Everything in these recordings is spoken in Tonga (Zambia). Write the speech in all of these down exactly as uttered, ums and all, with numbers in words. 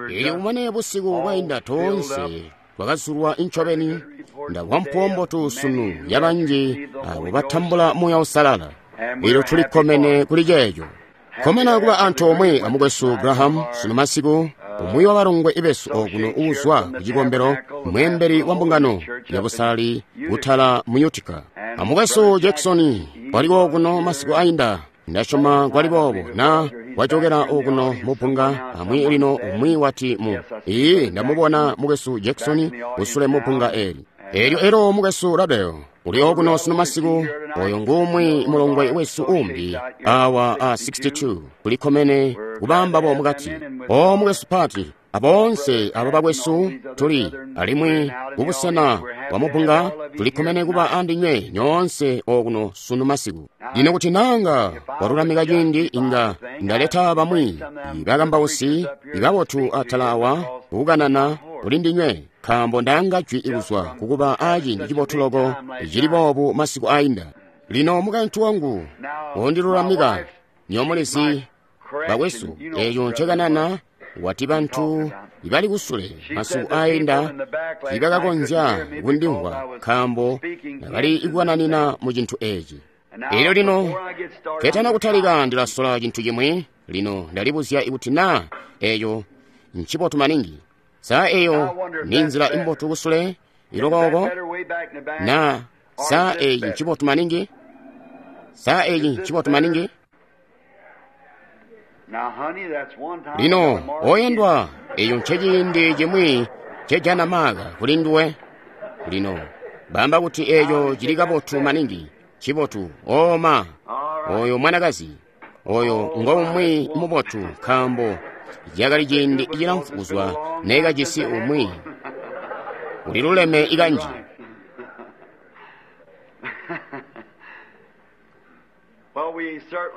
Elyo kumane busiku bwainda toonse twakazulwa incobeni ndamvwa mpuwo mbotu sunu yabanji abo batambula Muuya Uusalala. Elyo tulikkomene kuli ceeco. Kkomena kuba antoomwe amukwesu Graham sunu masiku, umwi wa balongwe besu okuno uuzwa ku cikombelo, mweembeli wa mbungano ya busalali kutala mu Utica. Amukwesu Jackson waliko okuno masiku ainda, ndasyoma kwali boobo na wajokera okuno mu bbunga amwi lino umwi wati mu iyi ndamubona mukwesu Jackson kusule mu bbunga eli. Elyo elo mukwesu Rabel uli okuno sunu masiku, oyo ngumwi mulongwe wesu umbi awa a sixty-two kulikkomene kubamba bo mukati. O mukwesu Pati, abonse abo bakwesu tuli alimwi kubusena bwa mubunga tulikkomene kuba andinywe nyoonse okuno sunu masiku. Lino kuti nanga walulamika ciindi inga ndaleta bamwi bakambausi ibabotu atala awa kukanana kuli ndinywe, nkaambo ndanga jwi ikuzwa kukuba aciindi cibotu loko cili boobu masiku ainda. Lino mukaintu wangu wondilulamika nyomulizi bakwesu eeco ncekanana wati bantu ibali kusule masiku ainda tiibakakonzya kundimvwa nkaambo nabali ikukananina mu cintu eeci. Elyo lino ketana kutalika ndilasola cintu cimwi. Lino ndalibuzya ikuti naa eeco ncibotu maningi. Saa eyo ni nzila imbotu kusule ilokoko na saa eyi ncibotu maningi? Saa eyi ncibotu maningi? Lino oyendwa eyo nceciindi cimwi cejana maka kuli nduwe. Lino bamba kuti eyo cili kabotu maningi, cibotu oma oyo mwanakazi oyo ngomwi mubotu nkaambo yakali ciindi cilamfu kuzwa nekajisi umwi uliluleme ikanji.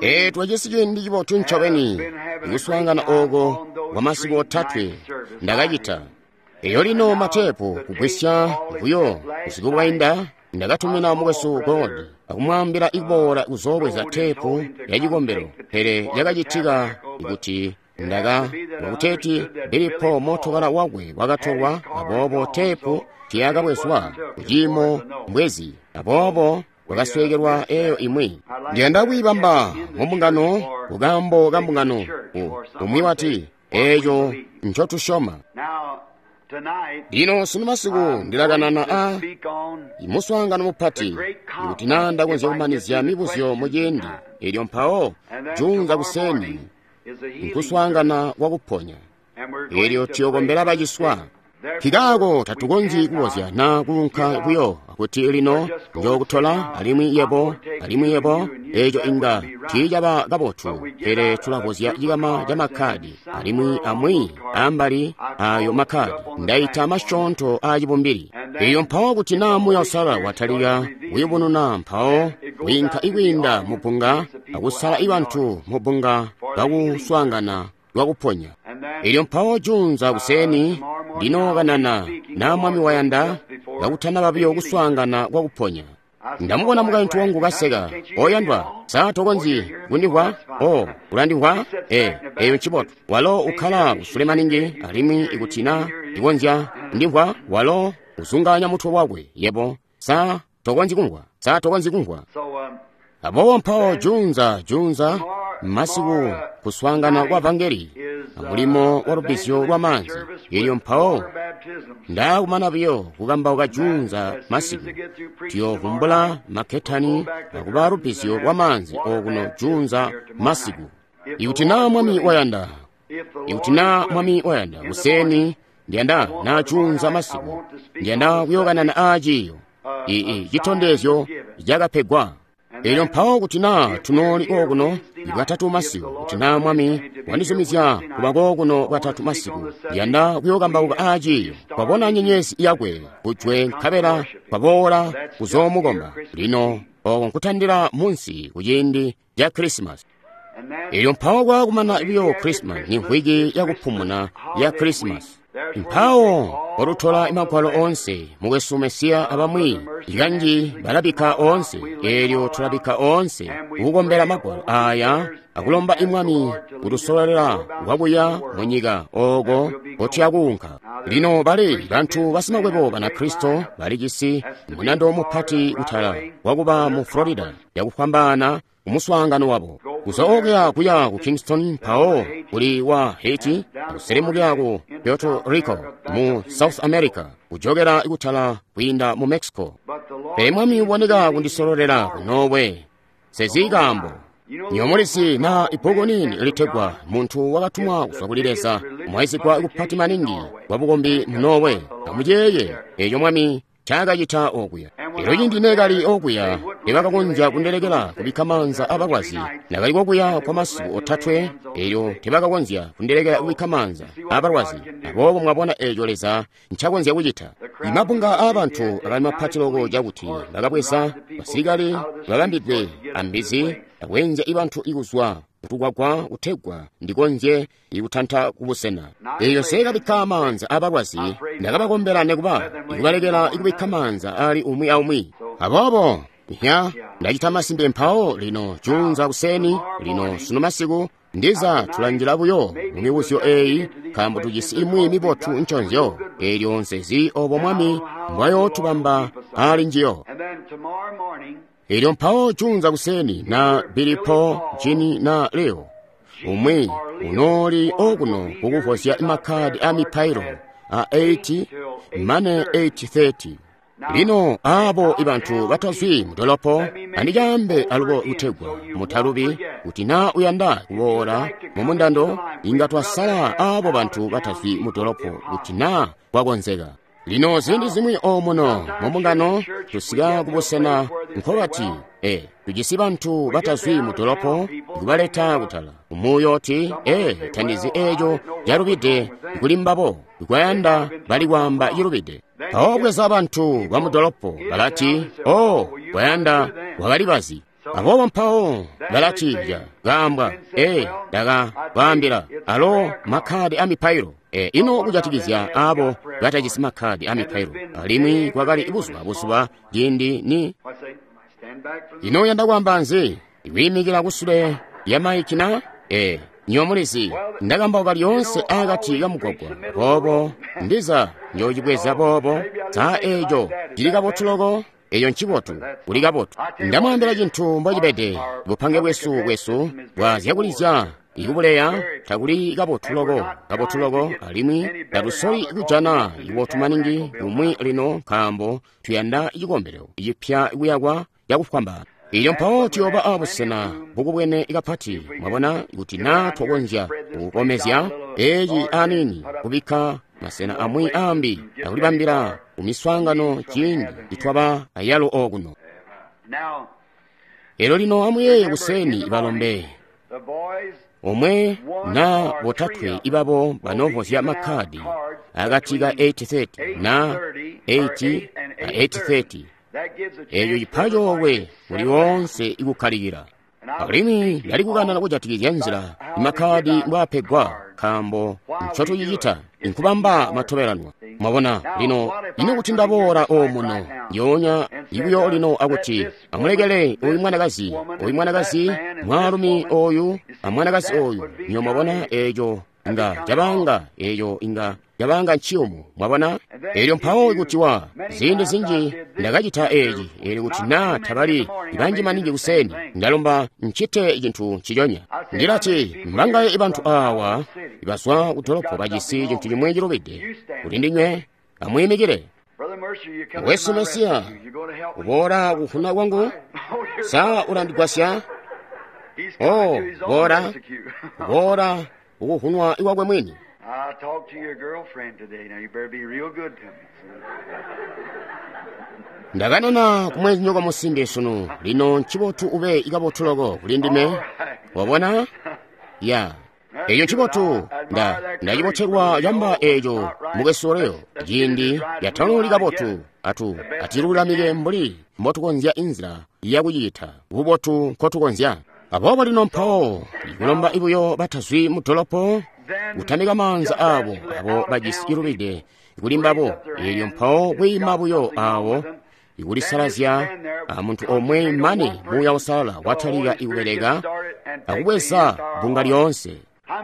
E twajisi ciindi cibotu ncobeni ikuswaangana oko kwa masiku otatwe ndakacita. Eyo lino matepu kugwisya buyo busiku bwainda ndakatumina mukwesu Gold akumwaambila ikuboola kuzoobweza tepu ya cikombelo, pele yakacitika kuti ndaka wakuteti Billy Paul motokala wakwe wakatolwa, aboobo tepu tiyakabwezwa kuciimo mbwezi, aboobo wakasweekelwa eyo imwi. Ndiyanda kuyibamba mu mbungano kukambo ka mbungano. Umwi wati eeco ncotusyoma. Lino sunu masiku ndilakanana a muswaangano mupati ikuti naa ndakonzya kumanizya mibuzyo mu ciindi. Elyo mpawo junza kuseni nkuswaangana kwa kuponya, elyo tuyokombela baciswa. Kikaako tatukonzyi kubozya na kuunka kuyo kuti lino njokutola alimwi yebo alimwi yebo eeco inga tiicaba kabotu, pele tulabozya cikama ca makkadi alimwi amwi ambali ayo makkadi ndaita masyoonto aacibumbili. Eyo mpawo kuti naa Muuya Uusalala watalika kuyubununa, mpawo wiinka ikwiinda mu bbunga akusala ibantu mu bbunga bakuswaangana lwakuponya. Elyo mpawo junza kuseni ndinokanana na Mwami wayanda kakutana biyo kuswaangana kwa kuponya. Ndamubona mukaintu wangu kaseka, oyandwa, saa tokonzyi kundimvwa? O, ulandimvwa? E, eyo ncibotu. Walo ukkala kusule maningi alimwi ikuti na ndikonzya ndimvwa, walo uzunganya mutwe wakwe. Yebo, saa tokonzyi kumvwa, saa tokonzyi kumvwa. Aboobo mpawo junza junza masiku kuswaangana kwa vangeli mulimo wa lubbizyo lwa maanzi. Elyo mpawo ndakumana biyo kukambauka junza masiku tuyovumbula makketani akuba lubbizyo lwa maanzi okuno junza masiku. Ikuti naa Mwami wayanda, ikuti naa Mwami wayanda kuseni ndiyanda na junza masiku ndiyanda kuyokanana aaciyo ii citondezyo cakapegwa. Elyo mpawo kuti naa tunooli okuno bwatatu masiku, kuti naa Mwami wandizumizya kuba kokuno bwatatu masiku, ndiyanda kuyokambauka aaciyo. Twabona nyenyezi yakwe kujwe nkabela twaboola kuzoomukomba. Lino oko nkutandila munsi kuciindi ca Krisimasi. Elyo mpawo kwakumana biyo Krisimasi ni mvwiki yakupumuna ya Krisimasi. Mpawo kotutola magwalo oonse, mukwesu Mesiya abamwi kanji balabikka oonse, eelyo tulabikka oonse kukukombela magwalo aya akulomba imwami kutusololela kwakuya munyika ooko kotuyakuunka. Lino bali bantu basimakwebo Banakristo balijisi munando mupati kutala wakuba mu Florida yakufwambaana kumuswaangano wabo. Kuzwa okuya kuya ku Kingston, mpawo kuli wa Haiti, kuselemukira ku Puerto Rico mu South America, kujokera kutala kwiinda mu Mexico. Pele Mwami uboneka kundisololela ku Norway. Sezi kaambo. Nyomulizi na ibbuku nini litegwa Muntu Wakatumwa Kuzwa Kuli Leza, mwaisigwa kupati maningi kwa bukombi mu Norway. Amuyeeye eco Mwami ncaakacita okuya. Elyo cindi neekali okuya, tebakakonzya kundelekela kubikka maanza abalwazi. Nakali kokuya kwa masiku otatwe, elyo tebakakonzya kundelekela kubikka maanza abalwazi. Aboobo mwabona eco Leza ncakonzya kucita. Imabunga aabantu akali mapati loko cakuti bakabweza basilikali babambidwe ambizi akweenzya ibantu ikuzwa kutukwakwa kutegwa ndikonzye ikutanta kubusena. Eyo seekabikka maanza abalwazi, ndakabakombela nekuba ikubalekela ikubikka maanza ali umwi aumwi. Aboobo nya ndacita masimpe mpawo lino juunza kuseni, lino sunu masiku ndiza tulanjila buyo mu mibuzyo eyi, nkaambo tujisi imwi mibotu nconzyo, eelyo nsezi obo Mwami mbwayootubamba ali njiyo. Elyo mpawo juunza kuseni na Billy Paul, Jimmy na Leo, umwi unooli okuno kukuvozya makhadi a mipailo a eight mane eight thirty. Lino abo ibantu batazwi mudolopo andicaambe alubo kutegwa mutalubi kuti na uyanda kuboola mumundando inga twasala abo bantu batazwi mudolopo kuti na kwakonzeka. Lino ziindi zimwi omuno mumbungano tusika kubusena nkobati e tujisi bantu batazwi mudolopo kubaleta kutala umuyoti e tandizi eco calubide kuli mbabo kwayanda bali kwaamba cilubide. Mpawo bweza bantu bamudolopo balati o kwayanda wakali bazi. Aboobo mpawo balati kaambwa e ndaka kwaambila alo makhadi a mipailo. E, ino kujatikizya abo batajisi makhadi a mipailo, alimwi kwakali buzuba buzuba ciindi ni ino yanda kwaamba nzi ikuyimikila kusule lya maiki na e nyomulizi ndakambauka lyoonse akati kamugwagwa boobo ndiza njoocibweza boobo saa eco cili kabotu loko. Eyo ncibotu, kuli kabotu. Ndamwaambila cintu mbocibede, bupange bwesu bwesu bwa zyakulizya ikubuleya takuli kabotu loko, kabotu loko, alimwi tatusoli kujana ibotu maningi kumwi lino nkaambo tuyanda cikombelo cipya kuyakwa cakufwambaana. Ilyo mpawo tuyooba abusena bukubwene kapati, mwabona, kuti na twakonzya kukomezya eci aniini kubikka masena amwi ambi akulibambila kumiswaangano ciindi nitwaba ayalo okuno. Elyo lino amuyeeye kuseni balombe omwe na botatwe ibabo banovozya makhadi akati ka eight thirty na eight na eight thirty. Eyo cipa coolwe kuli woonse ikukkalikila. Alimwi ndali kukanana kujatikizya nzila imakhadi mbwaapegwa, nkaambo ncotucicita nkubamba matobelanwa. Mwabona lino, ino kuti ndaboola omuno ndyoonya ibuyo lino akuti amulekele oyu mwanakazi, oyu mwanakazi, mwaalumi oyu amwanakazi oyu, nyo mwabona eco inga cabanga, eco inga cabanga nciyumu, mwabona. Elyo mpawo kuti wa ziindi zinji ndakacita eci, elyo kuti na tabali banji maningi kuseni, ndalomba ncite cintu nciconya. Ndilati mbangaye ibantu awa ibazwa kudolopo bajisi cintu cimwe cilubide kuti ndinywe amuyimikile. Wesu Mesiya, uboola kufuna kwangu? Sa ulandigwasya? Oh, boola, boola ukuhunwa iwakwe mwini. I talked to your girlfriend today. Now you better be real good to me. Ndakanena kumwenzinyoko musimbi sunu, lino ncibotu ube ikabotu loko kuli ndime. Wabona? Ya. Eyo ncibotu, nda ndacibotelwa camba eco mukwesu Leo, ciindi yatanuli kabotu atu atilulamike mbuli mbotukonzya inzila yakucita bubotu nkotukonzya. Aboobo lino mpawo ikulomba ibuyo batazwi mu dolopo kutamika maanza abo abo bajisi ilubide kuli mbabo, elyo mpawo kwiima buyo awo ikulisalazya a muntu omwe mane Muuya Uusalala watalika ikubeleka akubweza bbunga lyoonse.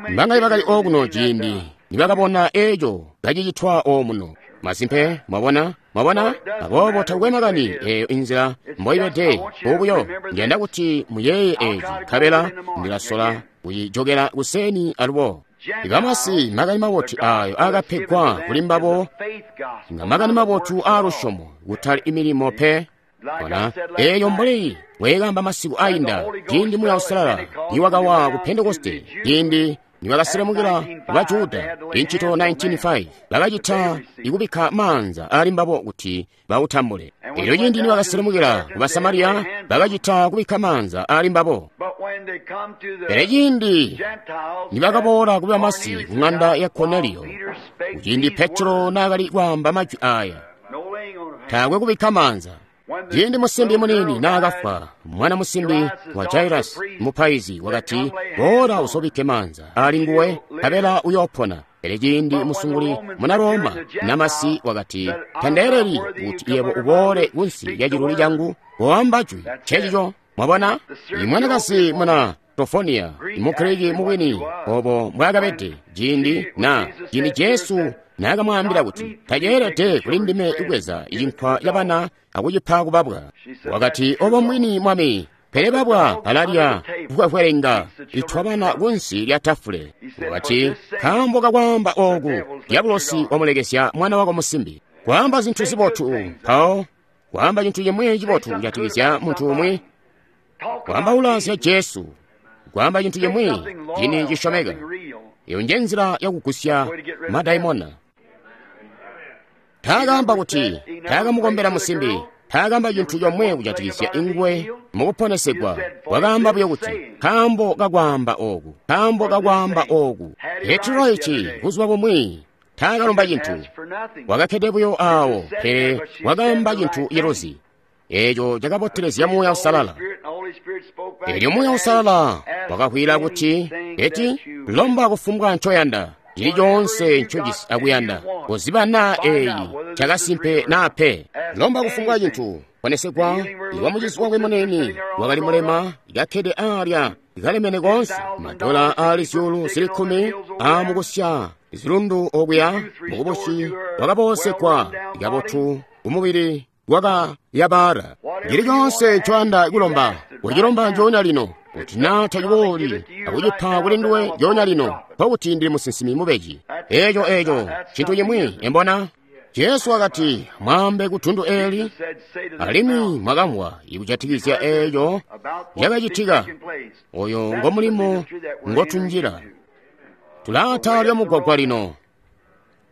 Mbangaye bakali okuno ciindi nibakabona eco kacicitwa omuno? Masimpe, mwabona, mwabona? Aboobo takukwe makani eyo inzila mboibede bubuyo. Ndiyanda kuti muyeeye eci, nkabela ndilasola kuyijokela kuseni alubo. Ibamasi makani mabotu ayo akapegwa kuli mbabo nga makani mabotu a lusyomo, kutali imilimo pe. Bona eyo mbuli bwekamba masiku ainda, ciindi Muuya Uusalala niwakawa ku Pentekoste, ciindi nibakaselemukila ba Juda incito nineteen five, bakacita ikubikka maanza ali mbabo kuti bautambule. Elyo ciindi nibakaselemukila ku Basamariya, bakacita kubikka maanza ali mbabo. Pele ciindi nibakaboola ku bamasi ku ng'anda ya Korneliyo, kuciindi Petro naakali kwaamba majwi aya, taakwe kubikka maanza. Ciindi musimbi muniini naakafwa, mwana musimbi wa Jairasi mupaizi wakati, "Boola usobikke maanza ali nguwe, nkabela uyoopona." Pele ciindi musunguli muna Roma namasi wakati, "Tandeeleli kuti yebo uboole kunsi lya ciluli cangu, koamba jwi." Ncecico, mwabona? Imwanakazi muna Tofoniya, Mugiriki mubwini obo mbwaakabede ciindi na ciindi Jesu naakamwaambila kuti, "Taceelede kuli ndime kubweza cinkwa ca bana akucipa kubabwa." Wakati, "Obo mwini, Mwami, pele babwa balalya kukwekwelenga itwa bana kunsi lya tafule." Wakati, "Nkaambo kakwaamba ooku, dyabulosi wamulekesya mwana wako musimbi." Kwaamba zintu zibotu, mpawo kwaamba cintu cimwi cibotu kujatikizya muntu umwi, kwaambaula zya Jesu, kwaamba cintu cimwi cini cisyomeka. Iyo nje nzila yakugusya madaimona. Taakamba kuti taakamukombela musimbi, taakamba cintu comwe kujatikizya ingwe mukuponesegwa. Wakaamba buyo kuti, "Nkaambo kakwaamba ooku, nkaambo kakwaamba ooku." Petro ici buzuba bumwi taakalomba cintu, wakakkede buyo aawo, pele wakaamba cintu ciluzi. Eeco cakabotelezya Muuya Uusalala. Elyo Muuya Uusalala wakakwila kuti, "Eti, lomba kufumbwa ncoyanda, cili coonse ncojisi akuyanda, kuziba naa eeyi cakasimpe naa pe. Lomba kufumbwa cintu." Ponesegwa iwa mucizi wakwe munene wakali mulema, kakkede aalya kalemene koonse, madola aali zyuulu zili kkumi aamukusya zilundu okuya mukubusi, wakaboosegwa kabotu kumubili wakayabala. Cili coonse ncoyanda kulomba, kucilomba njoonya lino. Kuti naa tacibooli akucipa kuli nduwe njoonya lino, nkokuti ndili musinsimi mubeji. Eeco eeco cintu cimwi, embona? Jesu wakati, "Mwaambe ku tundu eeli," alimwi mwakamvwa ikujatikizya eeco cakacitika. Oyo ngo mulimo ngotunjila. Tulaata lya mugwagwa lino,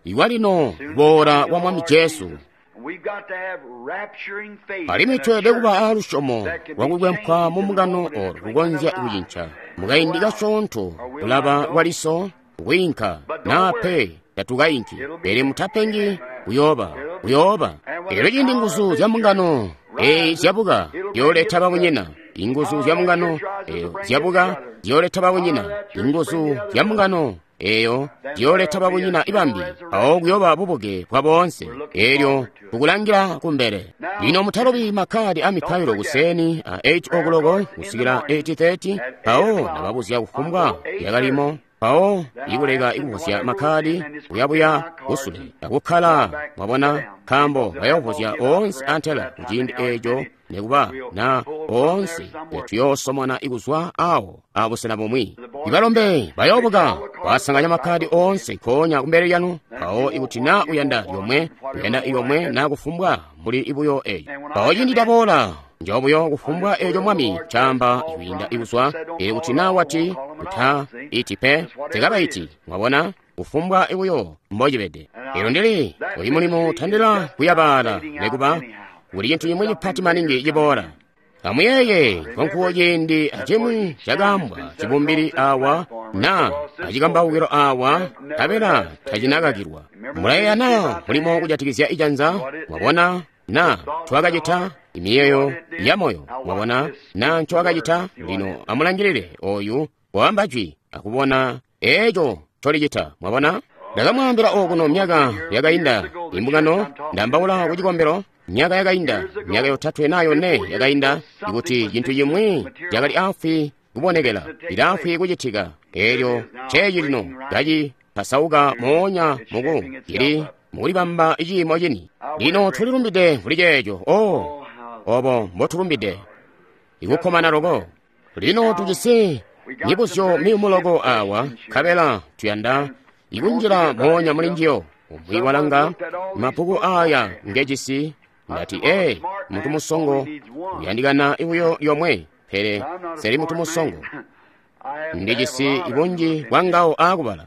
iwa lino kuboola kwa Mwami Jesu. Alimwi tweelede kuba aalusyomo lwakukwempwa mu mbungano olo lukonzya kucinca mukaindi kasyoonto, kulaba kwaliso, kwiinka naa pe tatukayinki, pele mutapengi, kuyooba kuyooba. Elyo ciindi nguzu zya mbungano eyi zyabuka, zyooleta babunyina. Inguzu zya mbungano eyo zyabuka, zyooleta babunyina. Inguzu zya mbungano eyo zyooleta babunyina ibambi, awo kuyooba bubuke bwa boonse. Elyo tukulangila kumbele. Lino mutalobi makkadi a mipailo kuseni a eight o'clock kusikila eight thirty, mpawo nababuzya kufumbwa yakalimo, mpawo ikuleka ikuvuzya makkadi kuyabuya kusule akukkala, mwabona, nkaambo bayovuzya oonse antela kuciindi eco, nekuba na oonse tuyoosomona ikuzwa awo abusena bumwi. Ibalombe bayoobuka kwasanganya makkadi oonse nkoonya kumbele lyanu, mpawo ikuti naa uyanda yomwe, uyanda yomwe naa kufumbwa mbuli ibuyo eyo. Mpawo ciindi taboola njobuyo kufumbwa eco Mwami caamba ikwiinda ikuzwa, pele kuti naa wati kuta iti pe, tekabaiti, mwabona, kufumbwa ibuyo mbocibede. Elyo ndili uli mulimo tandila kuyabaala, nekuba kuli cintu cimwi cipati maningi ciboola. Amuyeeye nkonkuwo ciindi acimwi cakaambwa cibumbili awa na acikambaukilo awa, nkabela tacinakakilwa. Mulayeeya naa mulimo kujatikizya icanza, mwabona Na twakacita imiyeyo ya moyo, mwabona, na ncowakacita. Lino amulangilile oyu waamba jwi akubona eco ncolicita, mwabona. Ndakamwaambila okuno myaka yakainda, imbungano, ndambaula ku cikombelo, myaka yakainda, myaka yotatwe na yone yakainda, ikuti cintu cimwi cakali afwi kubonekela, ilaafwi kucitika. Elyo ceeci lino kaci pasauka moonya muku cili mukulibamba ciimo cini. Lino tulilumbide kuli ceeco. Oh, obo mbotulumbide, ikukkomana loko. Lino tujisi mibuzyo miyumu loko awa, nkabela tuyanda ikunjila moonya muli njiyo. Umwi walanga mabbuku aya ngejisi, ndati, ee, mutu musongo uyandikana ibuyo yomwe, pele seli mutu musongo, ndijisi ibunji bwa ngawo aakubala.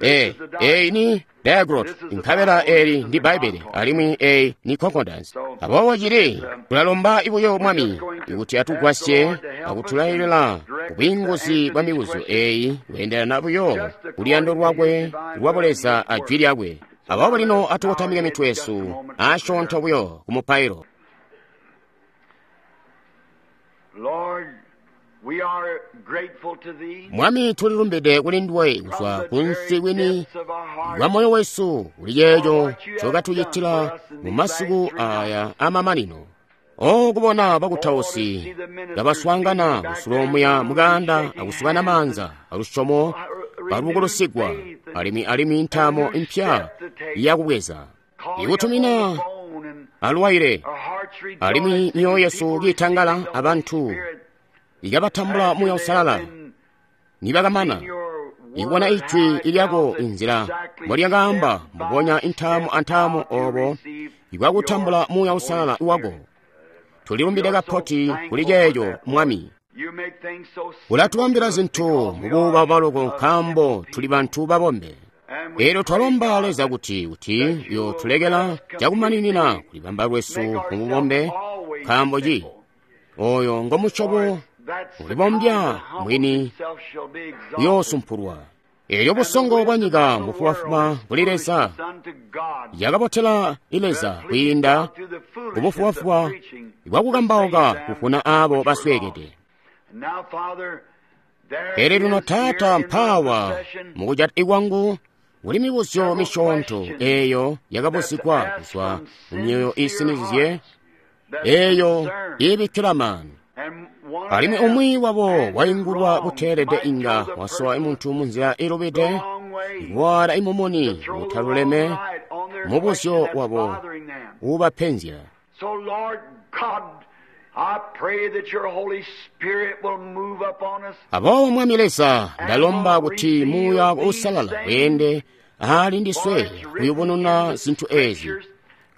Ee, eyi ni diaglot, nkabela eli ndi Bbaibbele, alimwi eyi ni concordance. Aboobo cili tulalomba ibuyo Mwami ikuti atugwasye akutulailila kubwiinguzi bwa mibuzyo eyi kweendelana buyo kuluyando lwakwe lwa Buleza a jwi lyakwe. Aboobo lino atukotamike mitwe yesu asyoonto buyo ku mupailo. Mwami, tulilumbide kuli nduwe kuzwa kunsi kwini kwa moyo wesu kuli ceeco ncokatucitila mu masiku aya amamanino. O kubona bakutausi kabaswaangana kusulomuya mukanda akusukana maanza alusyomo balukulusigwa, alimwi alimwi ntaamo impya yakubweza ikutumina alwaile, alimwi myoyo yesu kiitangala abantu ikabatambula Muuya Uusalala nibakamana ikubona ijwi ilyako inzila mbolyakaamba mbubonya intaamu antaamu obo ikwakutambula Muuya Uusalala wako. Tulilumbide kapoti kuli ceeco, Mwami. Ulatubambila zintu mubuuba baloko nkaambo tuli bantu babombe. Elyo twalomba Leza kuti kuti uyotulekela cakumaninina kulibamba lwesu mububombe, nkaambo ci oyo ngomusyobo ulibombya mwini uyoosumpulwa. Elyo busongo bwa nyika mbufubafuba kuli Leza, yakabotela Leza kwiinda kubufubafuba bwakukambauka kufuna abo basweekede. Pele lino Taata, mpaawa mukujata kwangu kuli mibuzyo misyoonto eyo yakabuzigwa kuzwa mu myoyo iisinizye eyo iibikkila maanu. Alimwi umwi wabo waingulwa buteelede inga wasowa muntu munzila ilubide, ikuwaala imumuni utaluleme mubuzyo wabo uubapenzya. Aboobo Mwami Leza, ndalomba kuti Muuya Uusalala weende ali ndiswe kuyubununa zintu ezi,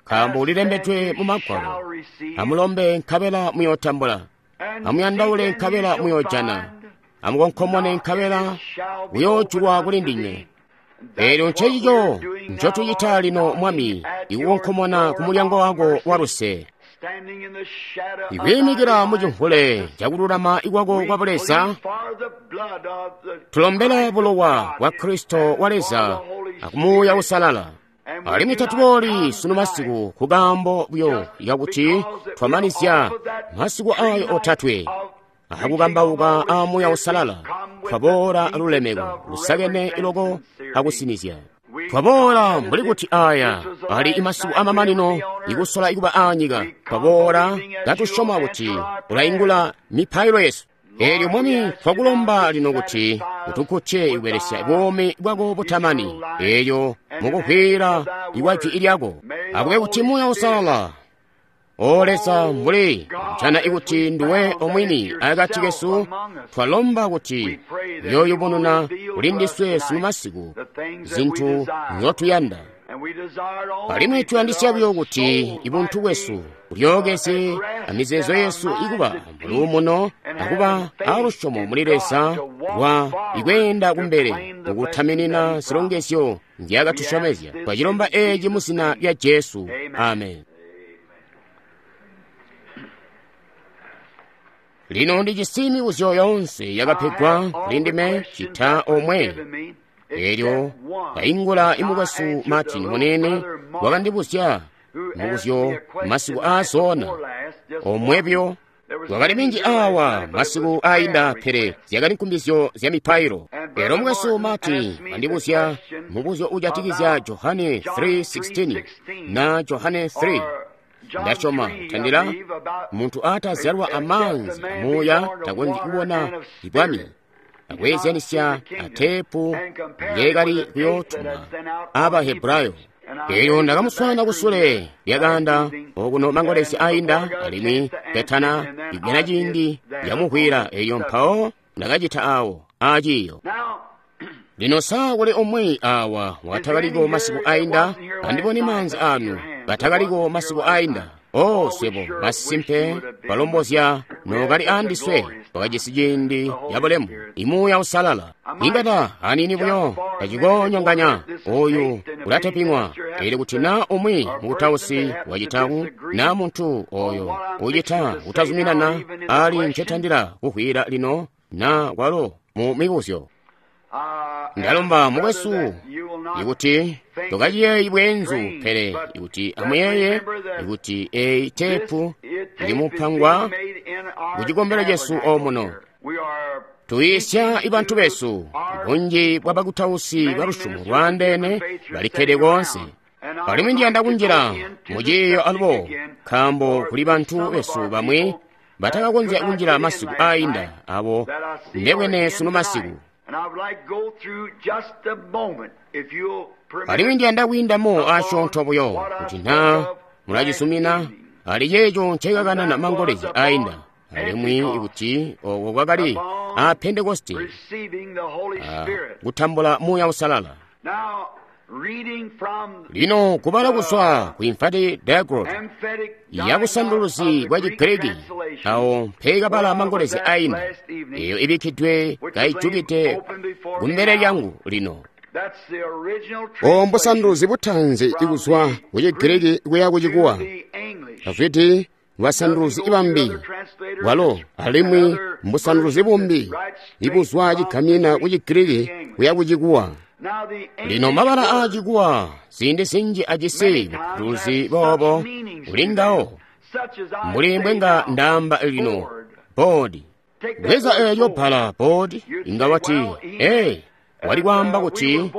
nkaambo ulilembedwe mu Magwalo. Amulombe nkabela muyootambula, amuyandaule nkabela muyoojana, amukonkomone nkabela kuyoojulwa kuli ndinywe. Elyo ncecico ncotucita lino, Mwami, ikukonkomona ku mulyango wako wa luse, ikwiimikila mu cimvule cakululama ikwako kwa Buleza. Tulombela bulowa bwa Kristo wa Leza akumuuya Uusalala. Alimwi tatubooli sunu masiku kukaambo buyo kakuti twamanizya masiku ayo otatwe akukambauka a Muuya Uusalala, twaboola lulemeko lusakene iloko akusinizya. Twaboola mbuli kuti aya ali imasiku amamanino ikusola ikuba aanyika. Twaboola katusyoma kuti ulaingula mipailo yesu. Elyo Mwami, twakulomba lino kuti utukkutye ikubelesya buumi bwako butamani, elyo mukuvwiila ikwa jwi lyako. Akube kuti Muuya Uusalala, O Leza, mbuli kujana ikuti nduwe omwini akati kesu, twalomba kuti uyooyubununa kuli ndiswe sunu masiku zintu nzotuyanda. Alimwi tuyandisya buyo kuti ibuntu bwesu bulyookezye amizeezo yesu ikuba muluumuno akuba alusyomo muli Leza lwa ikweenda kumbele mukutaminina zilongezyo nzyaakatusyomezya. Twacilomba eeci mu zina lya Jesu. Amen. Lino ndijisi mibuzyo yoonse yakapegwa kuli ndime cita omwe. Elyo kaingula imukwesu Martin munene wakandibuzya mubuzyo masiku aazoona omwebyo. Kwakali minji awa masiku ainda, pele zyakali nkumbizyo zya mipailo. Elo mukwesu Martin andibuzya mubuzyo ujatikizya Johane three sixteen na Johane three. Ndasyoma tandila muntu atazyalwa amaanzi amuuya takonzyi kubona ibwami, akweezyanisya ateepu ngeekali kuyootuma Abahebrayo. Elyo ndakamuswaana kusule lyakaanda okuno mangolesi ainda, alimwi petana igwena ciindi yamuhwila. Elyo mpawo ndakacita awo aciiyo. Lino saa kuli umwi awa watakaliko masiku ainda, andibone maanzi anu batakaliko masiku ainda. O swebo masimpe balombozya nokali andiswe wakajisi ciindi yabulemu imuuya usalala. Ingata anini buyo tacikonyonganya oyu ulateping'wa. Eli kuti na umwi mukutausi wacitaku na muntu oyo ucita kutazuminana ali ncetandila kuhwila lino na kwalo mu mibuzyo. Ndalomba mukwesu ikuti tokaciyeeyi bweenzu, pele ikuti amuyeeye ikuti eyi teepu ilimupangwa ku cikombelo cesu omuno. Tuyiisya ibantu besu, bunji bwa bakutausi ba lusyomo lwaandeene balikkede koonse. Alimwi ndiyanda kunjila mu ciiyo alubo, nkaambo kuli bantu besu bamwi batakakonzya kunjila masiku ainda abo ndebwene sunu masiku. Alimwi ndiyanda kwiindamo asyoonto buyo kuti na mulacizumina ali ceeco ncekakanana mangolezya ainda, alimwi ikuti oko kwakali a Pentekoste kutambula Muuya Usalala. Lino kubala kuzwa ku Emphatic Diaglott ya busanduluzi bwa Chigiriki awo mpekabala mangolezya ainda, eyo ibikkidwe kaijukide kumbele lyangu lino. Obo mbusanduluzi butaanzi ikuzwa ku Chigiriki kuya ku Chikuwa. Davidi basanduluzi bambi bwalo alimwi mbusanduluzi bumbi ibuzwa cigamina ku Chigiriki kuya ku Chikuwa. Lino mabala aa Chikuwa ziindi zinji ajisi bupanduluzi boobo kulingawo, mbuli mbwenga ndaamba lino boodi. Bweza eelyo bbala boodi, inga wati ee, wali kwaamba kuti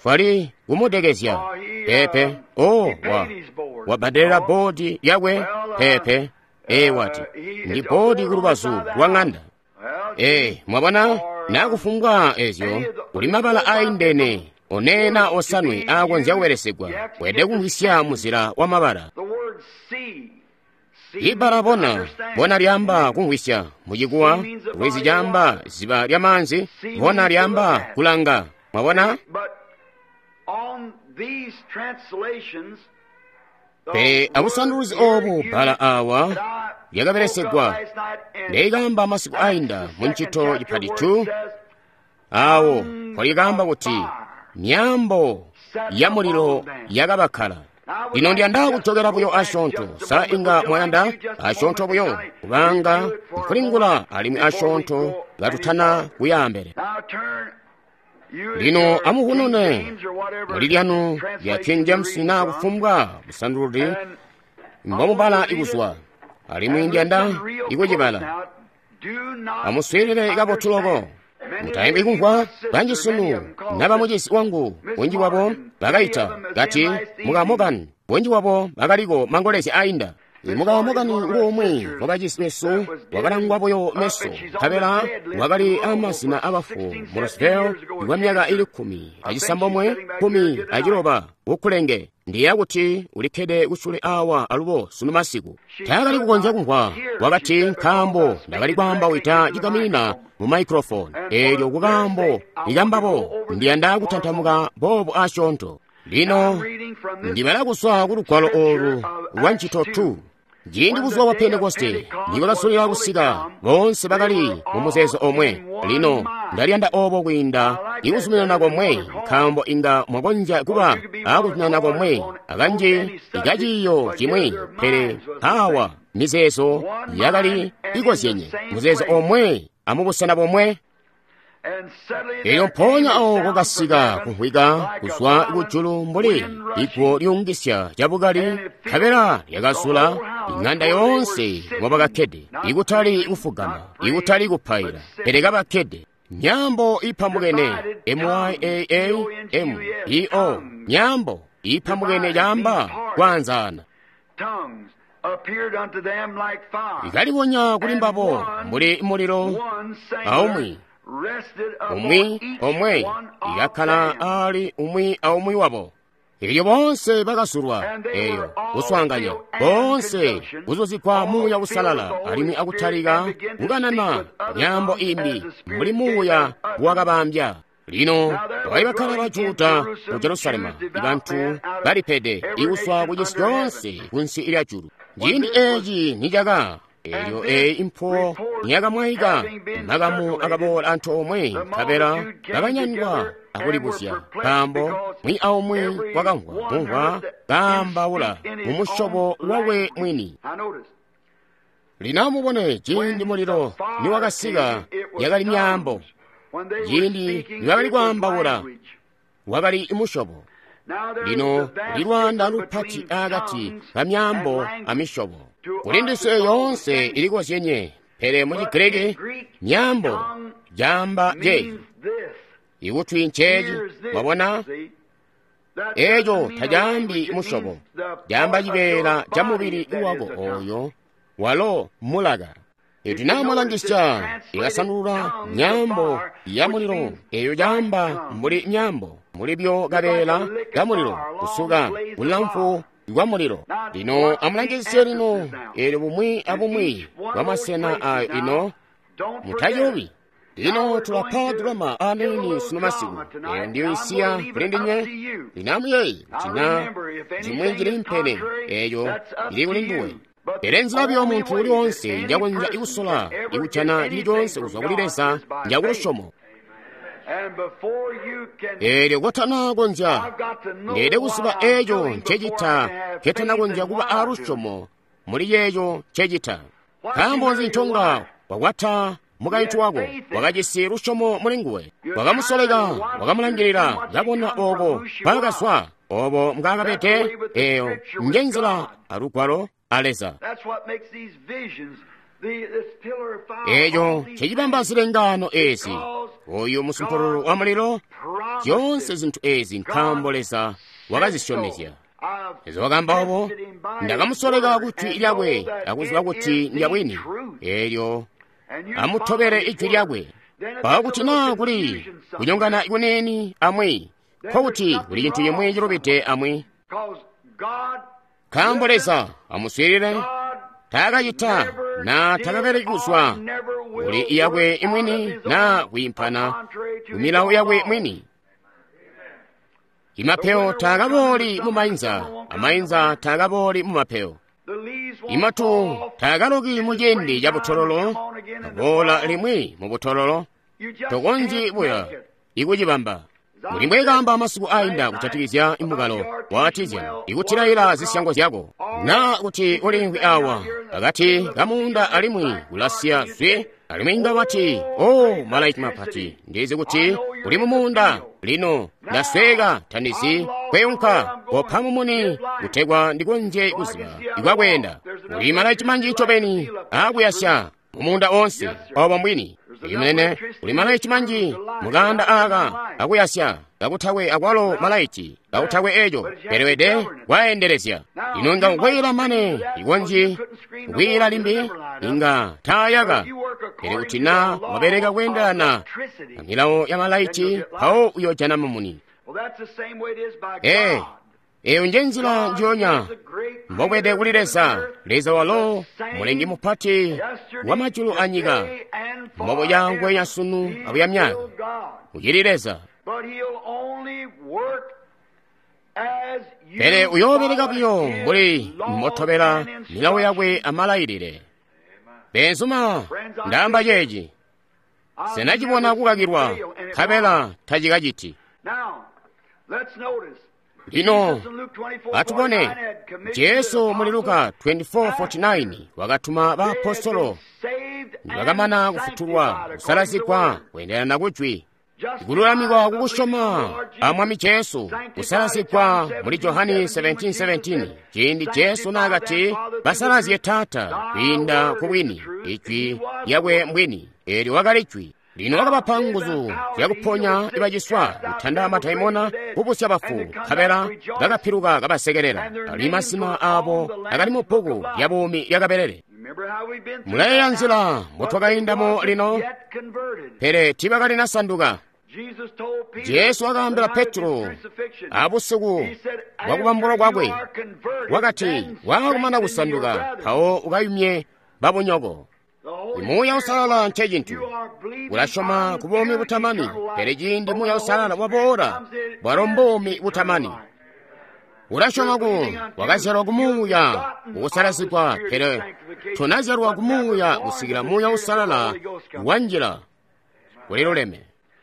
twali kumudekezya pepe. O wa wabbadelela boodi lyakwe pepe. Ee, wati ndi boodi kulubazu lwa ng'anda. Ee, mwabona nakufumbwa ezyo kuli mabala aindene onena osanwe aakonzya kubelesegwa kwede kumvwisya muzila wa mabala. Ibbala bona bona lyamba kumvwisya muchikuwa, lwizi lyamba ziba lya manzi, bona lyamba kulanga. Mwabona? Pele abusanduluzi obu bbala awa lyakabelesegwa ndeyikamba masiku ainda mu ntchito chipati two, awo polikamba kuti miyambo ya muliro yakabakhala. Lino ndiyanda kuchokera buyo asyoonto, sa inga mwayanda asyoonto buyo kubanga nkulingula alimwi asyoonto ngatutana kuyambele. Lino amuhunune muli lyanu lya King James na kufumbwa busanduluzi mbomubala ikuzwa, alimwi ndiyanda ikucibala. Amuswiilile kabotu loko. Mutayimbi kumvwa banji sunu naba mucisi wangu bunji bwabo bakayita kati mukamokani, bunji bwabo bakaliko mangolezya ainda. Mukamokani ngumwi wabacisi besu wakalangwa buyo meso, nkabela wakali amazina abafu mu Roseville kwa myaka ili kkumi acisambomwe kkumi aciloba kukulenge. Ndiya kuti ulikkede kusule awa alubo sunu masiku. Taakali kukonzya kumvwa, wakati nkaambo ndakali kwaamba wita cigaminina mu microphone. Eelyo kukaambo ikambabo ndiyanda kutantamuka boobu asyoonto. Lino ndibala kuzwa ku lugwalo olu lwa ntchito two. Ciindi buzuba bwa Pentekoste nibwakasulila kusika, boonse bakali mu muzeezo omwe. Lino ndaliyanda obo kwiinda ikuzuminana komwe, nkaambo inga mwakonzya kuba akuzuminana komwe akanji ikaciiyo cimwi, pele awa mizeezo yakali ikozyenye, muzeezo omwe amubusena bomwe. Elyo mpoonya awo kwakasika kumvwika kuzwa kujulu mbuli iguwo lyungisya cabukali, nkabela lyakazula ing'anda yoonse mobakakkede, ikutali kufugama, ikutali kupaila, pele kabakkede. Nyambo ipambukene M Y A A M E O, nyambo ipambukene caamba kwaanzaana. Ikalibonya kuli mbabo mbuli mulilo aumwi umwi omwe ikakkala ali umwi aumwi wabo. Elyo boonse bakazulwa eyo kuswaanganya, boonse kuzuzikwa Muuya Uusalala, alimwi akutalika kukanana myaambo imbi mbuli Muuya wakabambya. Lino bakali bakkala ba Juda mu Jerusalema, bantu balipede ikuzwa kucisi coonse kunsi lya julu. Ciindi eeci nicaka, elyo eyi impuwo niyakamwaika, makamu akaboola antoomwe, nkabela bakanyandwa akulibuzya, nkaambo mwi aumwi wakamvwa mumvwa kaambaula mumusyobo wakwe mwini. Lino amubone, ciindi mulilo niwakasika yakali myaambo, ciindi nibakali kwaambaula wakali musyobo. Lino kuli lwaanda lupati akati kamyaambo amisyobo. Kuli ndiswe yoonse ilikozyenye, pele mu Chigiriki myaambo caamba ceeci, ikutwi nceeci. Mwabona, eeco tacaambi musyobo, caamba cibeela ca mubili wako ooyo walo mulaka. Iti namulangisya ikasandulula myaambo ya mulilo, eyo caamba mbuli myaambo mulibyo kabeela ka mulilo kusuka bulamfu bwa mulilo. Lino amulangisye lino eelyo bumwi abumwi bwa masena ayo ino mutayobi. Lino tulapa drama aniini sunu masiku, eyo ndiyo isiya kuli ndinywe. Lino amuyeeye kuti na cimwi cili mpene, eyo ili kuli nduwe. Pele nzila buyo muntu uli wonse njakonzya ikusola ikujana cili conse kuzwa kuli Leza njakulusyomo. Eelyo kotana konzya, ndeede kuziba eeco ncecita ketana konzya kuba aalusyomo muli yeeco ncecita. Nkaambo nzi nconga wakwata mukaintu wako, wakajisi lusyomo muli nguwe, wakamusoleka, wakamulangilila, kabona ooko mpaakazwa, obo mbwaakabede. Eeyo njenzila alugwalo a Leza. Eeco ncecibamba zilengaano eezi, oyu musumpululu wa mulilo, zyoonse zintu eezi nkaambo Leza wakazisyomezya. Leza wakaamba obo, ndakamusoleka ku jwi lyakwe akuziba kuti ndyabwini. Eelyo amutobele ijwi lyakwe. Mpawo kuti naa kuli kunyongana kuniini amwi, nkokuti kuli cintu cimwi cilubide amwi. Nkaambo Leza amuswiilile, taakacita na takabeleki kuzwa kuli yakwe imwini na kwiimpana ku milawo yakwe mwini. Imapewo taakabooli mu mainza, amainza taakabooli mu mapewo. Imatu taakaloki mu ciindi ca butololo, aboola limwi mu butololo. Tokonzyi buya ikucibamba. Muli mbwekaamba masiku ainda kujatikizya imukalo wa Artesian ikutilaila zisyango zyako, na kuti ulimvwi awa pakati kamuunda alimwi kulasiya zwi, alimwi inga wati, o malaiti mapati, ndizi kuti uli mumuunda lino, ndasweka tandizi kweunka kopha mumuni kutegwa ndikonzye kuziba ikwakwenda. Kuli malaiti manji ncobeni akuyasya mumuunda onse, obo mbwini. Imunene kuli malaiti manji mukanda aka akuyasya kakutakwe akwalo malaiti kakutakwe eco, pele wede kwaendelezya. Ino inga kukwela mane ikonzyi kukwila limbi, inga taayaka. Pele kuti na wabeleka kweendelana na milawo ya malaiti, mpawo uyojana mumuni. Ee, eyo nje nzila njiyonya mbobwede kuli Leza. Leza walo mulengi mupati wa majulu a nyika, mbobo yangwe ya sunu abuya myaka, ucili Leza. Pele uyoobeleka buyo mbuli mbotobela milawo yakwe amalailile. Beenzuma, ndaamba ceeci, senacibona kukakilwa, nkabela tacikaciti. Lino atubone Jesu muli Luka twenty-four forty-nine wakatuma baapostolo Nibakamana kufutulwa, kusalazigwa kweendelana kujwi, kululamikwa kukusyoma a Mwami Jesu, kusalazigwa muli Johani seventeen seventeen, ciindi Jesu naakati basalazye Taata kwiinda ku bwini, ijwi lyakwe mbwini, eelyo wakali jwi. Lino wakabapa nguzu zyakuponya ibaciswa, kutanda madaimona, kubusya bafu, nkabela bakapiluka kabasekelela. Ali masina aabo akali mu bbuku lya buumi lya Kabelele. Mulayeeya nzila mbotwakaindamo lino, pele tiibakalinasanduka. Jesu wakaambila Petro abusiku bwakubambulwa kwakwe, wakati, waakumana kusanduka, mpawo ukayumye babunyoko. Muuya Uusalala ncecintu. Ulasyoma ku buumi butamani, pele ciindi Muuya Uusalala waboola, bwalo mbuumi butamani. Ulasyoma ku wakazyalwa ku Muuya kukusalazigwa, pele tonazyalwa ku Muuya kusikila Muuya Uusalala wanjila. Kuliluleme.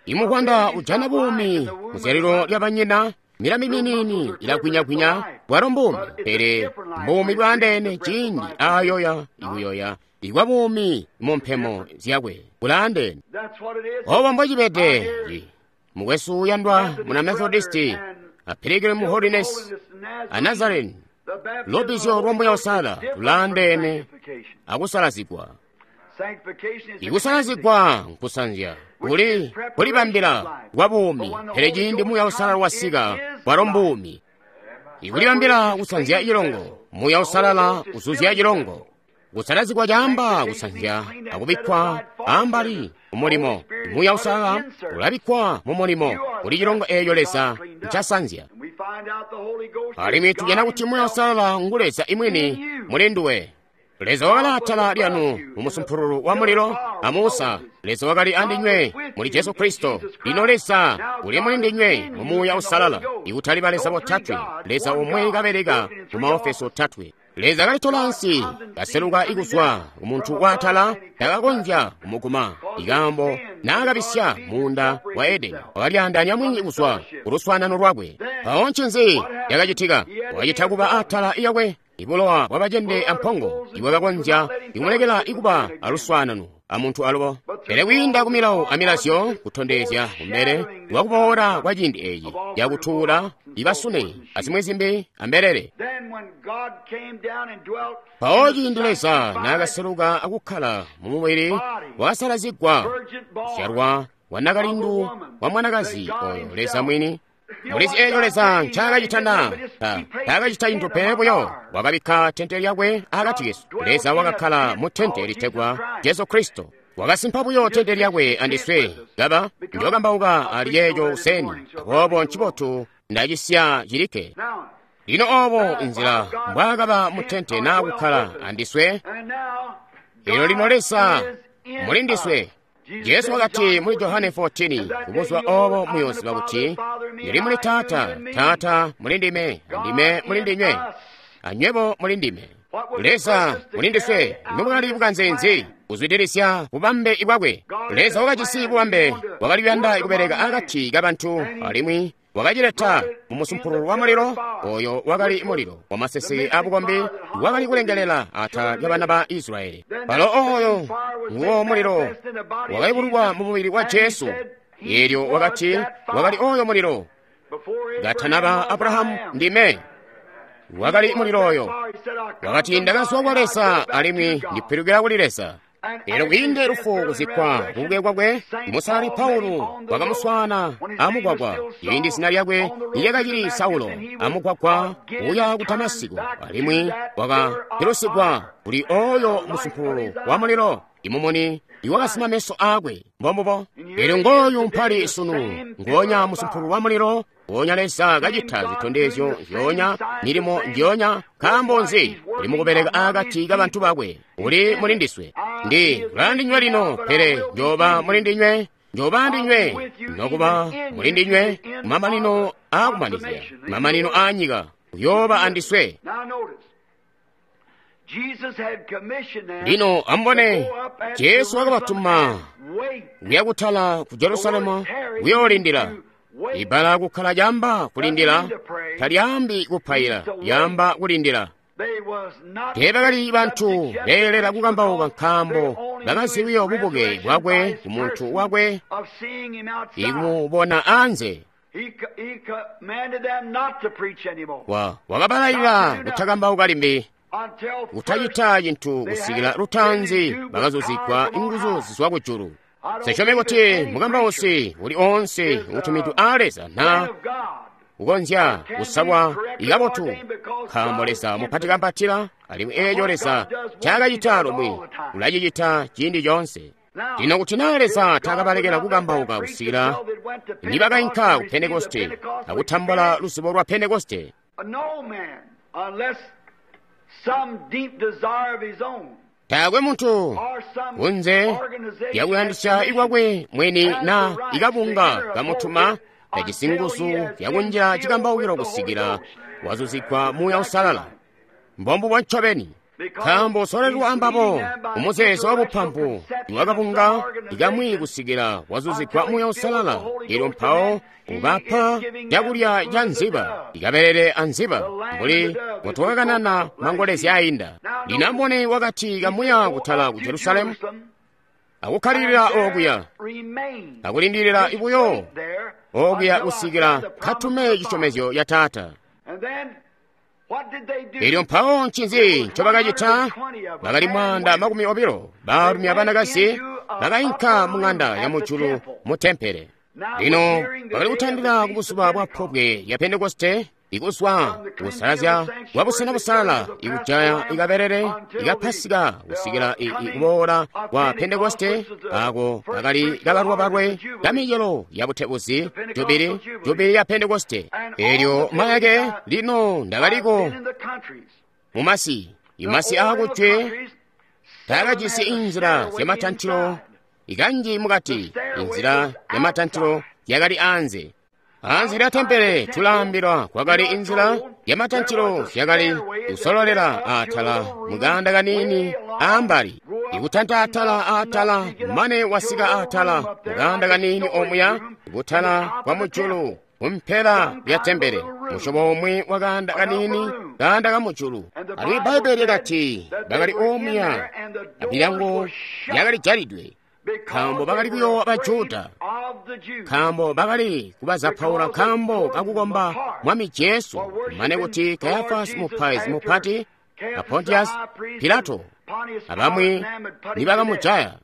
Imukwanda ujana buumi muzyalilo lya banyina, milami miniini ilagwinya-gwinya, bwalo mbuumi, pele mbuumi bwaandeene ciindi aayoya ikuyoya ikwa buumi mu mpemo zyakwe bulaandeene. Obo mbocibede. Mukwesu uyandwa muna Methodisti, a Pilgrim Holiness, a Nazarene, lubbizyo lwa Muuya Uusalala lulaandeene akusalazigwa. Ikusalazigwa nkusanzya, kuli kulibambila kwa buumi, pele ciindi Muuya Uusalala wasika, bwalo mbuumi. Ikulibambila kusanzya cilongo, Muuya Uusalala uzuzya cilongo. Kusalazigwa caamba kusanzya akubikkwa ambali mumulimo. Muuya Uusalala ulabikkwa mumulimo kuli cilongo eeco Leza ncasanzya. Alimwi tujana kuti Muuya Uusalala ngu Leza imwini muli nduwe. Leza wakali atala lyanu mu musumpululu wa mulilo a Musa. Leza wakali andinywe muli Jesu Kristo. Lino Leza uli muli ndinywe mu Muuya Uusalala. Ikutali ba Leza botatwe, Leza omwe kabeleka mu maofesi otatwe. Leza kalitola ansi, kaseluka ikuzwa kumuntu waatala, takakonzya kumuguma. Ikambo naakabisya muunda wa Edeni, wakalyaandaanya mwini kuzwa kuluswaanano lwakwe. Mpawo ncinzi cakacitika? Wakacita kuba atala iyakwe ibulowa bwabacende ampongo ibwakakonzya ikumulekela ikuba aluswaanano amuntu alubo. Pele kwiinda ku milawo amilazyo kutondezya kumbele lwakuboola kwa ciindi eeci yakutuula ibasune azimwi zimbi ambelele. Mpawo ciindi Leza naakaseluka akukkala mu mubili, wakasalazigwa kuzyalwa wa nakalindu wa mwanakazi oyo Leza mwini. Mulizi eeco Leza ncaakacita na? Taakacita cintu pele buyo wakabikka tente lyakwe akati kesu. Leza wakakkala mu tente litegwa Jesu Kristo. Wakasimpa buyo tente lyakwe andiswe kaba njookambauka ali yeeco kuseni. Aboobo ncibotu ndacisya cilikke. Lino oobo inzila mbwaakaba mu tente naa kukkala andiswe. Elyo lino Leza muli ndiswe. Jesu wakati muli Johane fourteen, kubuzuba oobo muyooziba kuti ndili muli Taata, Taata muli ndime, andime muli ndinywe, anywebo muli ndime. Leza muli ndiswe, nimwakali bukanze kuzwidilisya bubambe bwakwe. Leza wakajisi bubambe, wakali kuyanda kubeleka akati kabantu, alimwi wakacileta mu musumpululu wa mulilo, oyo wakali mulilo wamaseseke abukombi wakali kulengelela atala lya bana ba Israyeli. Palo oyo nguwo mulilo wakayubululwa mu mubili wa Jesu. Eelyo wakati wakali oyo mulilo katanaba Abrahamu ndime. Wakali mulilo oyo wakati ndakazwa kwa Leza alimwi ndipilukira kuli Leza. Eelyo kwiinde lufu kuzikkwa kubuke kwakwe, Musalali Paulo wakamuswaana amugwagwa ciindi zina lyakwe lyakacili Saulo, amugwagwa uya ku Damasiko, alimwi wakapilusigwa kuli oyo musumpululu wa mulilo imumuni iwakasima meso aakwe. Mbombubo. Eelyo ngooyu mpali sunu, ngoonya musumpululu wa mulilo, ngoonya Leza kacita zitondezyo nzyoonya, milimo ndyoonya. Nkaambo nzi? Uli mukubeleka akati kabantu bakwe, uli muli ndiswe. Ndi kulandinywe lino, pele njooba muli ndinywe, njooba ndinywe, nokuba muli ndinywe, kumamanino aakumanizya, mamanino aanyika, uyooba andiswe. Lino amubone, Jesu wakabatuma kuya kutala ku Jerusalemu kuyoolindila. Ibbala kukkala lyamba kulindila, talyaambi kupaila, lyamba kulindila. Teebakali bantu beelela kukambauka nkaambo bakazi buyo bubuke bwakwe ku muntu wakwe ikumubona anze. Wa wakabalayilila kutakambauka limbi, kutacita cintu kusikila lutaanzi bakazuzigwa inguzu zizwa kujulu. Sisyomi kuti mukambausi uli oonse utumidwe aa Leza na kukonzya kusalwa ikabotu, nkaambo Leza mupati kambatila, alimwi eeco Leza ncaakacita lumwi ulacicita ciindi coonse. Lino kuti naa Leza taakabalekela kukambauka kusikila nibakainka ku Pentekoste akutambula luzibo lwa Pentekoste, taakwe muntu kunze lyakuyandisya ikwakwe mwini na ikabunga kamutuma tajisi nguzu zyakunjila cikambaukilo kusikila wazuzigwa Muuya Uusalala. Mbombubo ncobeni, nkaambo usolelwa ambabo umuzeezo wabupampu iwakabunga ikamwi kusikila wazuzigwa Muuya Uusalala, elyo mpawo ubapa cakulya ca nziba ikabelele anziba mbuli mbutwakakanana mangolezya ainda. Lino ambone wakati kamuya kutala ku Jerusalemu akukkalilila okuya akulindilila ibuyo okuya kusikila katume cisyomezyo ya Taata. Elyo mpawo ncinzi ncobakacita? Bakali mwaanda makumi obilo baalumi abanakazi bakainka mu ng'anda ya mujulu mu tempele. Lino bakali kutandila ku buzuba bwa pobwe lya Pentekoste, ikuzwa kusalazya kwa busena busalala, ikujaya ikabelele ikapasika kusikila ikuboola kwa Pentekoste, ako kakali kabalwabalwe kamicelo ya butebuzi jubili jubili ya Pentekoste. Elyo mayake lino ndakaliko mumasi imasi aakujwe taakajisi inzila zyamatantilo ikanji mukati, inzila yamatantilo yakali anze. Anze lya tempele tulaambilwa kwakali inzila yamatantilo zyakali kusololela atala mukanda kaniini ambali, ikutanta atala atala mane wasika atala mukanda kaniini omuya kutala kwa mujulu kumpela lya tempele, musyobo umwi wa kanda kaniini kanda kamujulu. Alimwi Bbaibele lyakati bakali omuya amilyango yakali jalidwe, nkaambo bakali kuyoowa Bajuda, nkaambo bakali kubazapaula nkaambo kakukomba Mwami Jesu, mane kuti Kayafasi mupaizi mupati a Pontius Pilato abamwi nibakamujaya.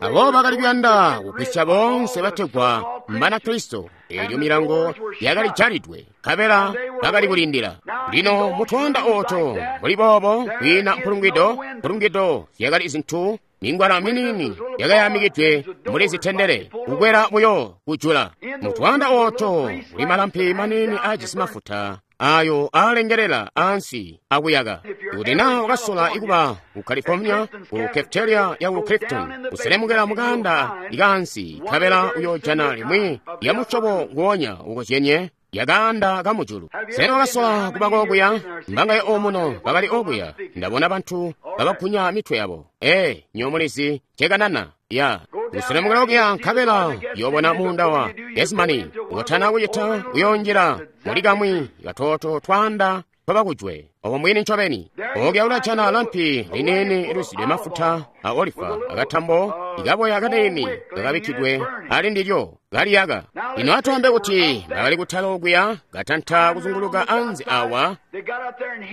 Abo bakali kuyanda kugwisya boonse bategwa Mbanakristo. Elyo milango yakali jalidwe, nkabela bakali kulindila. Lino mutwaanda ooto mbuli boobo kwiina mpulungwido, mpulungwido zyakali zintu mingwala miniini yakayamikidwe muli zitendele kukwela buyo kujula. Mutwaanda ooto kuli malampi maniini aajisi mafuta ayo aalengelela ansi akuyaka. Kuti naa wakasola ikuba ku California ku cafeteria ya ku Clifton, kuselemukela mukanda ikaansi nkabela uyoojana limwi lya musyobo nguonya ukozyenye yakaanda kamujulu. Sena wakasola kuba kokuya? Mbangaye omuno bakali okuya. Ndabona bantu babagunya mitwe yabo. Ee, nyomulizi cekanana ya kuselemukela okuya nkabela yobona muunda wa Getsemani. Ukotana kucita uyoonjila muli kamwi katoto twaanda twabakujwe. Obo mbwini ncobeni. Okuya ulajana lampi liniini lizwide mafuta a olifa akatambo ikaboya kaniini kakabikkidwe ali ndilyo kaliyaka. Lino atwaambe kuti bakali kutala okuya katanta kuzunguluka anze awa,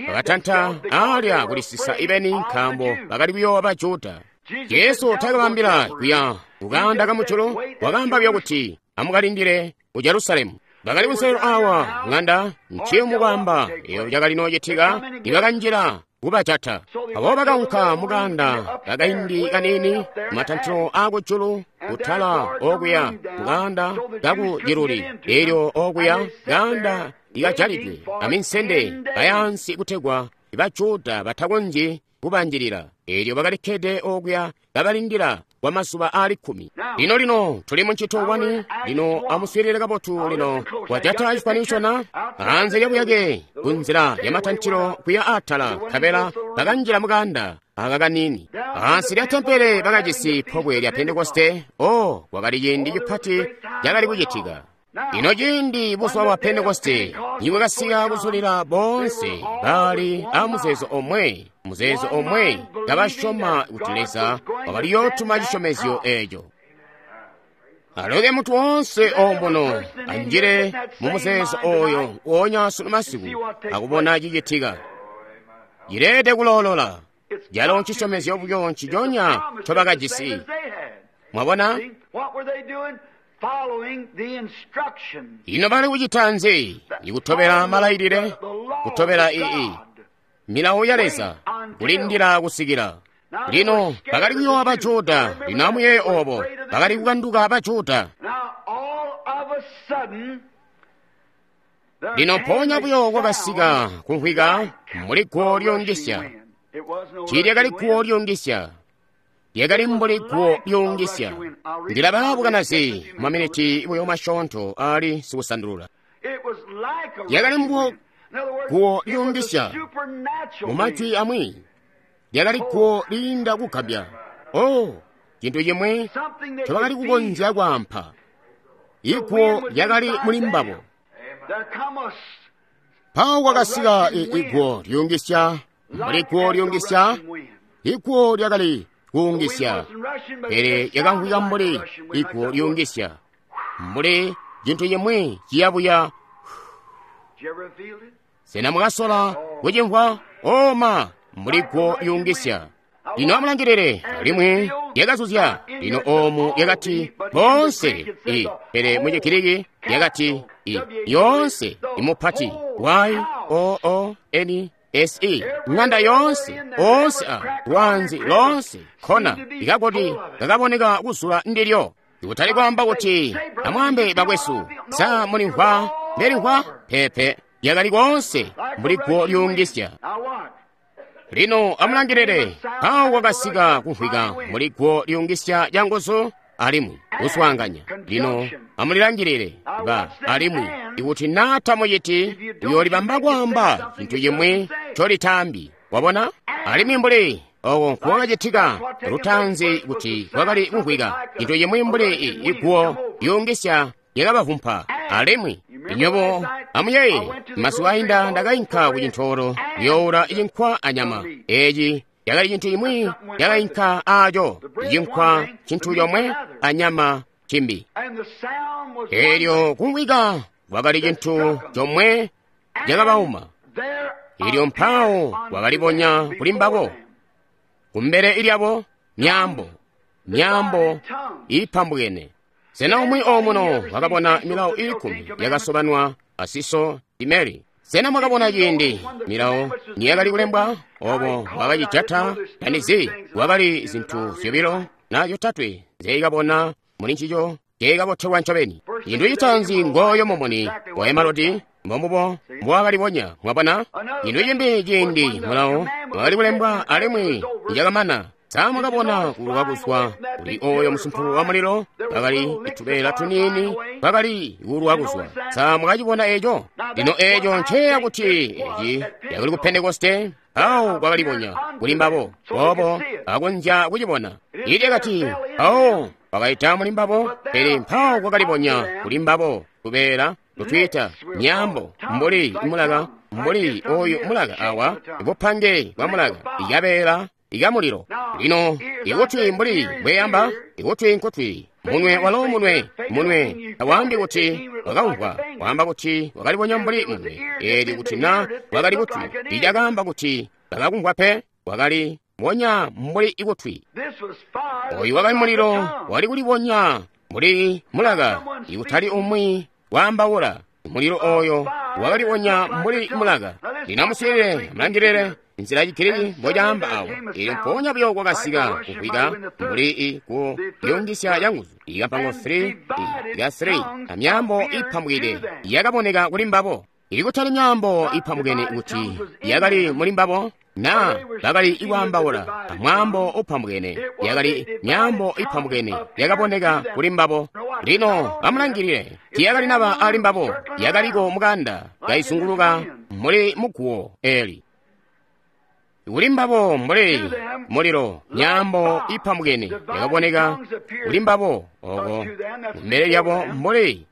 bakatanta alya kulisisa ibeni nkaambo bakali kuyoowa Bajuda. Jesu taakabambila kuya kukanda kamujulu, wakaamba buyo kuti amukalindile ku Jerusalemu. Bakali kunselelo awa ng'anda nciyumu kwaamba eyo cakali noocitika nibakanjila kubajata. Abo bakaunka mukanda kakaindi kaniini kumatantilo aakujulu kutala okuya mukanda kakuciluli, elyo okuya kanda ikajalidwe aminsende bayansi kutegwa Bajuda batakonzyi kubanjilila. Elyo bakalikkede okuya kabalindila kwa mazuba aali kkumi. Lino lino tuli muncito wani. Lino amuswiilile kabotu. Lino kwajata cifaniso na anze lyabuyake kunzila yamatantilo kuya atala, nkabela bakanjila mukanda aka kaniini. Ansi lya tempele bakajisi pobwe lya Pentekoste. O, kwakali ciindi cipati cakali kucitika. Ino ciindi buzuba bwa Pentekoste nibwakasika kuzulila boonse bali a muzeezo omwe, muzeezo omwe kabasyoma kuti Leza wakaliyootuma cisyomezyo eeco. Aloke mutu woonse omuno anjile mu muzeezo oyo wonya sunu masiku akubona cicitika. Cileede kuloolola. Calo ncisyomezyo buyo nciconya ncobakajisi. Mwabona? Ino bali kucita nzi? Ikutobela malailile, kutobela ii milawo ya Leza, kulindila kusikila. Lino bakali kuyoowa Bajuda, lino amuyeeye obo, bakali kukanduka Bajuda. Lino mpoonya buyo kwakasika kumvwika mbuli guwo lyuungisya. Tiilyakali guwo lyuungisya, lyakali mbuli guwo lyuungisya. Ndilabala bukanazi maminiti buyo masyoonto aali sikusandulula. Lyakali mbuli guwo lyuungisya. Mu majwi amwi, lyakali guwo liinda kugambya. Oh, cintu cimwe ncobakali kukonzya kwaampa. Iguwo lyakali muli mbabo. Mpawo kwakasika iguwo lyuungisya, mbuli guwo lyuungisya. Iguwo lyakali kuungisya, pele lyakamvwika mbuli iguwo lyuungisya, mbuli cintu cimwe ciyabuya. Sena mwakasola kucimvwa? Oma, mbuli guwo lyuungisya. Lino amulangilile, alimwi lyakazuzya. Lino oomu lyakati boonse i, pele mu Chigiriki lyakati i, yoonse imupati Y O O N S E, ng'anda yoonse, oonse a lwanzi lonse khona likakoti kakaboneka kuzula ndilyo. Ikutali kwaamba kuti amwaambe bakwesu, sa mulimvwa mbelimvwa? Pepe, lyakali koonse mbuli guwo lyuungisya. Lino amulangilile, awo kwakasika kumvwika mbuli guwo lyuungisya lyanguzu alimwi kuswaanganya. Lino amulilangilile ba alimwi ikuti naa tamuciti, uyoolibamba kwaamba cintu cimwi ncolitaambi. Wabona? Alimwi mbuli oko nkuwakacitika lutaanzi kuti kwakali kumvwika cintu cimwi mbuli iguwo lyuungisya lyakabavumpa. Alimwi inywebo amuyeeye, masiku ainda ndakainka ku cintoolo kuyoowula cinkwa anyama. Eeci yakali cintu cimwi lyakainka aaco, cinkwa cintu comwe anyama cimbi. Eelyo kumvwika kwakali cintu comwe cakabauma. Eelyo mpawo kwakalibonya kuli mbabo kumbele lyabo myaambo, myaambo iipambukene. Sena umwi omuno wakabona milawo iikumi yakasobanwa asiso Imeli? Sena mwakabona ciindi milawo niyakali kulembwa obo wakacijata tanizi? Kwakali zintu zyobilo na zyotatwe nzyeikabona muli ncico nceikabotelwa ncobeni. Cintu citaanzi ngooyo mumuni wa emalodi, mbombubo mbowakalibonya. Mwabona? Cintu cimbi ciindi mulawo wakali kulembwa alimwi nicakamana. Sa mwakabona kuluka kuzwa kuli oyo musumpulo wa mulilo? Kwakali itubeela tuniini kwakali kuuluka kuzwa. Sa mwakacibona eco? Lino eco nceya kuti eci yakali ku Pentekoste, awo kwakalibonya kuli mbabo, obo akonzya kucibona. Ili lyakati awo kwakaita muli mbabo, pele mpawo kwakalibonya kuli mbabo tubeela tutwiita myaambo mbuli mulaka, mbuli oyu mulaka awa, bupange bwa mulaka, ikabeela ikamulilo. Lino ikutwi mbuli bweyamba, ikutwi nkutwi, munwe walo munwe, munwe tawaambi kuti wakamvwa, waamba kuti wakalibonya mbuli munwe. Eli kuti na wakali kutwi, ilyakaamba kuti bakakumvwa pe, wakali bonya mbuli ikutwi. Oyu wakali mulilo wali kulibonya mbuli mulaka, ikutali umwi waambaula. Mulilo oyo wakalibonya mbuli mulaka. Lino amuswiilile, amulangilile nzila ya Chigiriki mbocaamba awo. Eelyo mpoonya buyo kwakasika kumvwika mbuli i ku lyungisya yanguzu ikampango three ya three amyaambo ipambukide yakaboneka kuli mbabo. Ikutali myaambo ipambukene kuti yakali muli mbabo na bakali ikwaambaula amwaambo upambukene, yakali myaambo ipambukene yakaboneka kuli mbabo. Lino amulangilile, tiyakali naba ali mbabo, yakaliko mukanda kaizunguluka muli muguwo eli. Kuli mbabo mbuli mulilo, myaambo ipambukene yakaboneka kuli mbabo oko kumbele lyabo mbuli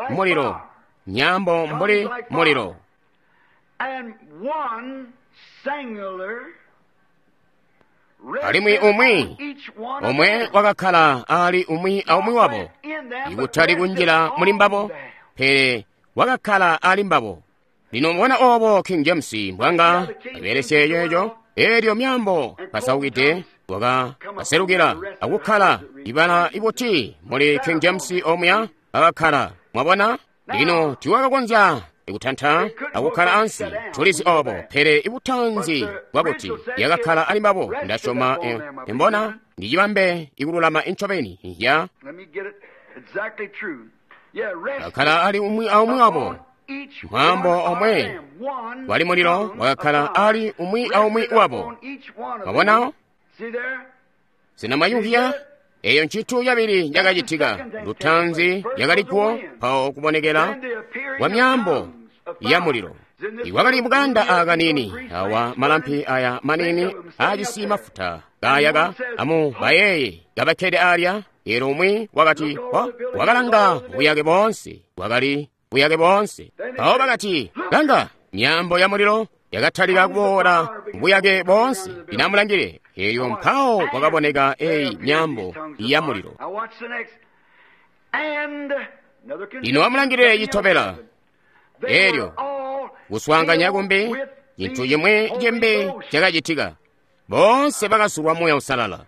mulilo, myaambo mbuli mulilo. Alimwi umwi omwe wakakkala ali umwi aumwi wabo, ikutali kunjila muli mbabo, pele wakakkala ali mbabo. Lino mbona obo King James mbwanga abelesye ceeco, eelyo myaambo pasaukide wakaselukila akukkala ibala ibuti muli King James omuya akakkala. Mwabona? Lino tiwakakonzya ikutanta akukkala ansi, tulizi obo, pele ibutanzi bwakuti yakakkala ali mbabo. Ndasyoma imbona ndicibambe ikululama incobeni ya akakkala ali umwi aumwi wabo. Mwambo omwe wali mulilo wakakkala ali umwi aumwi wabo. Mwabona? Sinamayuhya eyo ntchito yabiri yakachitika. Lutanzi yakalikwo pawo kubonekera kwa miyambo ya mulilo. Iwakali mukanda akanini awa malampi aya manini ajisi mafuta gayaka amu bayeye gabakkede alya. Elo umwi wakati oh, wakalanga buyake bonse, wakali buyake bonse. Pawo bakati langa, miyambo ya mulilo yakatalika kuboola buyake bonse. Inamulangile eyo mpawo kwakaboneka eyi miyambo ya mulilo. Ino amulangile chitobela elyo kuswaanganya kumbi, chinthu chimwe chimbi chakachitika. Bonse bakasulwa Muuya Usalala.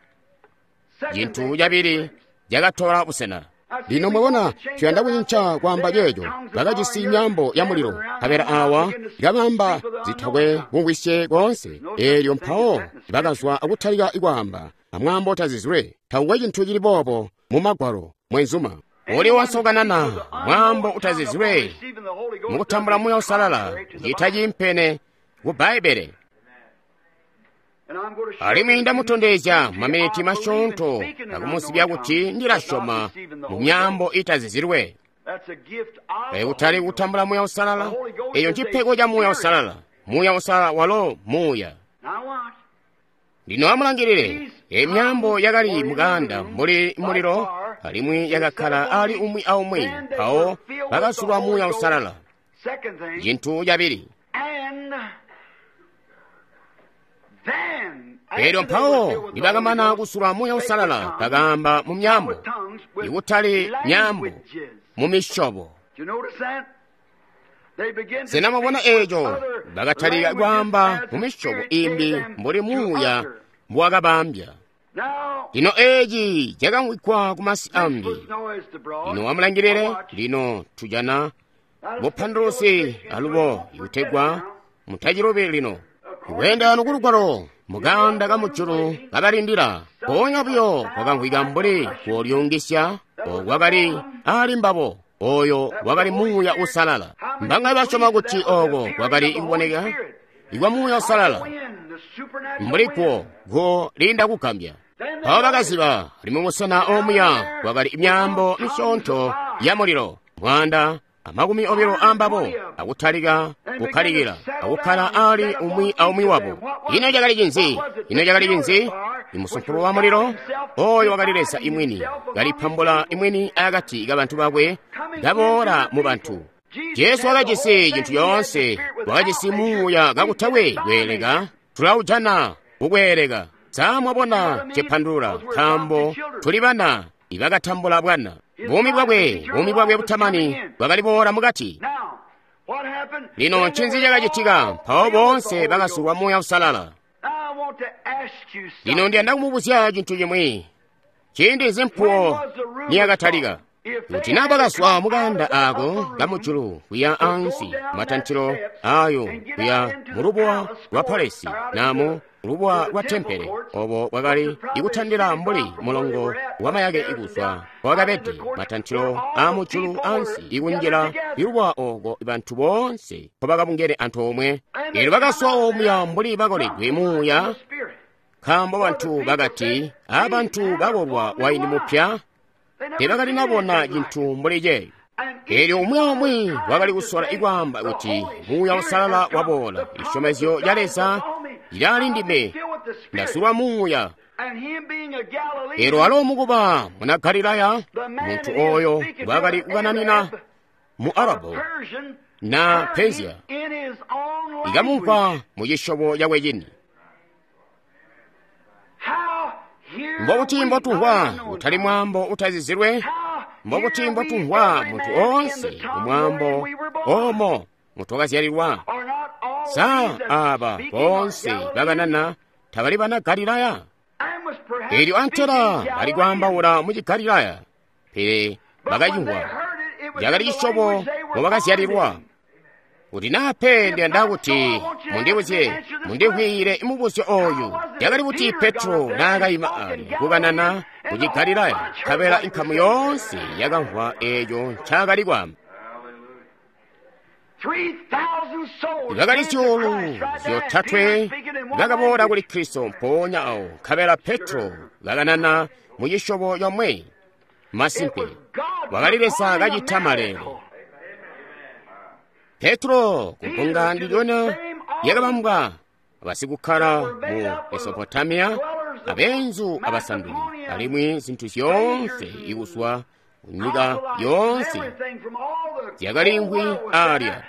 Chinthu chabiri chakatola busena. Lino mwabona tuyanda kucinca kwamba ceeco bakajisi miyambo ya mulilo kabela awa ikabamba zithakwe kumvwisye konse. Elyo mpawo bakazwa akutalika ikwaamba amwambo tazizwe. Takukwe chinthu chili bobo mu magwalo mwenzuma. Uli wonse mwambo utazizwe mukutambula Muuya Usalala chita chimpene ku Bhaibele. Alimwi ndamutondezya maminiti masyoonto akumusibya kuti ndilasyoma mu myambo itazizilwe. Kutali kutambula Muuya Usalala, eyo nchipeko cha Muuya Usalala. Muuya Usalala walo Muuya. Lino amulangilire, emyambo yakali mukanda mbuli mulilo, alimwi yakakkala ali umwi aumwi, mpawo bakasulwa Muuya Usalala. Chinthu chabiri. Elyo mpawo nibakamana kusulwa Muuya Usalala bakamba mu myambo, ikutali myambo, mu misyobo. Sena mwabona eco? Bakatalika kwaamba mu misyobo imbi mbuli Muuya mbwakabambya. Lino eci cakamwikwa ku masi ambi. Lino amulangilire, lino tujana bupandulusi alubo ikutegwa mutacilubi lino. Kuyenda nukulugwalo mukanda kamujulu kabalindila, ponya buyo kwakamvwika mbuli kulyungisya okwakali ali mbabo. Oyo wakali Muuya Usalala. Mbanga basyoma kuti oko kwakali ikuboneka ikwa Muuya Usalala mbuli kwo go linda kugambya. Mpawo bakaziba ali musena omuya kwakali imyambo misyoonto ya mulilo mwanda amakumi obilo ambabo akutalika kukkalikila akukkala ali umwi aumwi wabo. Ino cakali cinzi? Ino cakali cinzi? Imusumpulu wa mulilo oyo wakali Leza imwini kalipambula imwini akati ka bantu bakwe kaboola mu bantu. Jesu wakajisi cintu yoonse, wakajisi Muuya kakutakwe kweeleka. Tulawujana kukweeleka. Sa mwabona cipandulula, nkaambo tuli bana ibakatambula bwana. Buumi bwakwe, buumi bwakwe butamani bwakali boola mukati. Lino ncinzi cakacitika? Mpawo bonse bakasulwa Muuya Usalala. Lino ndiyanda kumubuzya cintu chimwi. Ciindi zimpuwo niyakatalika, kuti naa bakazwa mukanda ako kamujulu kuya ansi matantilo ayo kuya mulubuwa lwa palesi namu lubuwa lwa tempele, obo bwakali ikutandila mbuli mulongo wamayake ikuzwa kwakabede matantilo amujulu ansi ikunjila ilubuwa oko bantu bonse nkobakabungene antoomwe. Elyo bakaswa omuya mbuli bakoledwe Muuya, nkaambo bantu bakati abantu bakolwa waini mupya tebakalinabona cintu mbuli ceeyo. Elyo umwi aumwi wakali kusola ikwaamba kuti Muuya Usalala waboola, isyomezyo lya Leza lili ndime, ndasulwa Muuya. Elyo alo mukuba muna Galilaya, muntu oyo wakali kukananina mu Arabu na Persia ikamumva mu cisyobo cakwe cini. Mbobuti mbotumvwa utali mwambo utazizilwe? Mbobuti mbotumvwa muntu onse mu mwambo omo mutwakazyalilwa? Sa aba bonse bakanana tabali bana Galilaya? Elyo antela bali kwaambaula mu Cigalilaya, pele bakacimvwa cakali cisyobo mubakazyalilwa. Kuti naa pe ndiyanda kuti mundibuzye, mundivwiile mubuzyo oyu. Yakali kuti Petro naakayima alya kukanana ku Cigalilaya, nkabela inkamu yoonse yakamvwa eeco ncaakali kwaamba. Bakali zyuulu zyotatwe bakaboola kuli Kristo mpoonya awo, nkabela Petro kakanana mu cisyobo comwe. Masimpe, wakali Leza kacita maleele. Petro kubbunga ndilyona lyakabambwa abasikukkala mu Mesopotamiya, abeenzu abasanduli, alimwi zintu zyoonse ikuzwa kunyika yoonse zyakaliimvwi alya.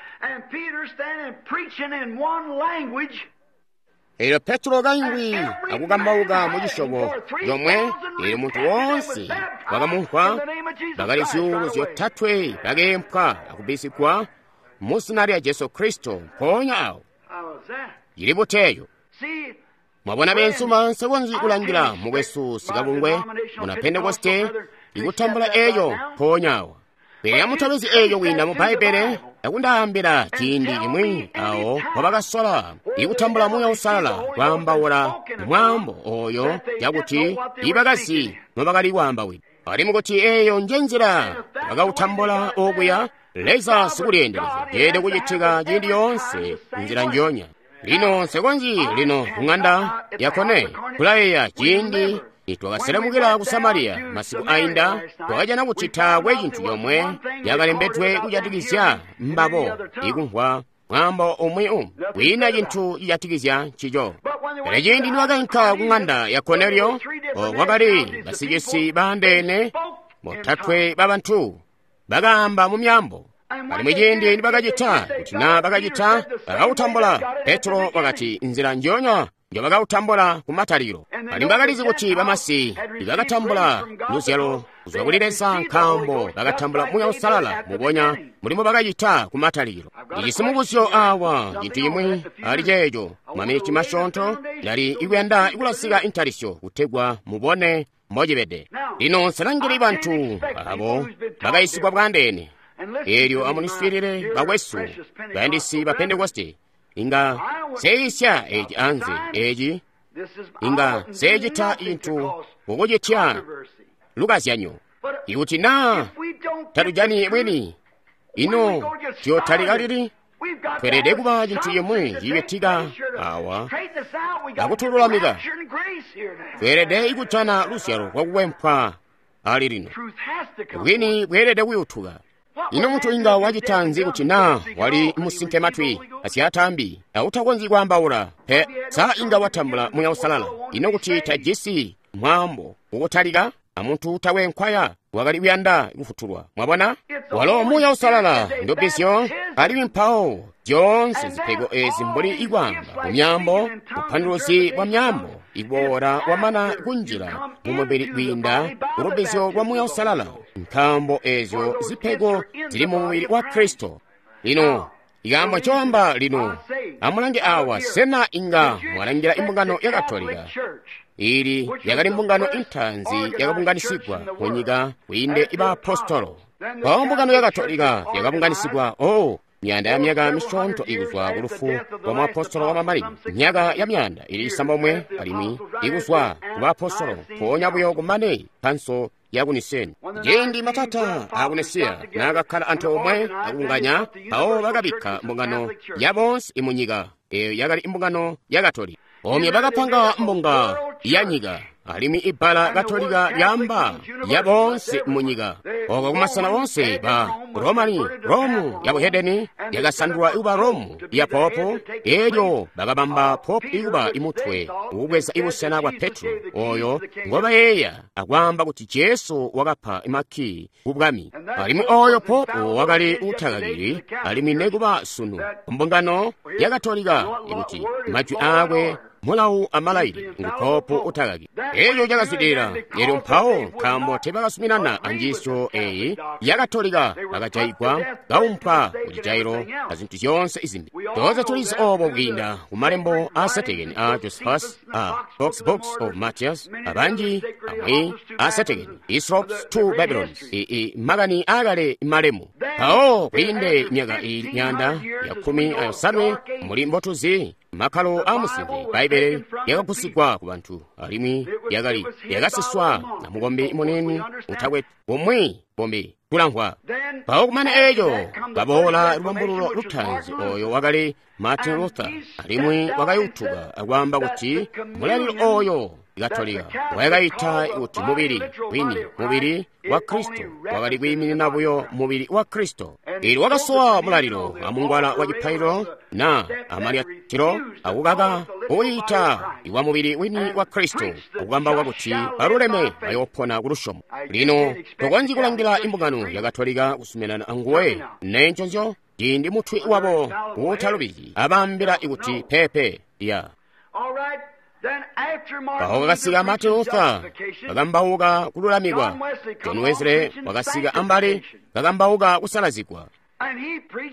Eelyo Petro kaimvwi akukambauka mu cisyobo comwe, eelyo muntu woonse wakamumvwa. Bakali zyuulu zyotatwe bakeempwa akubbisigwa mu zina lya Jesu Kristo mpoonya awo. Cili buteeyo. Mwabona beenzuma, nsekonzyi kulangila mukwesu sikabungwe muna Pentekoste ikutambula eeyo mpoonya awa. Pele amutobezi eeyo kwiinda mu Bbaibbele akundaambila ciindi cimwi awo wabakasola ikutambula Muuya Uusalala kwaambaula mwaambo oyo cakuti ibakazi nobakali kwaambawida. Alimwi kuti eeyo nje nzila bakautambula okuya, Leza sikulyeendelezya ceelede kucitika ciindi yoonse nzila njonya. Lino nsekonzyi lino kung'anda yakone kulayeeya ciindi nitwakaselemukila ku Samariya masiku ainda, twakajana kuti taakwe cintu comwe yakalembedwe kujatikizya mbabo ikumvwa mwambo umwi umwi, kwiina cintu cijatikizya ncico. Pele ciindi niwakainka ku ng'anda ya Korneliyo, kwakali basicisi baandeene botatwe babantu bakaamba mu myambo. Alimwi ciindi nibakacita, kuti naa bakacita, bakautambula. Petro wakati nzila njonya njobakautambula ku matalikilo. Alimwi bakalizi kuti bamasi ibakatambula luzyalo kuzwa kuli Leza nkaambo bakatambula Muuya Uusalala mubonya mulimo bakacita ku matalikilo. Ndijisi mubuzyo awa cintu cimwi ali ceeco maminiti masyoonto ndali ikuyanda ikulasika intalisyo kutegwa mubone mbocibede. Lino nselangili bantu abo bakayisigwa bwandeene. Eelyo amuniswiilile bakwesu bayandisi ba Pentekoste, inga seeyisya eci anze eci, inga seecita cintu kukucitya lukazyanyo. Ikuti naa tatujani bwini, ino tuyotalika lili? Tweelede kuba cintu cimwi cicitika awa akutululamika. Tweelede kujana luzyalo lwakukwempwa ali lino. Bwini bweelede kuyutuka. Ino muntu inga wacita nzi kuti naa wali musinke matwi asyaataambi autakonzyi kwaambaula pe? Sa inga watambula Muuya Uusalala? Ino kuti tajisi mwaambo ukutalika amuntu utakwe nkwaya wakali kuyanda kufutulwa? Mwabona, walo Muuya Uusalala ndubbizyo, alimwi mpawo zyoonse zipego ezi mbuli ikwaamba mu myambo, bupanduluzi bwa myambo iboola wamana kunjila mu mubili kwiinda ulubbizyo lwa Muuya Uusalala, nkaambo ezyo zipego zili mu mubili wa Kristo. Lino ikaambo ncoamba lino, amulange awa, sena inga mwalangila imbungano ya Katolika? Ili yakali mbungano intaanzi yakabunganisigwa kunyika kwiinde ibaapostolo. Mpawo mbungano ya Katolika yakabunganisigwa, oh, myaanda ya myaka misyoonto ikuzwa ku lufu lwa muapostolo wa mamanino, myaka ya myaanda ili isambomwe alimwi ikuzwa ku baapostolo, mpoonya buyo kumane kanso ya ku Niseni. Ciindi matata a ku Nisiya naakakkala antoomwe akubunganya, mpawo bakabikka mbungano ya bonse imunyika, eyo yakali mbungano ya Katolika. Omwe bakapanga mbunga ya nyika, Alimwi ibbala Katolika lyaamba ya boonse munyika. Oko kumasena onse ba Romani, Romu ya buhedeni yakasandulwa ikuba Romu ya popo, elyo bakabamba popu ikuba imutwe ukubweza ibusena bwa Petro, oyo ngobayeeya akwaamba kuti Jesu wakapa makii ku bwami. Alimwi oyo popu wakali utakakili, alimwi nekuba sunu mbungano ya Katolika ikuti majwi aakwe mulawu amalaili ngu popu utakaki. Eco cakazwidilila. Elyo mpawo nkaambo teebakasuminana anjiisyo eyi ya Katolika, bakajayigwa, kaumpwa kucijailo azintu zyoonse izimbi. Toonse tulizi obo kwiinda ku malembo a Setekeni a Josephus, a Box Books of Matthias, abanji amwi a Setekeni, Hislop's Two Babylons, i makani akale malemu. Mpawo kwiinde myaka ili myanda ya khumi ayosanwe muli mbotuzi makkalo a musimbi, Bbaibele yakagusigwa ku bantu, alimwi yakali yakasiswa na mukombi munene utakwe bumwi bumbi kulamvwa. Mpawo kumane eco baboola lubambululo lutaanzi, oyo wakali Martin Luther, alimwi wakayutuka akwaamba kuti mulalilo oyo Katolika wayakayita kuti mubili wini, mubili wa Kristo, wakali kwiiminina buyo mubili wa Kristo. Elyo wakasowa mulalilo amungwala wa cipaililo na amalyatilo akukaka kuwiita iwa mubili wini wa Kristo, akukambauka kuti baluleme bayoopona ku lusyomo. Lino tokonzyi kulangila imbungano ya Katolika kusuminana anguwe nenconzyo ciindi mutwi wabo uutalubizi abaambila ikuti pepe ya. Mpawo kakasika Martin Luther kakambauka kululamikwa. John Wesley wakasika ambali kakambauka kusalazigwa.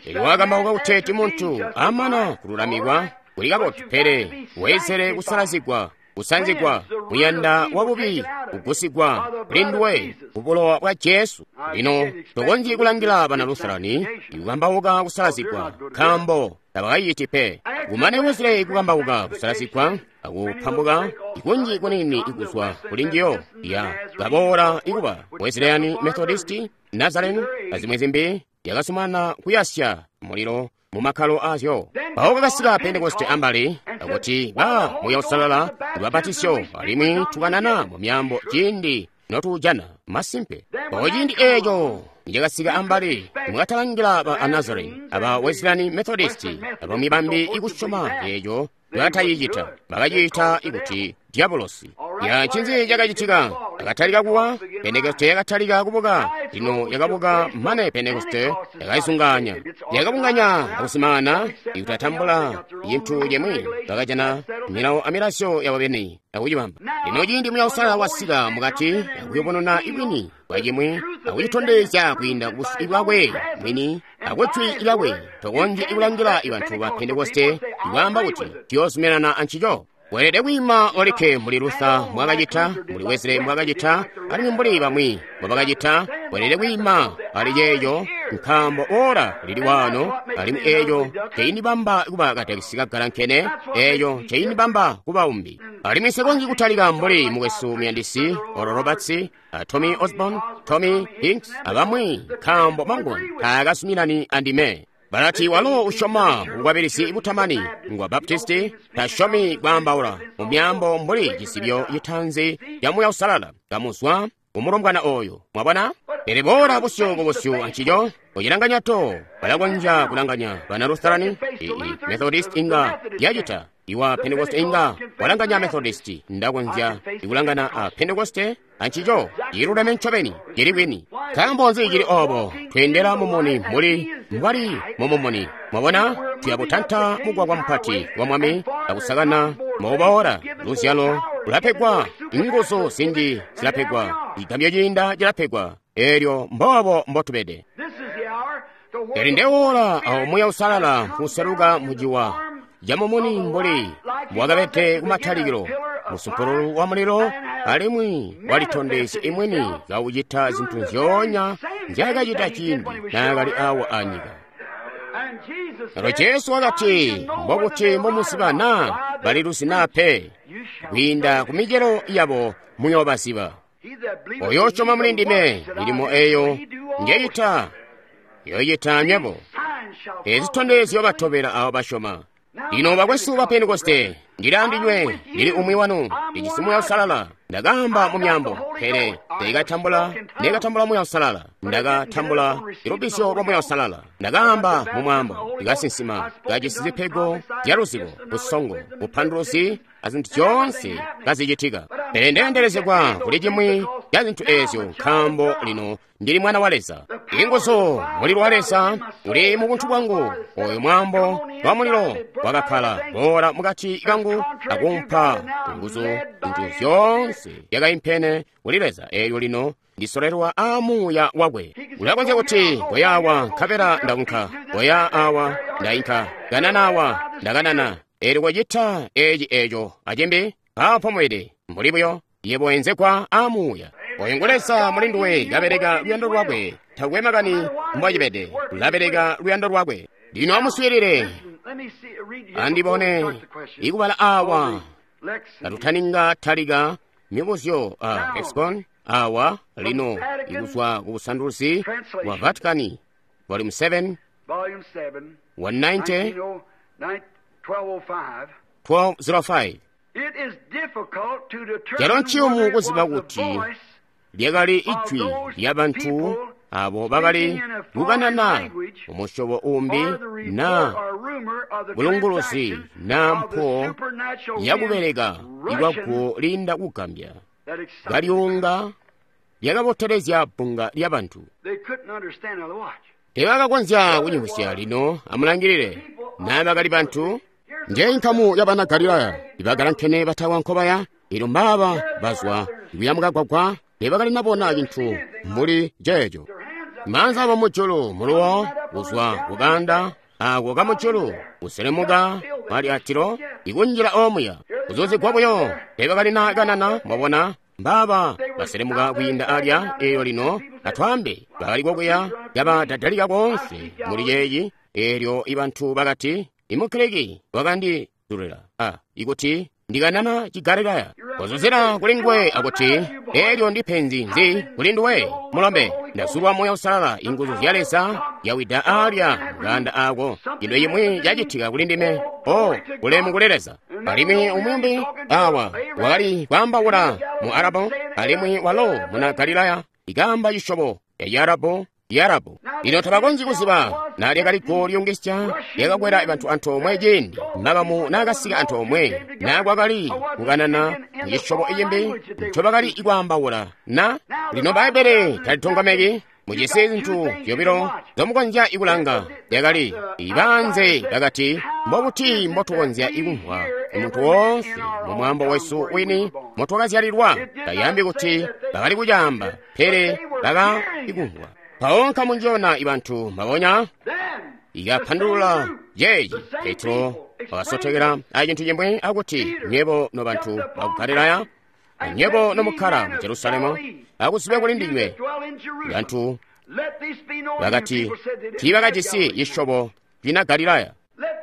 Elyo wakambauka kuteeti muntu amana kululamikwa kuli kabotu, pele weesele kusalazigwa, kusanzigwa, muyanda wabubi kugusigwa kuli nduwe ku bulowa bwa Jesu. Lino tokonzyi kulangila bana Lutherani ikukambauka kusalazigwa, nkaambo tabakayiti pe. Kumane Wesley kukambauka kusalazigwa akupambuka ikunji kunini ikuzwa kuli njiyo ya kaboola ikuba Wesleyan Methodist, Nazarene azimwe zimbi yakasumana kuyasya mulilo mu makkalo azyo. Mpawo kakasika Pentekoste ambali akuti ba Muya Usalala lubapatisyo, alimwi tukanana mu myambo ciindi notujana masimpe. Mpawo ciindi eco nicakasika ambali, mwakatalangila ba Nazarene aba Wesleyan Methodist abamwi bambi ikusyoma eco bakatayicita, bakaciita ikuti diabolosi. Ya ncinzi cakacitika? Yakatalika kuwa, Pentekoste yakatalika kubuka. Lino yakabuka mane Pentekoste yakaizunganya, yakabunganya akusimana ikutatambula yintu yemwe, bakajana milawo amilasyo yabo beni akucibamba. Lino ciindi Muya Usalala wasika mukati akuyubununa ibwini bwa cimwi akucitondezya kwiinda kubusyu bwakwe mwini akujwi lyakwe, tokonzyi kulangila ibantu ba Pentekoste ikwaamba kuti tuyoozuminana ancico. Weelede kwiima olikke mbuli Luther mbwakacita, mbuli Wesley mbwakacita, alimwi mbuli bamwi mbwabakacita. Weelede kwiima ali ceeco, nkaambo ora lili waano, alimwi eeco ceinibamba kuba katekisi kagalankene, eeco ceinibamba kuba umbi. Alimwi nsikonzyi kutalika mbuli mukwesu muyandisi Oral Roberts, a Tommy Osborn, Tommy Hicks, abamwi, nkaambo mangwa taakasuminani andime. Balati walo usyoma bukwabilizi butamani ngwa Baptisti, tasyomi kwaambaula mu myambo mbuli cisibyo citanzi ca Muya Usalala kamuzwa kumulombwana oyo. Mwabona? Pele boola busyu ku busyu ancico, kucilanganya to, balakonzya kulanganya bana Lutherani, i Methodist inga yacita, iwa Pentekoste inga walanganya Methodist, ndakonzya ikulangana a Pentekoste ancico, ciluleme ncobeni, cili bwini. Nkaambo nzi cili obo? Tweendela mumuni muli mbwali mumumuni. Mwabona? Tuyabutanta mugwagwa mupati wa Mwami akusakana mukuboola. Luzyalo lulapegwa, inguzu zinji zilapegwa, cigambyo ciinda cilapegwa. Elyo mboobo mbotubede. Eli ndewola awo Muya Usalala nkuseluka muciwa camumuni mbuli mbwakabede kumatalikilo, musumpululu wa mulilo, alimwi walitondezya imwini kaucita zinthu nzyoonya nzyakacita ciindi naakali awa anyika. Elo Jesu wakati, mbokuti mbomuziba naa baliluzi naa pe, kwiinda ku micelo yabo muyoobaziba. Oyo usyoma muli ndime, milimo eyo njeyita yoyita nywebo. Ezi zitondezyo batobela abo basyoma. Lino bakwesu ba Pentekoste, Ndili andinywe, ndili umwi wanu, ndijisi Muuya Uusalala. Ndakaamba mu myaambo, pele ndikatambula, ndikatambula Muuya Uusalala. Ndakatambula lubbizyo lwa Muuya Uusalala. Ndakaamba mu mwaambo, ndikasinsima, kajisi zipego zya luzibo, busongo, bupanduluzi, azintu zyoonse kazicitika. Pele ndeendelezegwa kuli cimwi ca zintu eezyo, nkaambo lino ndili mwana wa Leza. Inguzu, mulilo wa Leza uli mu buntu bwangu. Oyo mwambo wa mulilo wakakkala boola mukati kangu akumpa nguzu zintu zyoonse zyakaimpene kuli Leza. Eelyo lino ndisolelwa aa Muuya wakwe. Ulakonzya kuti koya awa nkabela ndaunka, koya awa ndainka, kanana awa ndakanana. Eelyo kocita eci eco acimbi, mpaapo mwede mbuli buyo yebo enzegwa aa Muuya. Oyo ngu Leza muli nduwe kabeleka luyando lwakwe. Takwe makani mbwacibede, ulabeleka luyando lwakwe. Lino amuswiilile, andibone ikubala awa katutaninga talika mibuzyo a lexicon awa lino ikuzwa ku busanduluzi bwa Vatican volume seven one ninety twelve oh five. Calo nciyumu kuziba kuti lyakali ijwi lya bantu abo bakali kukanana umusyobo umbi na bulunguluzi na mpo yakubeleka ikwaguwo linda kugambya kalyunga lyakabotelezya bbunga lya bantu. Teebakakonzya kunyivwisya. Lino amulangilile, naa bakali bantu. Nje nkamu ya bana Galilaya ibagalankene batawa nkobaya. Ilo mbaaba bazwa ikuya mukagwagwa, teebakali nabona cintu mbuli ceeco. Maanza abo mujulu muluwo kuzwa kukanda ako kamujulu kuselemuka mali atilo ikunjila omuya kuzuzigwa buyo. Teebakali na kanana, mwabona. Mbaaba baselemuka kwiinda alya. Eyo lino atwaambe bakali kokuya yabadadalika koonse muli ceeci. Eelyo ibantu bakati, Imugiriki wakandizulila a ikuti ndikanana Chigalilaya. Kuzuzila kuli nguwe akuti, eelyo ndi penzi nzi kuli nduwe mulombe? Ndazulwa Muuya Uusalala, inguzu zya Leza yawida alya mukanda ako. Cintu cimwi cacitika kuli ndime. O ulemu kuli Leza. Alimwi umwi awa wakali kwaambaula mu Arabu, alimwi walo muna Galilaya ikaamba cisyobo ya Chiarabu Yarabu. Lino tabakonzyi kuziba na lyakali guwo lyungisya lyakakwela bantu antoomwe ciindi makamu naakasika antoomwe, na kwakali kukanana mucisyobo icimbi ncobakali kwaambaula. Na lino Bbaibbele talitonkomeki, mujisi zintu zyobilo zomukonzya ikulanga. Lyakali ibanze bakati, mbobuti mbotukonzya ikumvwa muntu woonse mu mwaambo wesu wini motwakazyalilwa? Tayambi kuti bakali kucaamba, pele bakaikumvwa. Mpawo nkamu njona ibantu mbabonya ikapandulula yeeyi. Petro wakasotekela acintu cimwi akuti, nywebo nobantu baku Galilaya, nywebo nomukkala mu Jerusalemu, akuzibe kuli ndinywe. Bantu bakati tiibakajisi cisyobo cina Galilaya.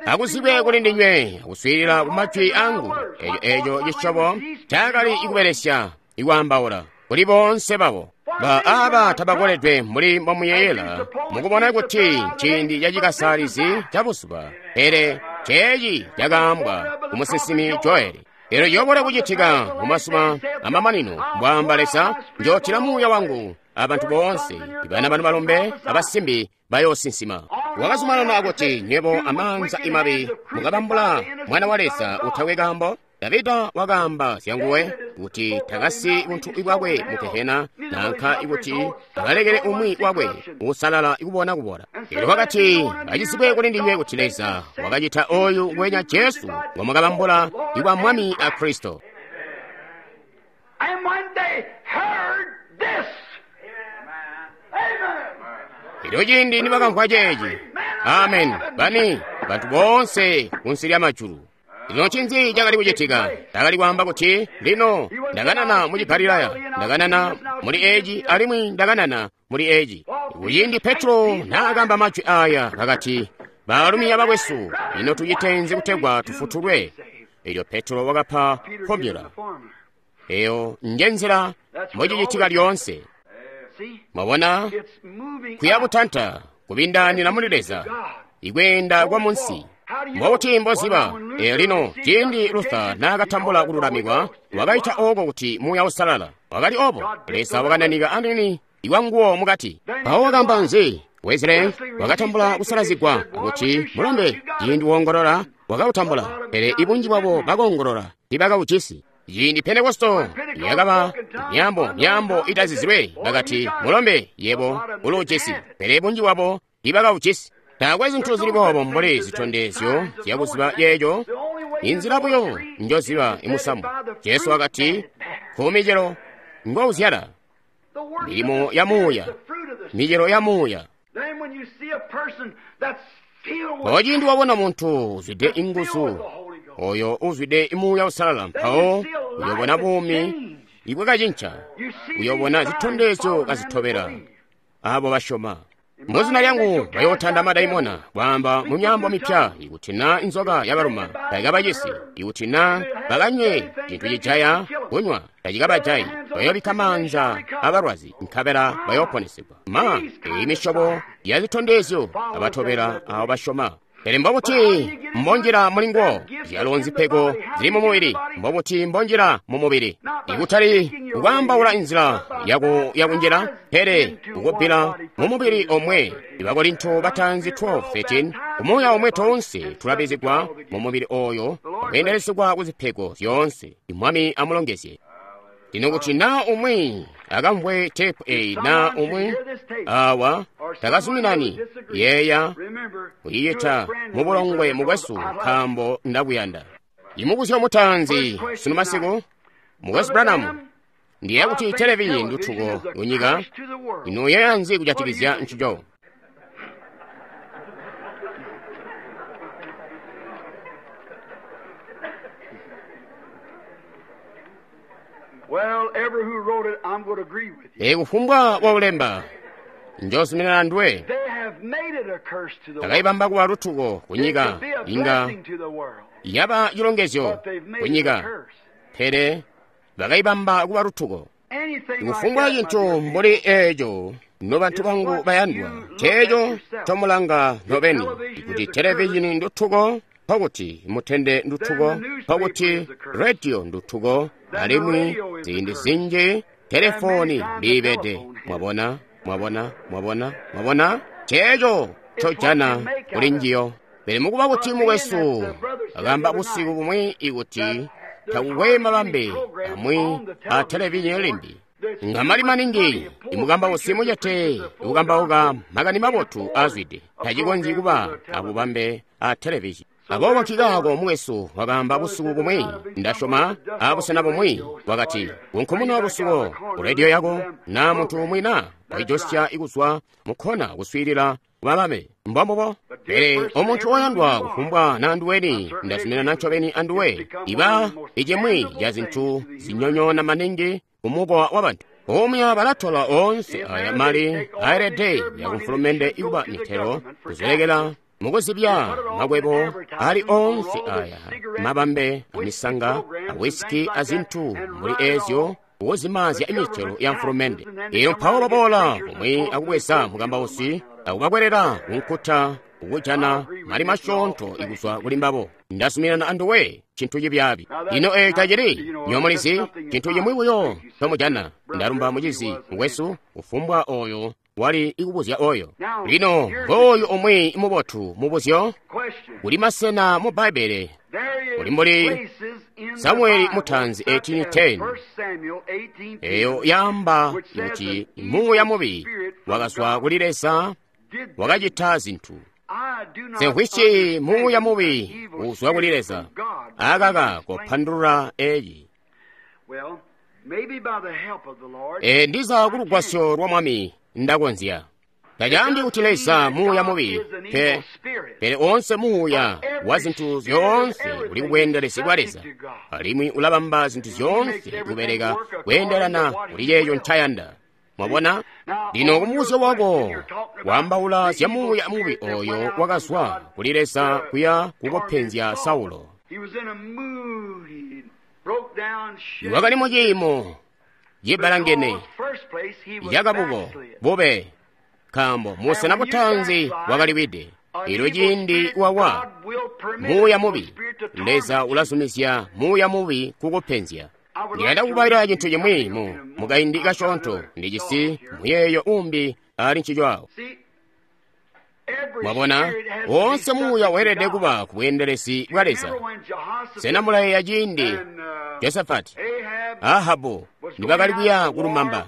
Akuzibe kuli ndinywe akuswiilila ku majwi angu. Eeco eeco cisyobo cakali ikubelesya ikwaambaula kuli boonse babo. Ba aba tabakoledwe mbuli mbomuyeyela mukubona kuti ciindi cacikasalizi ca buzuba, pele ceeci cakaambwa ku musinsimi Joeli. Elyo ciyobola kucitika mu mazuba amamanino, mbwaamba Leza, njootila Muuya wangu abantu boonse, ibana banu balombe abasimbi bayoosinsima. Wakazumanana akuti, nywebo amaanza imabi mukabambula mwana wa Leza utakwe kaambo. Davida wakaamba zyanguwe kuti takasi buntu bwakwe mu Gehena, nanka ikuti akalekele umwi wakwe uusalala ikubona kubola. Elyo wakati, acizibwe kuli ndinywe kuti Leza wakacita oyu ngwenya Jesu ngomwakabambula ikwa Mwami a Kristo. Elyo ciindi nibakamvwa ceeci, amen, bani bantu boonse kunsi lya majulu. Lino ncinzi cakali kucitika? Ndakali kwaamba kuti, lino ndakanana mu Chigalilaya, ndakanana muli eci, alimwi ndakanana muli eci. Kuciindi Petro naakamba majwi aya, akati, baalumi abakwesu, lino tucitenzi kutegwa tufutulwe? Elyo Petro wakapa formula. Eyo nje nzila mbocicitika lyoonse. Mwabona, kuya butanta kubindaanira muli Leza, ikweenda kwa munsi. Mbobuti mboziba? E lino, ciindi Luther naakatambula kululamikwa, wakaita oko kuti Muuya Uusalala. Wakali obo. Leza wakananika anini iwanguwo mukati. Mpawo wakaamba nzi? Wesley wakatambula kusalazigwa kuti mulombe, ciindi woongolola wakautambula, pele ibunji bwabo bakoongolola tiibakaujisi. Ciindi Pentekosto yakaba myaambo myaambo itazizilwe, bakati mulombe yebo uluujisi, pele bunji bwabo tiibakaujisi. Taakwe zintu zili boobo mbuli zitondezyo zyakuziba yeeco. Inzila buyo njoziba imusamu. Jesu wakati kumicelo ngouzyala, milimo ya muuya, micelo ya muuya. Mpawo ciindi wabona muntu uzwide inguzu, oyo uzwide Muuya Uusalala, mpawo uyobona buumi ibwakacinca, uyobona zitondezyo kazitobela abo basyoma. Muzina lyangu bayootanda madaimona, kwaamba mu myaambo mipya. Ikuti na inzoka yabaluma taikabacisi, ikuti na bakanywe cintu cijaya kunywa tacikabajayi, bayoobikka maanza abalwazi nkabela bayooponesegwa. Ma eyi misyobo ya zitondezyo abatobela abo basyoma. Pele mbobuti mbonjila mulinguwo? Zyalo nzipego zili mu mubili. Mbobuti mbonjila mu mubili? Ikutali kukwaambaula inzila yaku yakunjila, pele kukubbila mu mubili omwe. Ibakorinto bataanzi twelve thirteen, kumuuya omwe toonse tulabizigwa mu mubili oyo akweendelezegwa ku zipego zyoonse. Mwami amulongezye. Lino kuti naa umwi akamvwe tepu eyi naa umwi awa takazuminani, yeeya kuyiyita mubulongwe mukwesu, nkaambo ndakuyanda. Imubuzyo mutaanzi sunu masiku, Mukwesu Branham, ndiyeeya kuti televizhini ndutuko kunyika. Ino uyeeya nzi kujatikizya ncico? Well, ever who wrote it, I'm going to agree with you. E kufumbwa waulemba njozuminana nduwe. They have made it a curse to the world. Takaibamba kuba lutuko It kunyika, could be a inga blessing to the world, yaba chilongezyo but they've made it a kunyika, curse. pele bakaibamba kuba lutuko. Anything like Kufumbwa that, my cintu dear mbuli eeco, nobantu bangu bayandwa, ceeco comulanga nobeni, kuti televizhini ndutuko, pakuti mutende ndutuko, pakuti rediyo ndutuko, alimwi ziindi zinji telefoni mbiibede. Mwabona, mwabona, mwabona, mwabona, ceeco cojana kuli njiyo. Pele mukuba kuti mukwesu akamba busiku bumwi ikuti takukwe mabambe amwi a televizhini limbi, ngamali maningi imukambausi mucete ikukambauka makani mabotu azwide tacikonzyi kuba abubambe a televizhini. Aboobo nkikaako mukwesu wakamba busiku bumwi, ndasyoma abusena bumwi, wakati kunkumuna lusuko ku rediyo yako na muntu umwi na waijosya ikuzwa mukhona kuswiilila kubabame. Mbombubo. Pele omuntu oyandwa kufumbwa na anduweni, ndazuminana ncobeni anduwe, iba icimwi ca zintu zinyonyoona maningi kumukowa wa bantu. Omwe balatola onse aya mali aelede yakumfulumende ikuba mitelo kuzilekela mukuzibya makwebo ali onse aya mabambe amisanga awisiki azinthu mbuli ezyo wozimazya imitelo ya mfulumende. Iyo mpawo baboola pomwe akubweza mukambausi akubakwerera kunkuta ukujana mali masyoonto ikuzwa kuli mbabo. Ndazuminana anduwe cintu cibyaabi. Ino eeco tacili nyomulizi cintu cimwi buyo tomujana. Ndalumba mucizi mukwesu kufumbwa oyo wali ikubuzya oyo. Lino ngooyu umwi mubotu mubuzyo. Question. Kuli masena mu Bbaibbele There is Kuli mbuli places in the Samueli Bible, mutaanzi such as eighteen ten. First Samuel eighteen ten, eyo yaamba which says kuti an muuya evil mubi spirit from wakazwa God kuli Leza did wakacita zinthu. I do not Semvwici understand muuya an mubi evil uzwa kuli spirit Leza from God. akaka Explain. kopandulula eyi. Well, maybe by the help of the Lord, E ndiza kulugwasyo lwa Mwami ndakonzya. Tacaambi kuti Leza muuya mubi pe, pele onse muuya wa zinthu zyoonse uli kubweendelezi bwa Leza, alimwi ulabamba zinthu zyoonse kubeleka kweendelana kuli ceeco ncayanda. Mwabona? Lino kumubuzyo wako waambaula zya muuya mubi oyo wakazwa kuli Leza kuya kukopenzya Saulo. he was in a mood. He broke down, shaking. Wakali mu ciimo cibalangene Because first place he was yakabuko backslid. bube, nkaambo musena butanzi wakaliwide. Elyo ciindi wawa muuya mubi, Leza ulazumizya muuya mubi kukupenzya. Ndiyanda kukubaila cintu cimwi mu mukaindi kasyoonto. Ndijisi muyeeyo umbi ali ncico awo. Mwabona, woonse muuya weelede kuba ku bweendelezi bwa Leza. Sena mulayeeya ciindi Josafati, Ahabu nibakali kuya kulumamba?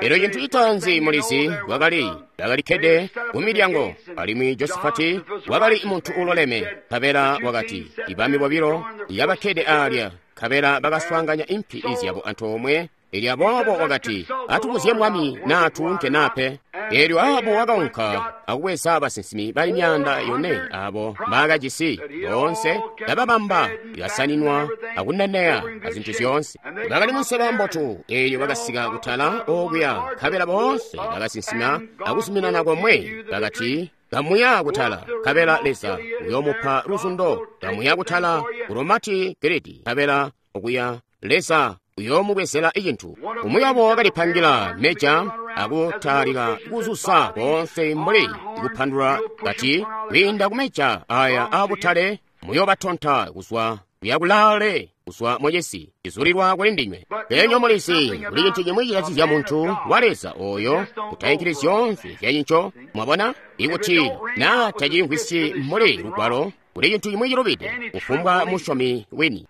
Elyo cintu citaanzi mulizi wakali bakalikkede ku milyango, alimwi Josafati wakali muntu uloleme. Nkabela wakati, ibami bobilo yabakkede alya, nkabela bakaswaanganya impi zyabo antoomwe. Elyo aboobo wakati, atubuzye mwami naa tuunke naa pe. Elyo Ahabu wakaunka akubweza basinsimi bali myaanda yone abo mbaakajisi boonse, kababamba ikasaninwa akuneneya azintu zyoonse. Bakali munseba mbotu. Elyo bakasika kutala okuya, nkabela boonse bakasinsima akuzuminana komwe. Bakati, kamuya kutala, nkabela Leza uyoomupa luzundo. Kamuya kutala ku Romati Giledi, nkabela okuya Leza uyoomubwezela icintu. Umwi wabo wakalipangila meja akutalika kuzusa koonse mbuli kupandula kati, kwiinda kumeja aya aabutale muyoobatonta kuzwa kuya kulaale kuzwa mucisi cizulilwa kuli ndinywe. Pele mulizi kuli cintu cimwi cikazizya muntu wa Leza oyo kutainkili zyoonse zyacinco. Mwabona, ikuti naa tacimvwisyi mbuli lugwalo, kuli cintu cimwi cilubide kufumbwa musyomi wini.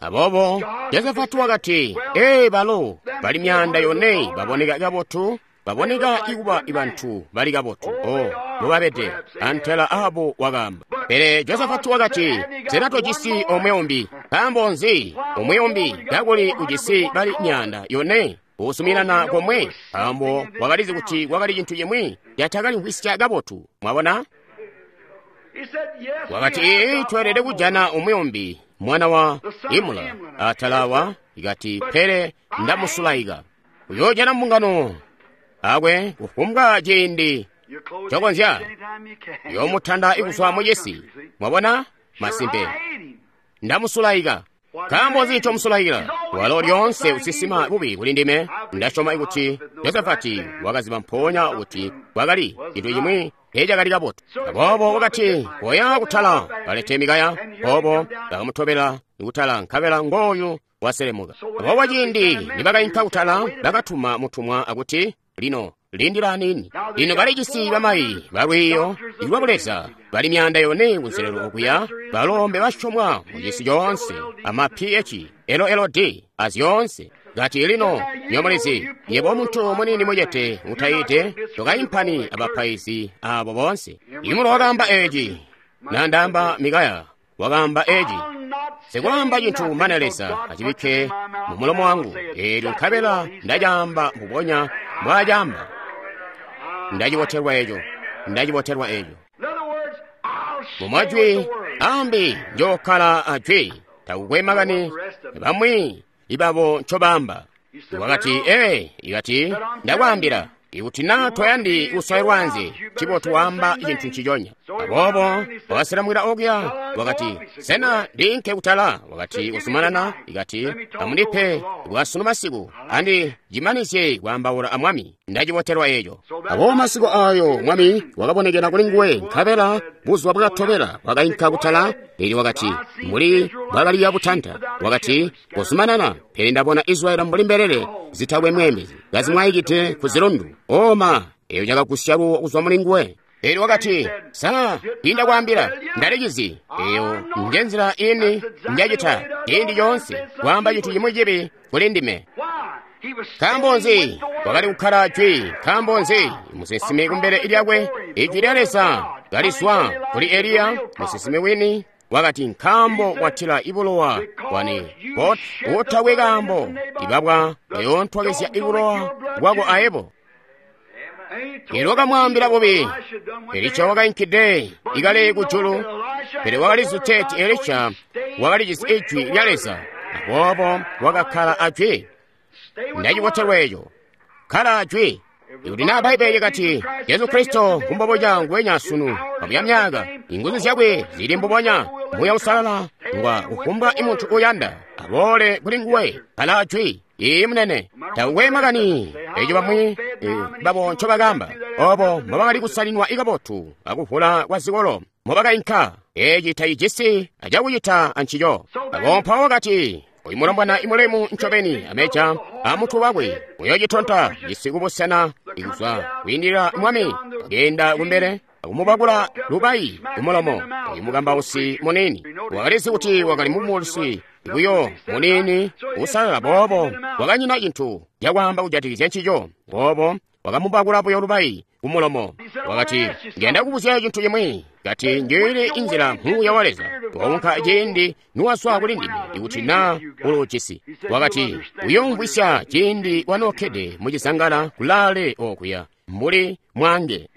Aboobo Josafati wakati, ee, balo bali myaanda yone baboneka kabotu, baboneka ikuba bantu bali kabotu. Oh, mubabede antela Ahabu wakaamba. Pele Josafati wakati, sena tojisi omwe umbi? Nkaambo nzi omwe umbi kakuli ujisi bali myaanda yone usuminana komwe? Nkaambo wakalizi kuti kwakali cintu cimwi catakalimvwisya kabotu. Mwabona? Wakati, ee, tweelede kujana umwi umbi, mwana wa Imula atalawa. Ikati, pele ndamusulaika. Uyoojana mbungano akwe kufumbwa ciindi cokonzya, uyoomutanda ikuzwa mucisi. Mwabona? Masimpe, ndamusulaika. Nkaambo nzi ncomusulaikila? Walo lyoonse usisima bubi kuli ndime. Ndasyoma kuti Josafati wakaziba mpoonya kuti kwakali cintu cimwi teecakali kabotu. Aboobo wakati, koya kutala kalete Mikaya. Boobo bakamutobela kutala, nkabela ngooyu waselemuka. Aboobo ciindi nibakainka kutala, bakatuma mutumwa akuti, lino lindila aniini. Lino balijisi bamayi balwiiyo lwa buleza bali myaanda yone kunselelo okuya, balombe basyomwa mucisi coonse ama P H L L D azyoonse. Kati, lino nyomulizi, yebo muntu munini mucete utayite tokaimpani abapaizi abo boonse. Imulo wakaamba eci, nandaamba Mikaya wakaamba eci, sikwaamba cintu mane Leza acibikke mu mulomo wangu. Eelyo nkabela ndacaamba mbubonya mbwaacaamba. Ndacibotelwa eco, ndacibotelwa eco. Mumajwi ambi njookkala ajwi, takukwe makani bamwi ibabo ncobaamba. Wakati, ee, ikati ndakwaambila, ikuti naa toyandi kuswailwa anze, cibotu waamba cintu nciconya. Aboobo wakaselamwila okuya, wakati, sena ndiinke kutala? Wakati, uzumanana. Ikati, amundipe bwasunu masiku, andi cimanizye kwaambaula amwami. Ndacibotelwa eco. Aboobo masiku ayo mwami wakabonekera kuli nguwe, nkabela buzuba bwakatobela wakainka kutala. Elyo wakati, mbuli bwakaliya butanta. Wakati, kuzumanana, pele ndabona Israeli mbuli mbelele zitakwe mweembezi, kazimwaikide ku zilundu. Oma, eyo cakagusya luwo kuzwa muli nguwe. Elyo wakati, sa ndakwaambila, ndalicizi. Eyo nje nzila ini njacita ciindi coonse, kwaamba cintu cimwi cibi kuli ndime. Nkaambo nzi? Wakali kukkala jwi. Nkaambo nzi? Musinsimi kumbele lyakwe, ijwi lya Leza kalizwa kuli Eliya, musinsimi wini. Wakati, nkaambo watila ibulowa bwani bot utakwe kaambo, ibabwa bayoontwakezya ibulowa bwako aebo. Elyo wakamwaambila bubi. Elisha wakainkide ikale kujulu, pele wakalizi teeti Elisha wakalijisi ijwi lya Leza, aboobo wakakkala ajwi. Ndacibotelwa eco. Kkala ajwi. Ikuti naa Bbaibbele likati Jesu Kristo ngumboboca nguwenya sunu amuya myaka, inguzu zyakwe zili mbubonya, Muuya Uusalala ngwa kufumbwa imuntu uyanda aboole kuli nguwe. Kkala ajwi. Ii munene, takukwe makani eco bamwi babo ncobakaamba, obo mbobakali kusalinwa kabotu akuvula kwa zikolo mobakainka. Eci tacijisi acakucita ancico. Abo mpawo wakati, oyu mulombwana imulemu ncobeni ameja amutwe wakwe uyocitonta cisi kubusena ikuzwa kwiindilila mwami. Wakeenda kumbele akumubakula lubayi kumulomo. Oyu mukambausi munini wakalizi kuti wakali mumulusi buyo munini usalala, boobo wakanyina cintu cakwaamba kujatikizya ncico. Boobo wakamubakula buyo lubayi kumulomo. Wakati, ngenda kubuzya cintu cimwi. Kati, njili inzila muuya wa Leza waunka ciindi nuwazwa kuli ndime, ikuti na uluujisi. Wakati, uyoomvwisya ciindi wanookkede mucizangala kulaale okuya mbuli mwange.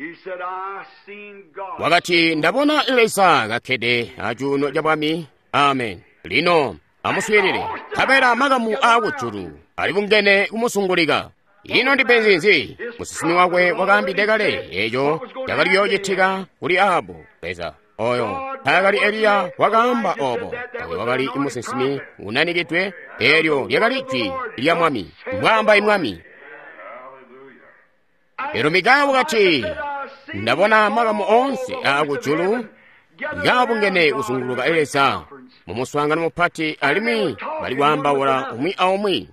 Wakati, ndabona Leza kakkede acuuno ca bwami. Amen. Lino amuswiilile. Nkabela makamu aakujulu alibungene kumusungulika. Ino ndipenzi nzi? Musinsimi wakwe wakaambide kale eco cakali kuyoocitika kuli Ahabu. Leza oyo taakali Eliya wakaamba obo. Oyo wakali musinsimi unanikidwe. Eelyo lyakali jwi lya Mwami, mbwaamba Mwami. Elyo Mikaya wakati, ndabona makamu oonse aakujulu kaabungene kuzunguluka Leza mumuswaangano mupati, alimwi bali kwaambaula umwi aumwi.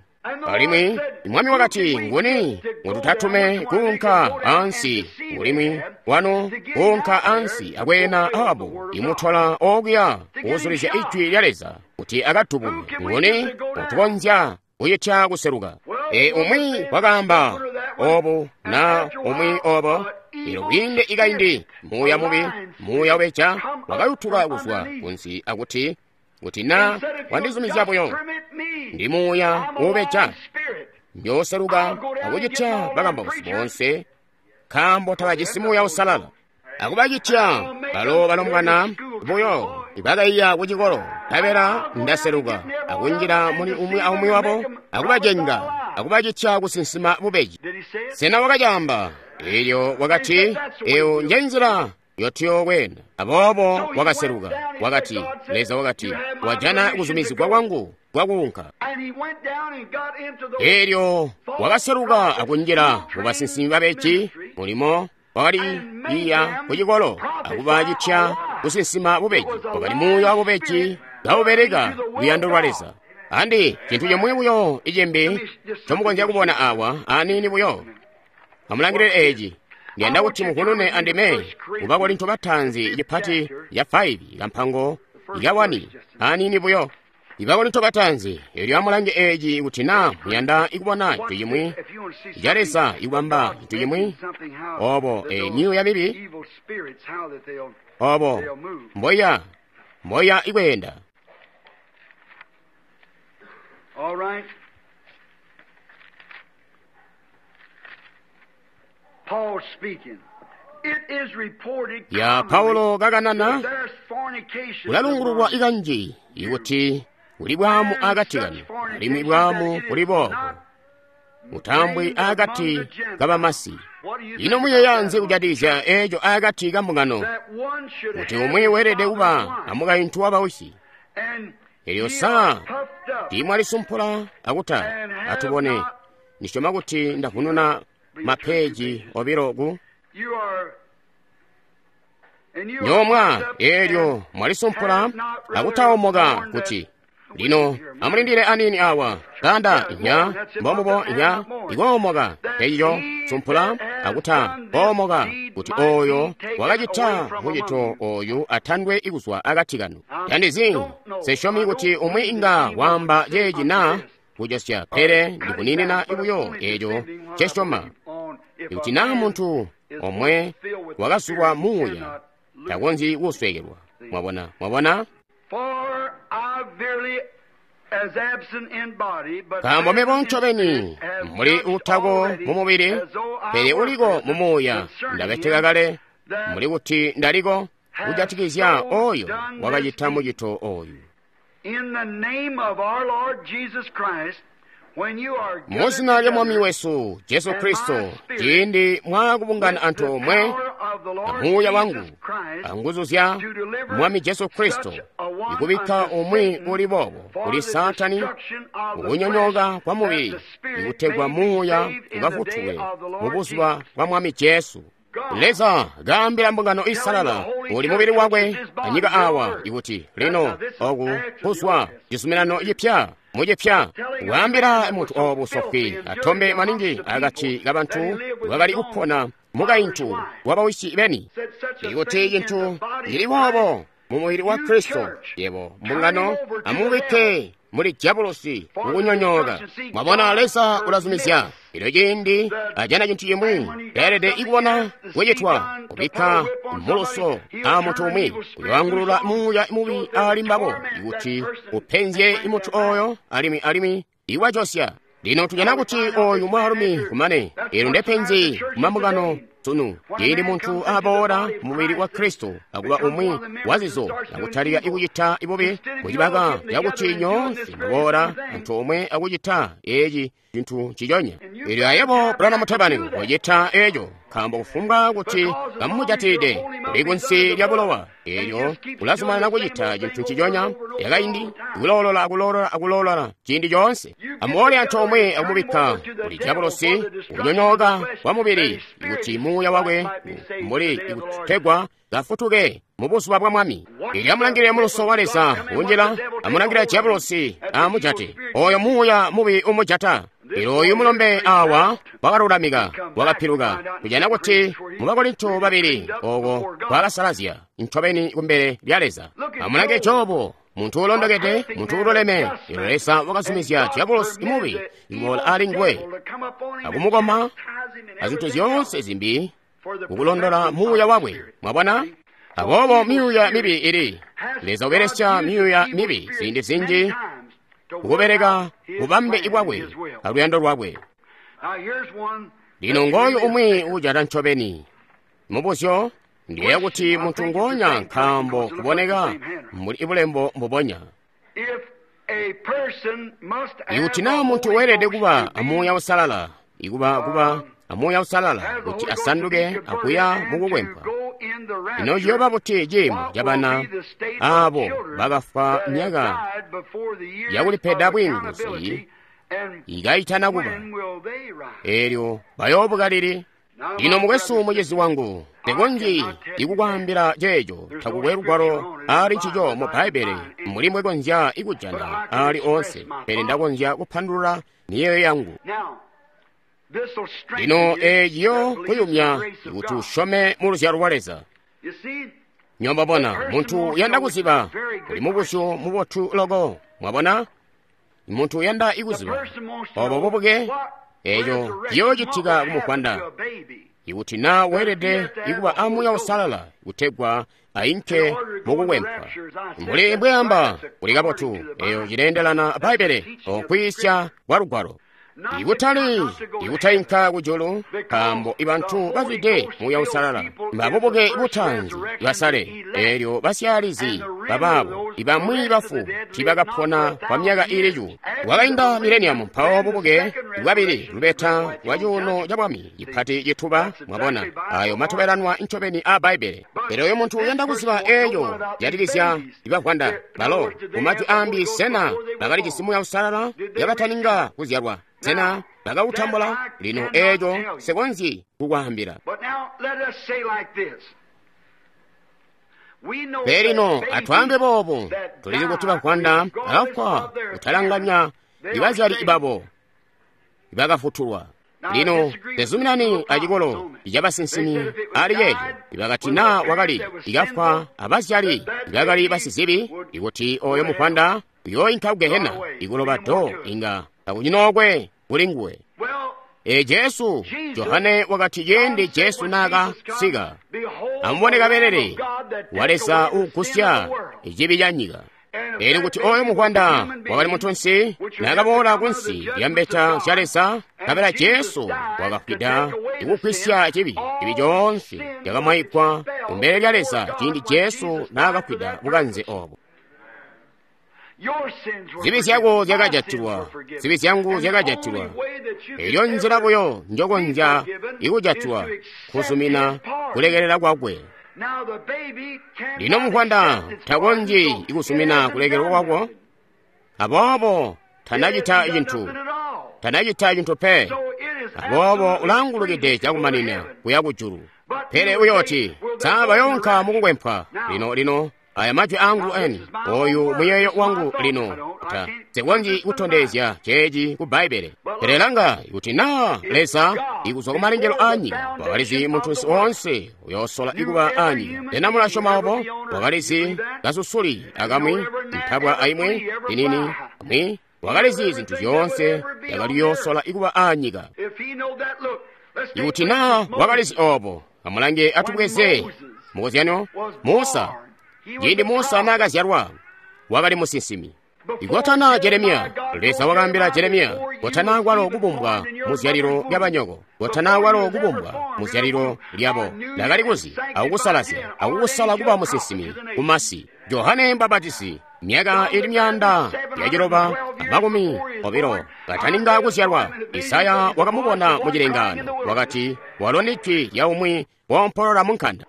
Alimwi mwami wakati, nguni ngututatume kuunka ansi? Ulimwi wano kuunka ansi akweena Ahabu imutola okuya kuzulizya ijwi lya Leza kuti akadubulwe. Nguni ngutukonzya kuyitya kuseluka? E umwi wakaamba obu na umwi obo. Elo kwiinde ikaindi muuya mubi, muuya ubeja wakayutuka kuzwa kunsi akuti, kuti na wandizumizya buyo, ndi muuya ubeja, njooseluka akucitya bakambausi boonse, nkaambo tabajisi muuya usalala. Akubacitya balo balombwana buyo ibakaiya kucikolo, nkabela ndaseluka akunjila muli umwi aumwi wabo akubacenga akubacitya kusinsima bubeji. Sena wakacaamba? Elyo wakati, eyo njenzila yotuyokwena. Aboobo wakaseluka. Wakati, Leza wakati, wajana kuzumizigwa kwangu kwakuunka. Elyo wakaseluka akunjila mubasinsimi babeji, mulimo wakali iya kucikolo akubacitya kusinsima bubeji. Wakali muuya wa bubeji kaubeleka luyando lwa Leza. Andi cintu cimwi buyo icimbi ncomukonzya kubona awa aniini buyo. Amulangilile eci. Ndiyanda kuti mukunune andime ku Bakorinto bataanzi cipati ya five kampango ya one aniini buyo. Ibakorinto bataanzi, elyo amulange eci kuti na muyanda ikubona cintu cimwi ca Leza ikubamba cintu cimwi obo e myuuya mibi obo mboya mboya ikweenda. All right. Paul speaking. It is reported Ya Paulo kakanana that there's fornication kulalungululwa among ikanji ikuti kuli bwamu akati kanu, alimwi bwamu kuli boobo mutambwi akati kabamasi. Ino muyeeya nzi kujatikizya eco akati kambungano, that one should kuti have umwi weelede his kuba father's wife, amukaintu wa bawisi? and Elyo ye saa are puffed up tiimwalisumpula akuta atubone. Ndisyoma kuti ndavununa mapeji obilo ku You are and you are nyomwa. puffed up Elyo and mwalisumpula have not rather akutaomoka borne kuti that lino amulindile anini awa kanda inya mbombubo inya ikoomoka eyiyo sumpula akuta koomoka kuti oyo wakacita mucito oyu atandwe ikuzwa akati kanu. Tandizi sesyomi kuti umwi inga waamba ceeci na kujosya, pele ndikuninina buyo eco ncesyoma. Ikuti naa muntu omwe wakazulwa muuya takonzyi kusweekelwa. Mwabona, mwabona? For I verily as absent in body, but Nkaambo mebo present in ncobeni spirit, have muli judged utako already mu mubiri, as though I pele were uliko present mu muuya. concerning Ndabeteka him kale that muli kuti ndaliko kujatikizya has so oyo done this wakacita deed. mucito oyu. In the name of our Lord Jesus Christ, when you are Mu gathered zina lya Mwami together wesu Jesu and my Kristo, spirit ciindi mwakubungana with the antoomwe power of the Lord amuuya wangu Jesus Christ anguzu zya to deliver Mwami Jesu Kristo such a Ikubikka umwi uli boobo kuli Saatani kukunyonyooka kwa mubili, ikutegwa muuya ukafutulwe mu buzuba bwa Mwami Jesu. Leza kaambila mbungano isalala uli mubili wakwe anyika awa ikuti lino oku kuzwa cizuminano cipya mucipya kwaambila muntu obu sofwi atombe maningi akati kabantu wakali kupona mukaintu wabawisi beni ikuti cintu cili boobo mu mubili wa Kristo yebo mbungano amubikke muli diabolosi mukunyonyooka. Mwabona, Leza ulazumizya ilo ciindi ajana cintu cimwi leelede ikubona kucitwa kubikka muluso a muntu umwi uyoangulula muuya mubi ali mbabo ikuti upenzye muntu oyo alimwi alimwi iwajosya. Lino tujana kuti oyu mwaalumi kumane elo ndepenzi kumambungano sunu ciindi muntu aboola mubili wa Kristo akuba umwi wazizo akutalika ikucita ibubi mucibaka cakuti nyoonse muboola antoomwe akucita eci cintu ciconya. Elyo ayebo Branham Tabernacle wacita eco nkaambo kufumbwa kuti kamujatilide uli kunsi lya bulowa elyo ulazumanana kucita cintu nciconya yakaindi kuloolola akuloolola akuloolola ciindi coonse. Amuboole antoomwe akumubikka kuli diabolosi kunyonyooka kwa mubili ikuti muuya wakwe mbuli ikutegwa kafutuke mu buzuba bwa Mwami. Elyo amulangile muluso wa Leza unjila, amulangile diabolosi amujate oyo muuya mubi umujata. Elyo oyu mulombe awa wakalulamika wakapiluka kujana kuti mu Bakorinto babili oko kwakasalazya ncobeni kumbele lya Leza. Amulange Jobu, muntu ulondokede, muntu ululeme. Elyo Leza wakazumizya diabolosi mubi kuboola ali nguwe akumukoma azintu zyoonse zimbi kukulondola muuya wakwe. Mwabona? Aboobo myuuya mibi ili Leza ubelesya myuuya mibi ziindi zinji kukubeleka bubambe bwakwe aluyando lwakwe. Lino ngooyu umwi ujata ncobeni mubuzyo ndiye kuti muntu ngonya nkaambo kuboneka muli bulembo mbubonya. Ikuti naa muntu weelede kuba amuuya usalala ikuba kuba amuuya usalala kuti asanduke akuya mukukwempwa, ino ciyooba buti ciimo cabana aabo bakafwa myaka yakulipeda bwiinguzi ikaitana kuba elyo bayoobuka lili? Lino mukwesu mucizi wangu, tekonji ikukwaambila ceeco takukwe lugwalo ali ncico mu Bbaibbele mbuli mbwekonzya ikujana ali onse, pele ndakonzya kupandulula miyeeyo yangu. Lino eeci kuyumya kuti usyome mu luzyalo lwa Leza. Nyombabona muntu uyanda kuziba kuli mubuzyo mubotu loko. Mwabona, muntu uyanda ikuziba obo bubuke eco ciyoocitika kumufwanda ikuti naa weelede ikuba amuuya usalala kutegwa ainke mukukwempwa. Mbuli mbweamba kuli kabotu, eyo cileendelana Bbaibbele okwiisya kwa lugwalo. Ikutali ikutainka kujulu nkaambo ibantu bazwide muuya usalala mbabubuke butanzi basale elyo basyaalizi babaabo ibamwi bafu tiibakapona kwa myaka ili cuulu. Kwakainda mileniamu mpawo bubuke bwabili lubeta lwa cuuno ca bwami cipati cituba. Mwabona ayo matobelanwa ncobeni a Bbaibbele. Pele oyo muntu uyanda kuziba eeco jatikizya ibavwanda balo mumajwi ambi, sena bakalijisi muuya usalala yabataninga kuzyalwa? Sena bakautambula? Lino eeco sikonzyi kukwaambila. Pele lino atwaambe boobu, tulizi kuti bavwanda bakafwa kutalanganya ibazyali babo ibakafutulwa. Lino tezuminani acikolo cabasinsimi ali ceeco ibakati naa wakali ikafwa abazyali ibakali basizibi ikuti oyo muvwanda uyooinka kugehena ikuloba do inga kakunyinokwe kuli nguwe. E Jesu, Johane wakati ciindi Jesu naakasika, amubone kabelele wa Leza uugusya cibi ca nyika. Elyo kuti oyo muvwanda wakali muntunsi naakaboola kunsi lya mbeta zya Leza, nkabela Jesu wakafwida ikugwisya cibi. Cibi coonse cakamwaigwa kumbele lya Leza ciindi Jesu naakafwida bukanze obo. Zibi zyako zyakajatilwa, zibi zyangu zyakajatilwa. Elyo nzila buyo njokonzya ikujatilwa kuzumina kulekelela kwakwe. Lino muvwanda takonzyi kusumina kulekelwa kwako, aboobo tanacita cintu, tanacita cintu pe. Aboobo ulangulukide cakumanina kuya kujulu. Pele uyooti, sa bayoonka mukukwempwa. Lino lino aya majwi angu eni, oyu muyeeyo wangu lino, ta nsikonzyi kutondezya ceeci ku Bbaibbele. Pele langa, kuti naa Leza ikuzwa kumalengelo aanyika wakalizi muntunsi woonse uyoosola ikuba aanyika. Sena mulasyoma obo? Wakalizi kasusuli akamwi, ntabwa aimwi, inini amwi. Wakalizi zintu zyoonse yakali yoosola ikuba aanyika. Ikuti naa wakalizi obo, amulange atubweze mukozyano Musa. Ciindi Musa naakazyalwa, wakali musinsimi. Ikotana Jeremiya, Leza wakaambila Jeremiya, kotana kwalo kubumbwa muzyalilo lyabanyoko, kotana kwalo kubumbwa muzyalilo lyabo. Ndakali kuzi akukusalazya akukusala kuba musinsimi kumasi. Johane Mbapatizi, myaka ili myaanda yaciloba amakumi obilo kataninga kuzyalwa, Isaya wakamubona mucilengaano, wakati, walo ni jwi lya umwi woompolola munkanda.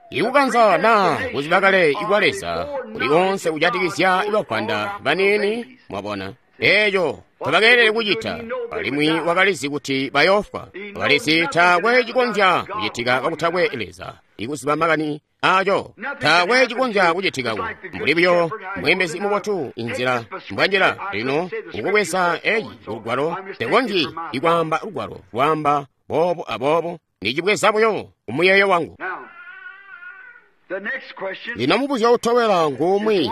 Ikukanza naa kuziba kale ikwa Leza kuli konse kujatikizya ibavwanda baniini, mwabona eeco tabakeelele kucita, alimwi wakalizi kuti bayoofwa. Wakalizi taakwe cikonzya kucitika kakutakwe Leza ikuziba makani aco, taakwe cikonzya kucitikako. Mbuli buyo mweembezi mubotu inzila mbwanjila lino ukubweza eeci lugwalo, tekonzyi ikwaamba lugwalo lwaamba boobo aboobo, nicibweza buyo kumuyeeyo wangu. Lino mubuzyo utobela ngumwi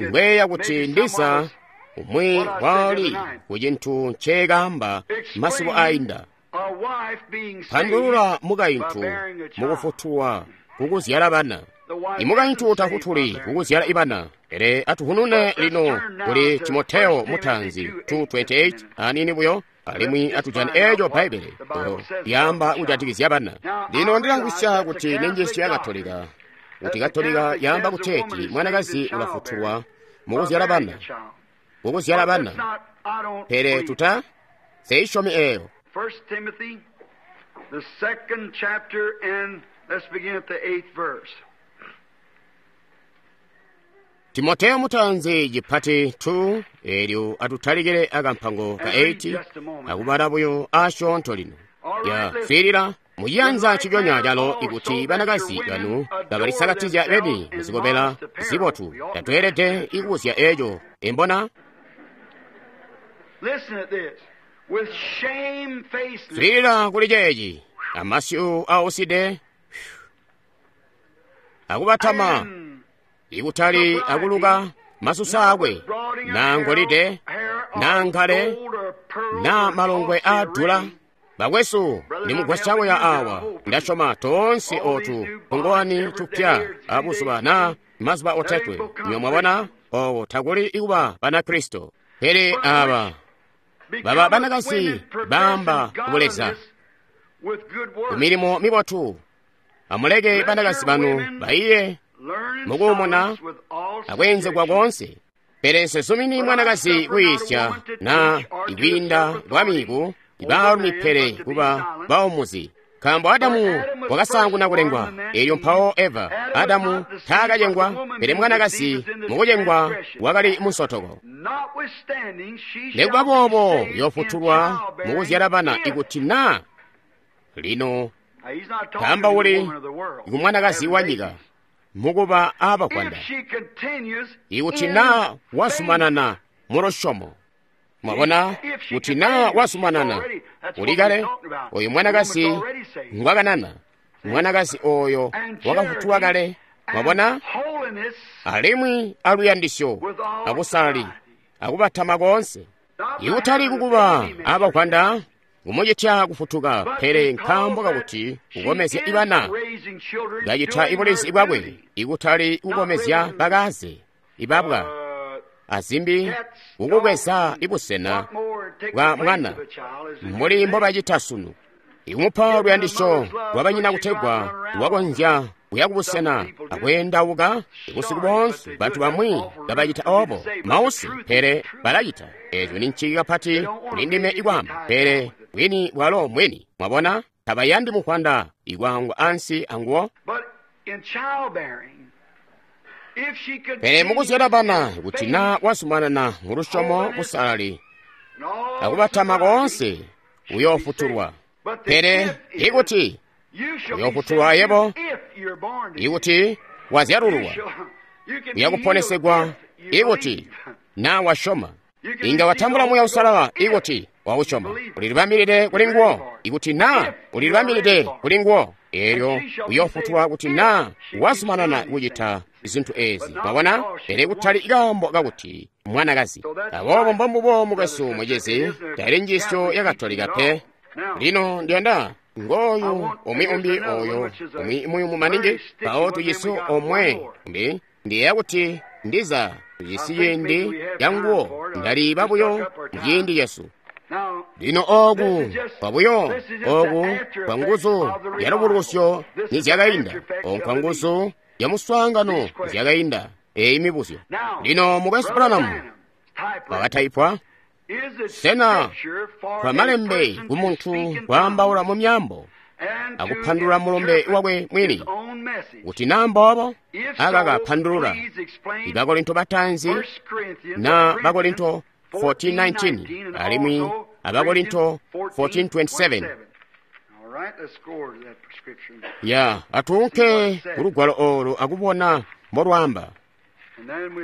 ngweya kuti ndiza umwi wali ku cintu nceekaamba masiku ainda. Pandulula mukaintu mukufutulwa kukuzyala bana. Imukaintu tafutuli kukuzyala ibana, pele atuhunune lino kuli Timoteo mutanzi two twenty-eight anini buyo, alimwi atujane eeco Bbaibbele lyaamba kujatikizya bana. Lino ndilamvwisya kuti ninjiisyo ya Katolika, kuti Katolika yaamba kuteeti mwanakazi ulafutulwa mukuzyala bana, mukuzyala bana, pele tuta seisyomi eeyo. First Timothy, the second chapter, and let's begin at the eighth verse. Timoteo mutanzi chipati two elyo atutalikire akampango ka eight akubala buyo asyoonto lino. Ya swiilila muciyanza nciconya calo ikuti banakazi banu kabalisakatizya beni muzikobela zibotu, tatweelede ikubuzya eeco embona. Listen at this. With shamefacedness. Swiilila kuli ceeci amasyu auside akubatama ikutali akuluka masusa akwe na ngolide na ngale na malongwe adula. Bakwesu, nimugwasyakuya awa, ndasyoma toonse otu tungowani tupya abuzuba na mazuba otatwe. Nywe mwabona owo takuli ikuba Banakristo, pele aba baba banakazi baamba kubuleza ku milimo mibotu. Amuleke banakazi banu baiye mukuumuna akwenzegwa konse. Pele nsesumini mwanakazi kwiisya na ikwiinda kwamiku ibaalumi pele kuba baumuzi. Nkaambo Adamu wakasaanguna kulengwa, elyo mpawo Eva. Adamu taakacengwa, pele mwanakazi mukucengwa wakali munsotoko. Nikuba boobo yoofutulwa mukuzyala bana ikuti naa lino taamba uli kumwanakazi wa nyika mukuba aabavwanda, ikuti naa wazumanana mulusyomo. Mwabona, kuti naa wazumanana uli kale oyu mwanakazi ngwakanana, mwanakazi oyo wakafutulwa kale. Mwabona, alimwi aluyandisyo abusali akubatama konse, ikutali kukuba abavwanda kumucitya kufutuka, pele nkaambo kakuti kukomezya ibana kacita ibulezi bwakwe, ikutali kukomezya bakaze ibabwa azimbi, kukukweza ibusena bwa mwana mbuli mbobacita sunu, ikumupa luyandisyo lwabanyina kutegwa lwakonzya kuya kubusena akweendauka busiku boonse. Bantu bamwi kabacita obo mausi, pele balacita eeco ni nciki kapati kuli ndime ikwaamba, pele bwini bwalo mwini. Mwabona, tabayandi muvwanda ikwaangwa ansi anguwo. Pele mukuzyala bana, kuti naa wazumanana mulusyomo busalali akubatama koonse, uyoofutulwa. Pele ikuti uyoofutulwa ayebo, ikuti wazyalululwa, uyakuponesegwa ikuti naa wasyoma. Inga watambula Muuya Uusalala ikuti wausyoma. Ulilibambilide kuli nguwo ikuti naa ulilibambilide kuli nguwo. Eelyo uyoofutulwa kuti naa wazumanana kucita zintu eezi. Mwabona? Pele kutali kaambo kakuti mwanakazi. Aboobo mbombubo mukwesu mucizi, taili njiisyo ya Katolika pe. Lino ndiyanda ngooyu umwi umbi oyo umwi muyumu maningi, mpawo tujisi omwe umbi. Ndiyeeya kuti ndiza tujisi ciindi canguwo, ndaliiba buyo muciindi cesu. Lino ooku kwabuyo, ooku kwa nguzu ya lubukulusyo nizyakainda, ooku kwa nguzu ya muswaangano nizyakainda. Eeyi mibuzyo. Lino mukwesu Branham wakataipwa, sena kwa malembe kumuntu kwaambaula mu myaambo akupandulula mulumbe wakwe mwini? Kuti naa mboobo, akaka pandulula. Ibakorinto bataanzi na Bakorinto fourteen nineteen alimwi Abakorinto fourteen twenty-seven. Ya, atuunke kulugwalo olu akubona mbolwaamba.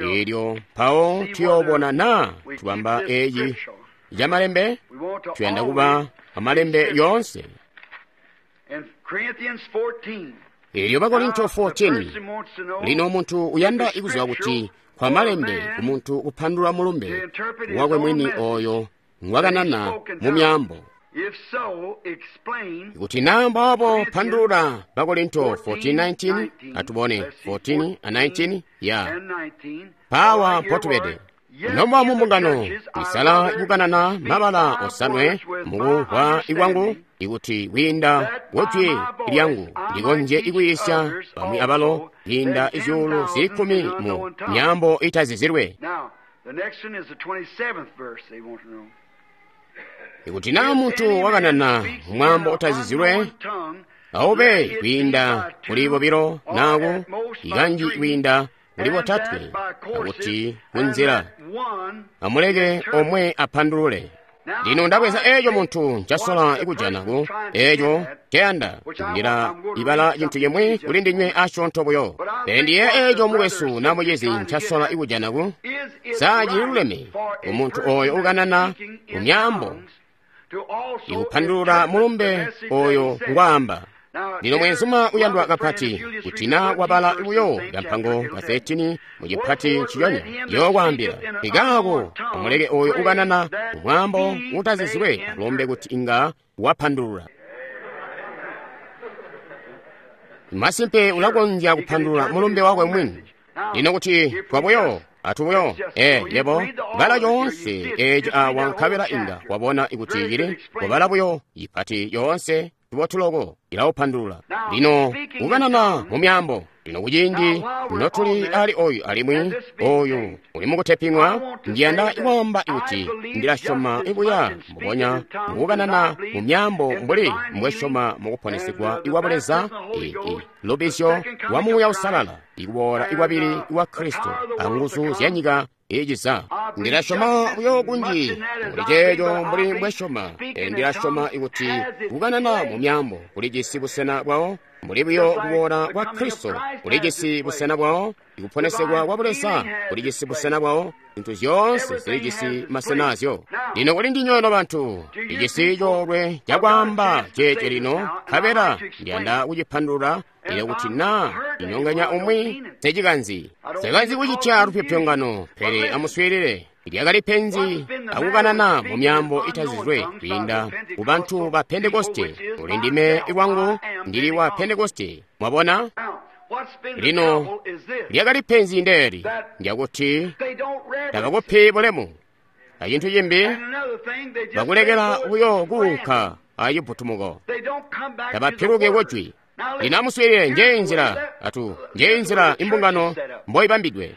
Eelyo mpawo tuyoobona naa tubamba eeyi yamalembe. Tuyanda kuba amalembe yoonse. Eelyo Bakorinto fourteen. Lino muntu uyanda ikuziba kuti kwa malembe kumuntu kupandulula mulumbe wakwe mwini oyo ngwakanana mu myaambo. Kuti naa mboobo pandulula Bakorinto fourteen nineteen, atubone fourteen a nineteen ya pawa mpotubede. Nomba mu mbungano isala ikukanana mabala osanwe mukumvwa ikwangu, ikuti kwiinda kujwi lyangu ndikonzye ikuyiisya bamwi abalo kwiinda izyuulu zili kkumi mu myaambo itazizilwe. Ikuti naa muntu wakanana mwaambo utazizilwe, aube kwiinda kuli bobilo naaku ikanji kwiinda kuli botatwe, akuti kunzila amuleke omwe apandulule. Lino ndabweza eeco muntu ncasola ikujana ku eeco nceyanda, ndila ibala cintu cimwi kuli ndinywe asyoonto buyo. Pele ndiye eeco mukwesu na mucizi ncasola ikujana ku saa cililuleme kumuntu oyo ukanana mu myaambo ikupandulula mulumbe oyo ngwaamba. Lino mwenzuma uyandwa kapati, kuti naa wabala buyo kampango ka thirteen mu cipati nciconya, yookwaambila ikaako amuleke oyo ukanana mwaambo utazizilwe alombe kuti inga wapandulula. Masimpe ulakonzya kupandulula mulumbe wakwe mwini. Lino kuti twabuyo atubuyo ee yebo bala yoonse eeci awa nkabela inga wabona ikuti cili wabala buyo ipati yoonse tubotuloko ilaupandulula. Lino kukanana mu myaambo. Lino kuciindi notuli ali oyu alimwi oyu uli mukuteping'wa, ndiyanda ikwaamba ikuti ndilasyoma ibuya mbubonya mukukanana mu myaambo mbuli mbwesyoma mukuponesegwa ikwa Buleza, lubizyo lwa Muuya Uusalala, ikuboola ikwabili ikwa Kristo anguzu zya nyika iciza. Ndilasyoma buyo kunji muli ceeco mbuli mbwesyoma. Ndilasyoma ikuti kukanana mu myaambo kulijisi busena bwawo, mbuli buyo kuboola kwa Kristo kulijisi busena bwawo, ikuponesegwa kwa Buleza kulijisi busena bwawo, zintu zyoonse zilijisi masena azyo. Lino kuli ndinywe no bantu, ijisi coolwe cakwaamba ceece lino, nkabela ndiyanda kucipandulula. Ilo kuti naa inyonganya umwi secikanzi sekanzi kucitya lupyopyongano, pele amuswiilile. Lyakali penzi akukanana mu myaambo itazizilwe kwiinda ku bantu ba Pentekoste. Uli ndime lwangu ndili wa Pentekoste. Mwabona? Lino lyakali penzi ndeeli ndyakuti tabakupi bulemu acintu cimbi, bakulekela buyo kuunka acibutumuko, tabapiluki kujwi. Lino amuswiilile, njeyi nzila atu njeyi nzila imbungano mboibambidwe.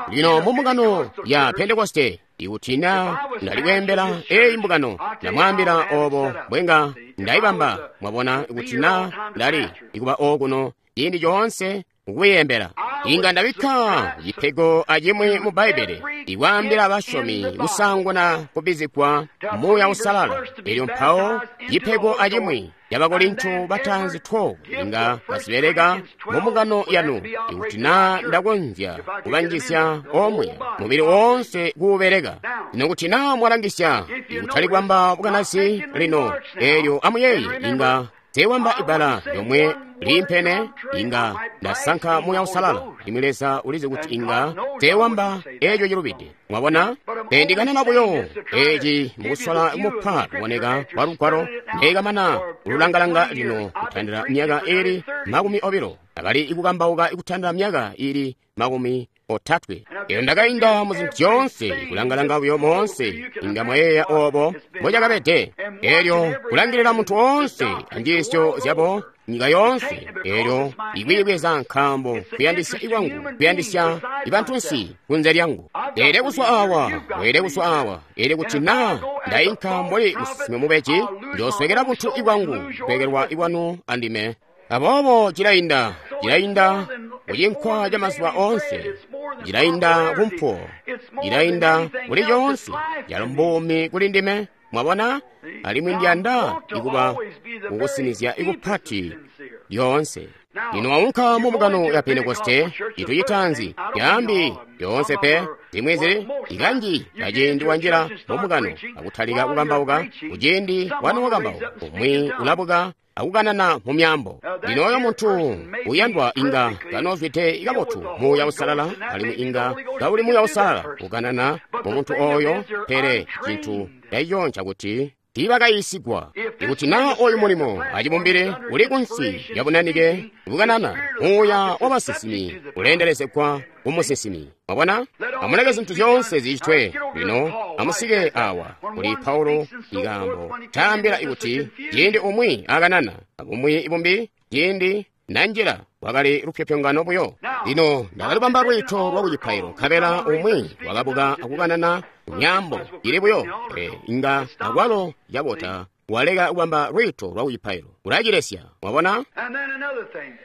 Lino mu mbungano ya Pentekoste, ikuti naa ndali kweembela eyi mbungano, ndamwaambila obo mbwenga ndayibamba. Mwabona, ikuti naa ndali ikuba okuno ciindi coonse kukuyembela. Inga ndabikka cipego acimwi mu Bbaibbele ikwaambila basyomi kusaanguna kubbizigwa Muuya Uusalala. Elyo mpawo cipego acimwi Yabakorinto bataanzi twelve inga bazibeleka mu mbungano yanu, ikuti naa ndakonzya kubanjizya omwe mubili woonse kuubeleka. Lino kuti naa mwalangisya, ikutali kwamba bukanazi lino, elyo amuyeeye inga teewamba ibbala lyomwe liimpene, inga ndasanka Muuya Uusalala. Limwi Leza ulizi kuti inga teewamba eco cilubide. Mwabona? Pendikanana buyo eci mukusola kumupa kuboneka kwa Lugwalo, ndekamana kululangalanga lino kutandila myaka ili makumi obilo, akali ikukambauka kutandila myaka ili makumi otatwe. Elyo ndakainda mu zintu zyoonse, kulangalanga buyo moonse, inga mwayeeya obo mbocakabede. Elyo kulangilila muntu woonse anjiisyo zyabo nyika yoonse, elyo ikwiibweza nkaambo kuyandisya ikwangu, kuyandisya ibantunsi kunze lyangu. Ele kuswa awa, wele kuswa awa, ele kuti naa ndainka mbuli musinsimi mubeji, njooswekela buntu ibwangu, kuswekelwa ikwanu andime. Aboobo cilainda, cilainda kucinkwa ca mazuba oonse, cilainda kumpuwo, cilainda kuli coonse, calo mbuumi kuli ndime. Mwabona? Alimwi ndiyanda ikuba kukusinizya ikupati lyoonse. Lino waunka mu mbungano ya Pentekoste, cintu citaanzi, yaambi yoonse pe, zimwi zili ikanji kaciindi wanjila mu mbungano akutalika kukambauka, kuciindi wanu wakambauka, umwi ulabuka akukanana mu myaambo. Lino oyo muntu uyandwa inga kanoozwide kabotu Muuya Uusalala, alimwi inga kauli Muuya Uusalala kukanana mu muntu oyo, pele cintu caico ncakuti tiibakayiisigwa. Ikuti naa oyu mulimo acibumbili uli kunsi lya bunanike bukanana, muuya wabasinsimi uleendelezegwa kumusinsimi. Mwabona? Amuleke zintu zyoonse zicitwe. Lino amusike awa kuli Paulo ikaambo taambila ikuti ciindi umwi akanana abumwi bumbi ciindi nanjila wakali lupyopyongano buyo. Lino ndakalubamba lwiito lwa kucipailo, nkabela umwi wakabuka akukanana myaambo ili buyo, pele inga akwalo cabota waleka kubamba lwiito lwa kucipailo, ulacilesya. Mwabona?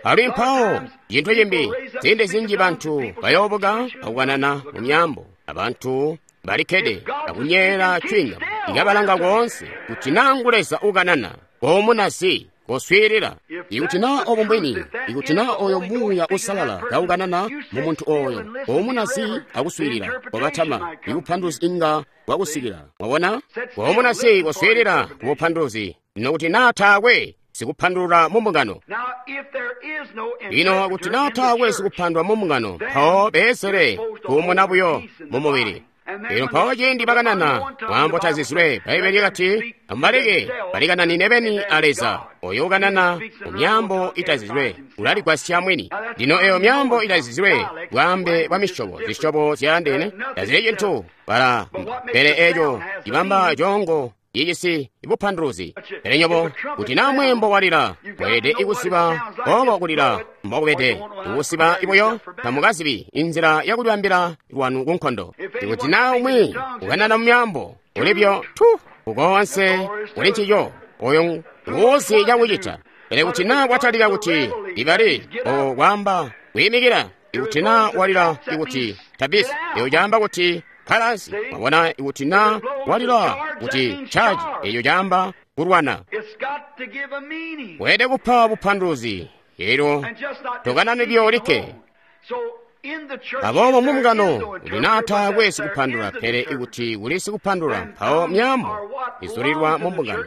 Alimwi mpawo cintu cimbi, ziindi zinji bantu bayoobuka akukanana mu myaambo, abantu balikkede akunyeela cwinga ikabalanga koonse kuti naa ngu Leza ukanana koomunasi koswiilila. Ikuti naa obo mbwini, ikuti naa oyo Muuya Uusalala kaukanana mu muntu oyo, koomunasi akuswiilila, kobatama, ibupanduluzi inga bwakusikila. Mwabona? Koomunasi koswiilila kubupanduluzi. Lino kuti naa taakwe sikupandulula mu mbungano. Lino kuti naa taakwe sikupandulula mu mbungano, mpawo beesele kuumuna buyo mu mubili. Elyo mpawo ciindi bakanana mwaambo tazizilwe, Bbaibbele lyakati, amubaleke balikananine beni a Leza. Oyo ukanana mu myaambo itazizilwe ulaligwasya mwini. Lino eyo myaambo itazizilwe bwaambe bwa misyobo, zisyobo zyaandeene tazili cintu bala, pele eco cibamba coongo ijisi bupanduluzi. Pele nyobo kuti naa mweembo walila, mweelede ikusiba obo kulila mbokubede. Ikusiba ibuyo tamukazibi inzila yakulibambila lwanu kunkondo. Ikuti naa umwi ukanana mu myaambo ulibyo tu ukoonse kuli ncico, oyo nguuzi cakucita. Pele kuti naa kwatalika kuti ibali o kwaamba kwiimikila, ikuti naa walila ikuti tabisi, eyo caamba kuti kkalansi. Mwabona? Ikuti naa walila kuti chaji, eyo caamba kulwana. Weelede kupa bupanduluzi. Elyo tokanani byolikke. Aboobo mu mbungano kuti naa taakwe sikupandula, pele ikuti kuli sikupandula, mpawo myaambo izulilwa mu mbungano.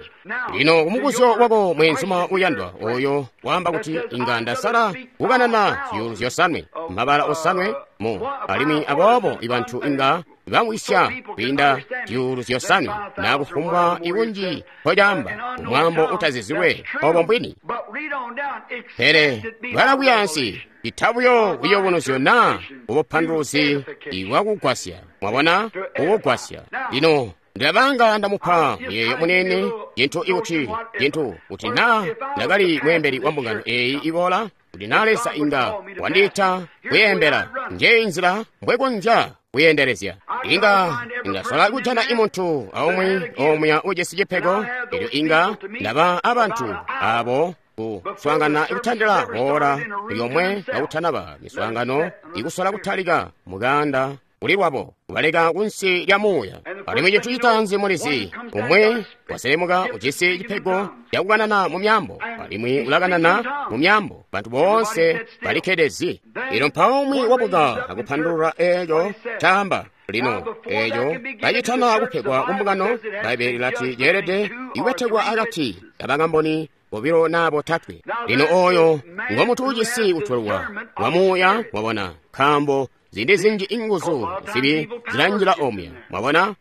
Lino kumubuzyo wako mweenzuma uyandwa oyo waamba kuti inga ndasala kukanana zyuulu zyosanwe, mabala osanwe mu, alimwi aboobo ibantu inga bamwisya kwiinda zyuulu zyosanwe naa kufumbwa ikunji nkocaamba umwaambo utazizilwe, obo mbwini. Pele balakuyaansi itabuyo kuyobonozyo naa ubupanduluzi ibwakugwasya. Mwabona? Ukugwasya. Lino ndilabanga ndamupa muyeeyo munene cintu ikuti cintu kuti naa ndakali mweembeli wa mbungano eeyi iboola, kuti naa Leza inga wandiita kuyeembela, njeyi nzila mbwekonzya kuyendelezya. Inga ndasola kujana imuntu aumwi omuya ujisi cipego, elyo inga ndaba abantu abo kuswaangana ikutandila oora lyomwe kakutanaba miswaangano ikusola kutalika mukanda kuli lwabo kubaleka kunsi lya muuya. Alimwi cintu citaanzi mulizi, umwe waselemuka ujisi cipego cakukanana mu myambo, alimwi ulakanana mu myambo, bantu boonse balikkede. Lino mpawo umwi wabuka akupandulula eeco caamba. Lino eeco kacitana kupegwa kumbungano, Bbaibbele lilati ceelede ikubetekwa akati kabakamboni bobilo naa botatwe. Lino oyo ngomuntu ujisi kutwelwa wa muuya, mwabona, nkaambo ziindi zinji inguzu zibi zilanjila omuya, mwabona.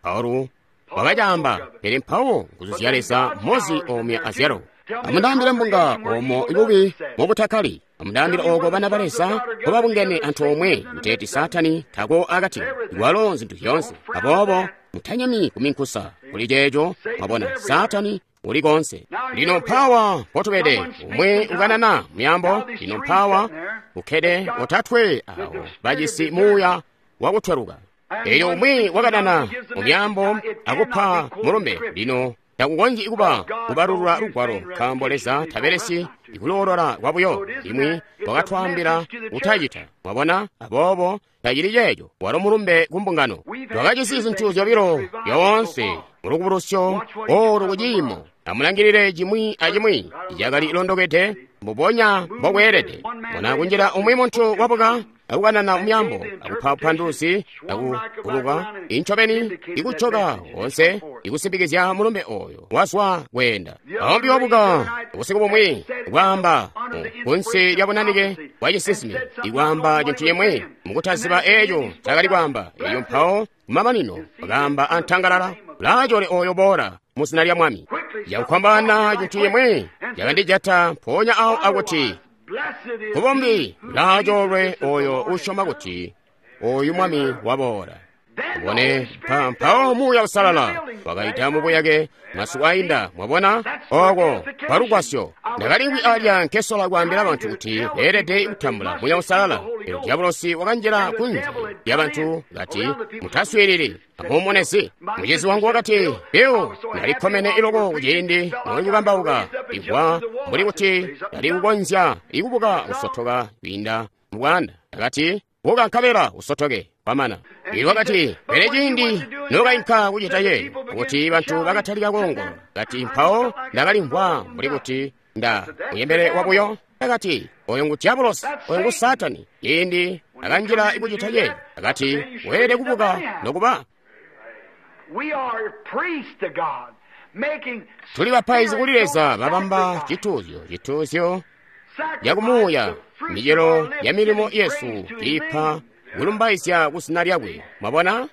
Paulo wakacaamba, pele mpawo nguzu zya Leza mozi omuya azyalo. Amundaambile mbunga omo ibubi mubutakkali. Amundaambile oko bana ba Leza nkobabungene antoomwe kuteeti Saatani tako akati walo zintu zyoonse. Aboobo mutanyemi kuminkusa kuli ceeco, mwabona, Saatani uli konse. Lino mpawa mpotubede, umwe ukanana muyambo. Lino mpawa ukkede otatwe awo bajisi muuya wakutweluka. Elyo umwi wakanana mumyambo akupa mulumbe. Lino takukonzyi kuba kubalulula lugwalo, nkaambo Leza tabelesyi ikuloolola kwabuyo. Imwi wakatwaambila kutacita, mwabona. Aboobo tacili ceeco, walo mulumbe kumbungano. Twakajisi zintu zyobilo lyoonse mulukubulusyo olu kuciimo. Amulangilile cimwi acimwi cakali londokede mbubonya mbokweelede. Mona kunjila umwi muntu wabuka akukanana muyambo akupa bupanduluzi akuguluka incobeni ikucoka wonse ikusimbikizya mulumbe oyo wazwa kweenda. Aumbi wabuka ubusiku bumwi kwaamba kunsi lya bunanike bwa cisinsimi ikwaamba cintu cimwi mukutaziba eeco cakali kwaamba. Eyo mpawo kumamanino wakaamba antangalala, "Laachole oyo boola mu zina lya Mwami." Yakukwambana cintu cimwi cakandijata mpoonya awo akuti, "Kubombi laacholwe oyo usyoma kuti oyu Mwami waboola." Ubone mpawo Muuya Usalala wakaita mubuyake masiku ainda, mwabona, oko palugwasyo. Ndakalimwi alya nkesola kwaambila bantu kuti beelede kutambula Muuya Usalala. Elyo diabolosi wakanjila kunze lya bantu kati, "Mutaswiilili, amuumonezi." Mucizi wangu wakati, "Bill, ndalikkomene iloko kuciindi nolikukambauka limvwa mbuli kuti ndali kukonzya ikubuka kusotoka kwiinda mubwaanda." Ndakati, "Buka nkabela usotoke." Kwamana. Iwo wakati, "Pele ciindi nokainka kucita ye, kuti bantu bakatalika koongola." Kati, "Mpawo ndakalimvwa mbuli kuti nda muyembele wabuyo." Akati, "Oyo ngu diabolosi, oyo ngu Saatani." Ciindi akanjila kucita ye, akati, "Weelede kubuka nokuba." Tuli bapaizi kuli Leza babamba cituuzyo, cituuzyo yakumuuya, micelo ya milimo yesu iipa kulumbaizya kuzina lyakwe. Mwabona?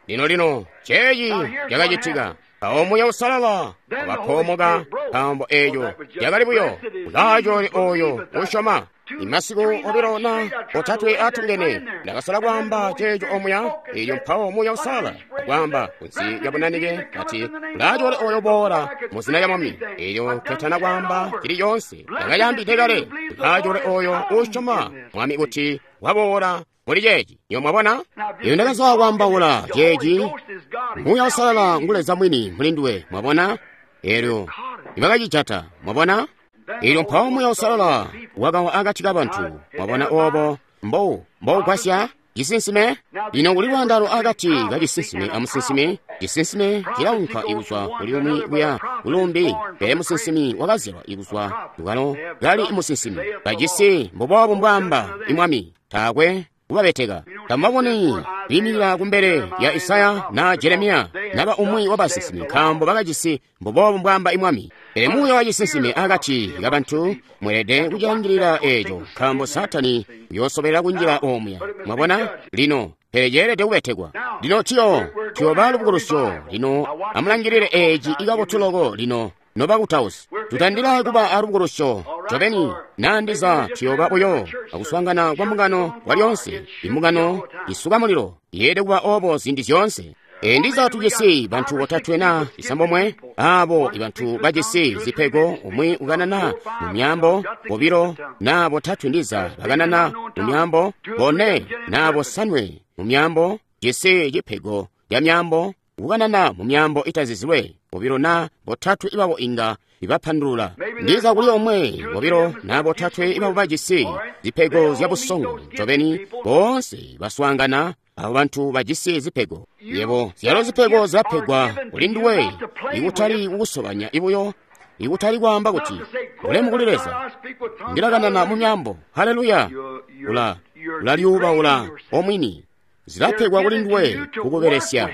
Lino lino ceeci cakacitika. Mpawo Muuya Usalala wakapoomoka, nkaambo eeco cakali buyo ulaacole oyo usyoma. Imasiku obilo na otatwe atungene ndakasola kwaamba ceeco omuya. Elyo mpawo Muuya Usalala kwaamba kunsi lya bunanike kati, "Ulaacole oyo boola mu zina lya Mwami." Elyo nketana kwaamba cili coonse ndakayambide kale, "Ulaacole oyo usyoma Mwami kuti waboola muli ceeci." Iyo mwabona? Iyo ndakasola kwaambaula ceeci. Muuya Usalala ngu Leza mwini mulinduwe, mwabona? Elyo ibakacijata, mwabona? Elyo mpawo Muuya Usalala wakawa akati kabantu, mwabona obo mbo mbougwasya cisinsime. Lino kuli lwaandano akati ka cisinsime amusinsimi. Cisinsime cilaunka ikuzwa kuli umwi kuya kulumbi, pele musinsimi wakazyalwa ikuzwa lukalo kali musinsimi. Bajisi mbuboobu mbwaamba imwami, taakwe kubabeteka. Tamubaboni kwiimikila kumbele lya Isaya na Jeremiya naba umwi wabasinsimi, nkaambo bakajisi mbuboobu mbwaamba imwami. Pele muuya wa cisinsime akati kabantu mweelede kucilangilila eeco, nkaambo Saatani uyoosobelela kunjila omuya. Mwabona? Lino pele ceelede kubetekwa. Lino tiyo tuyooba lubukulusyo. Lino amulangilile eeci ikabotu loko. Lino nobakutausi, tutandila kuba alubukulusyo ncobeni, nandiza tuyooba buyo akuswaangana kwa mbungano kwa lyoonse. Imbungano isuka mulilo yeelede kuba obo ziindi zyoonse. E ndiza tujisi bantu botatwe na isambomwe, abo ibantu bajisi zipego, umwi ukanana mu myambo, bobilo na botatwe ndiza bakanana mu myambo, bone na bosanwe mu myambo, jisi cipego ya myambo, kukanana mu myaambo itazizilwe, bobilo na botatwe ibabo inga ibapandulula. Ndiza kuli omwe, bobilo na botatwe ibabo bajisi zipego zya busongo. Ncobeni boonse baswaangana abo bantu bajisi zipego. Yebo, zyalo zipego zilapegwa kuli nduwe, ikutali kukusobanya ibuyo, ikutali kwaamba kuti ulemu kuli Leza, ndilakanana mu myaambo, haleluya. Ula ulalyuubaula omwini. Zilapegwa kuli nduwe kukubelesya.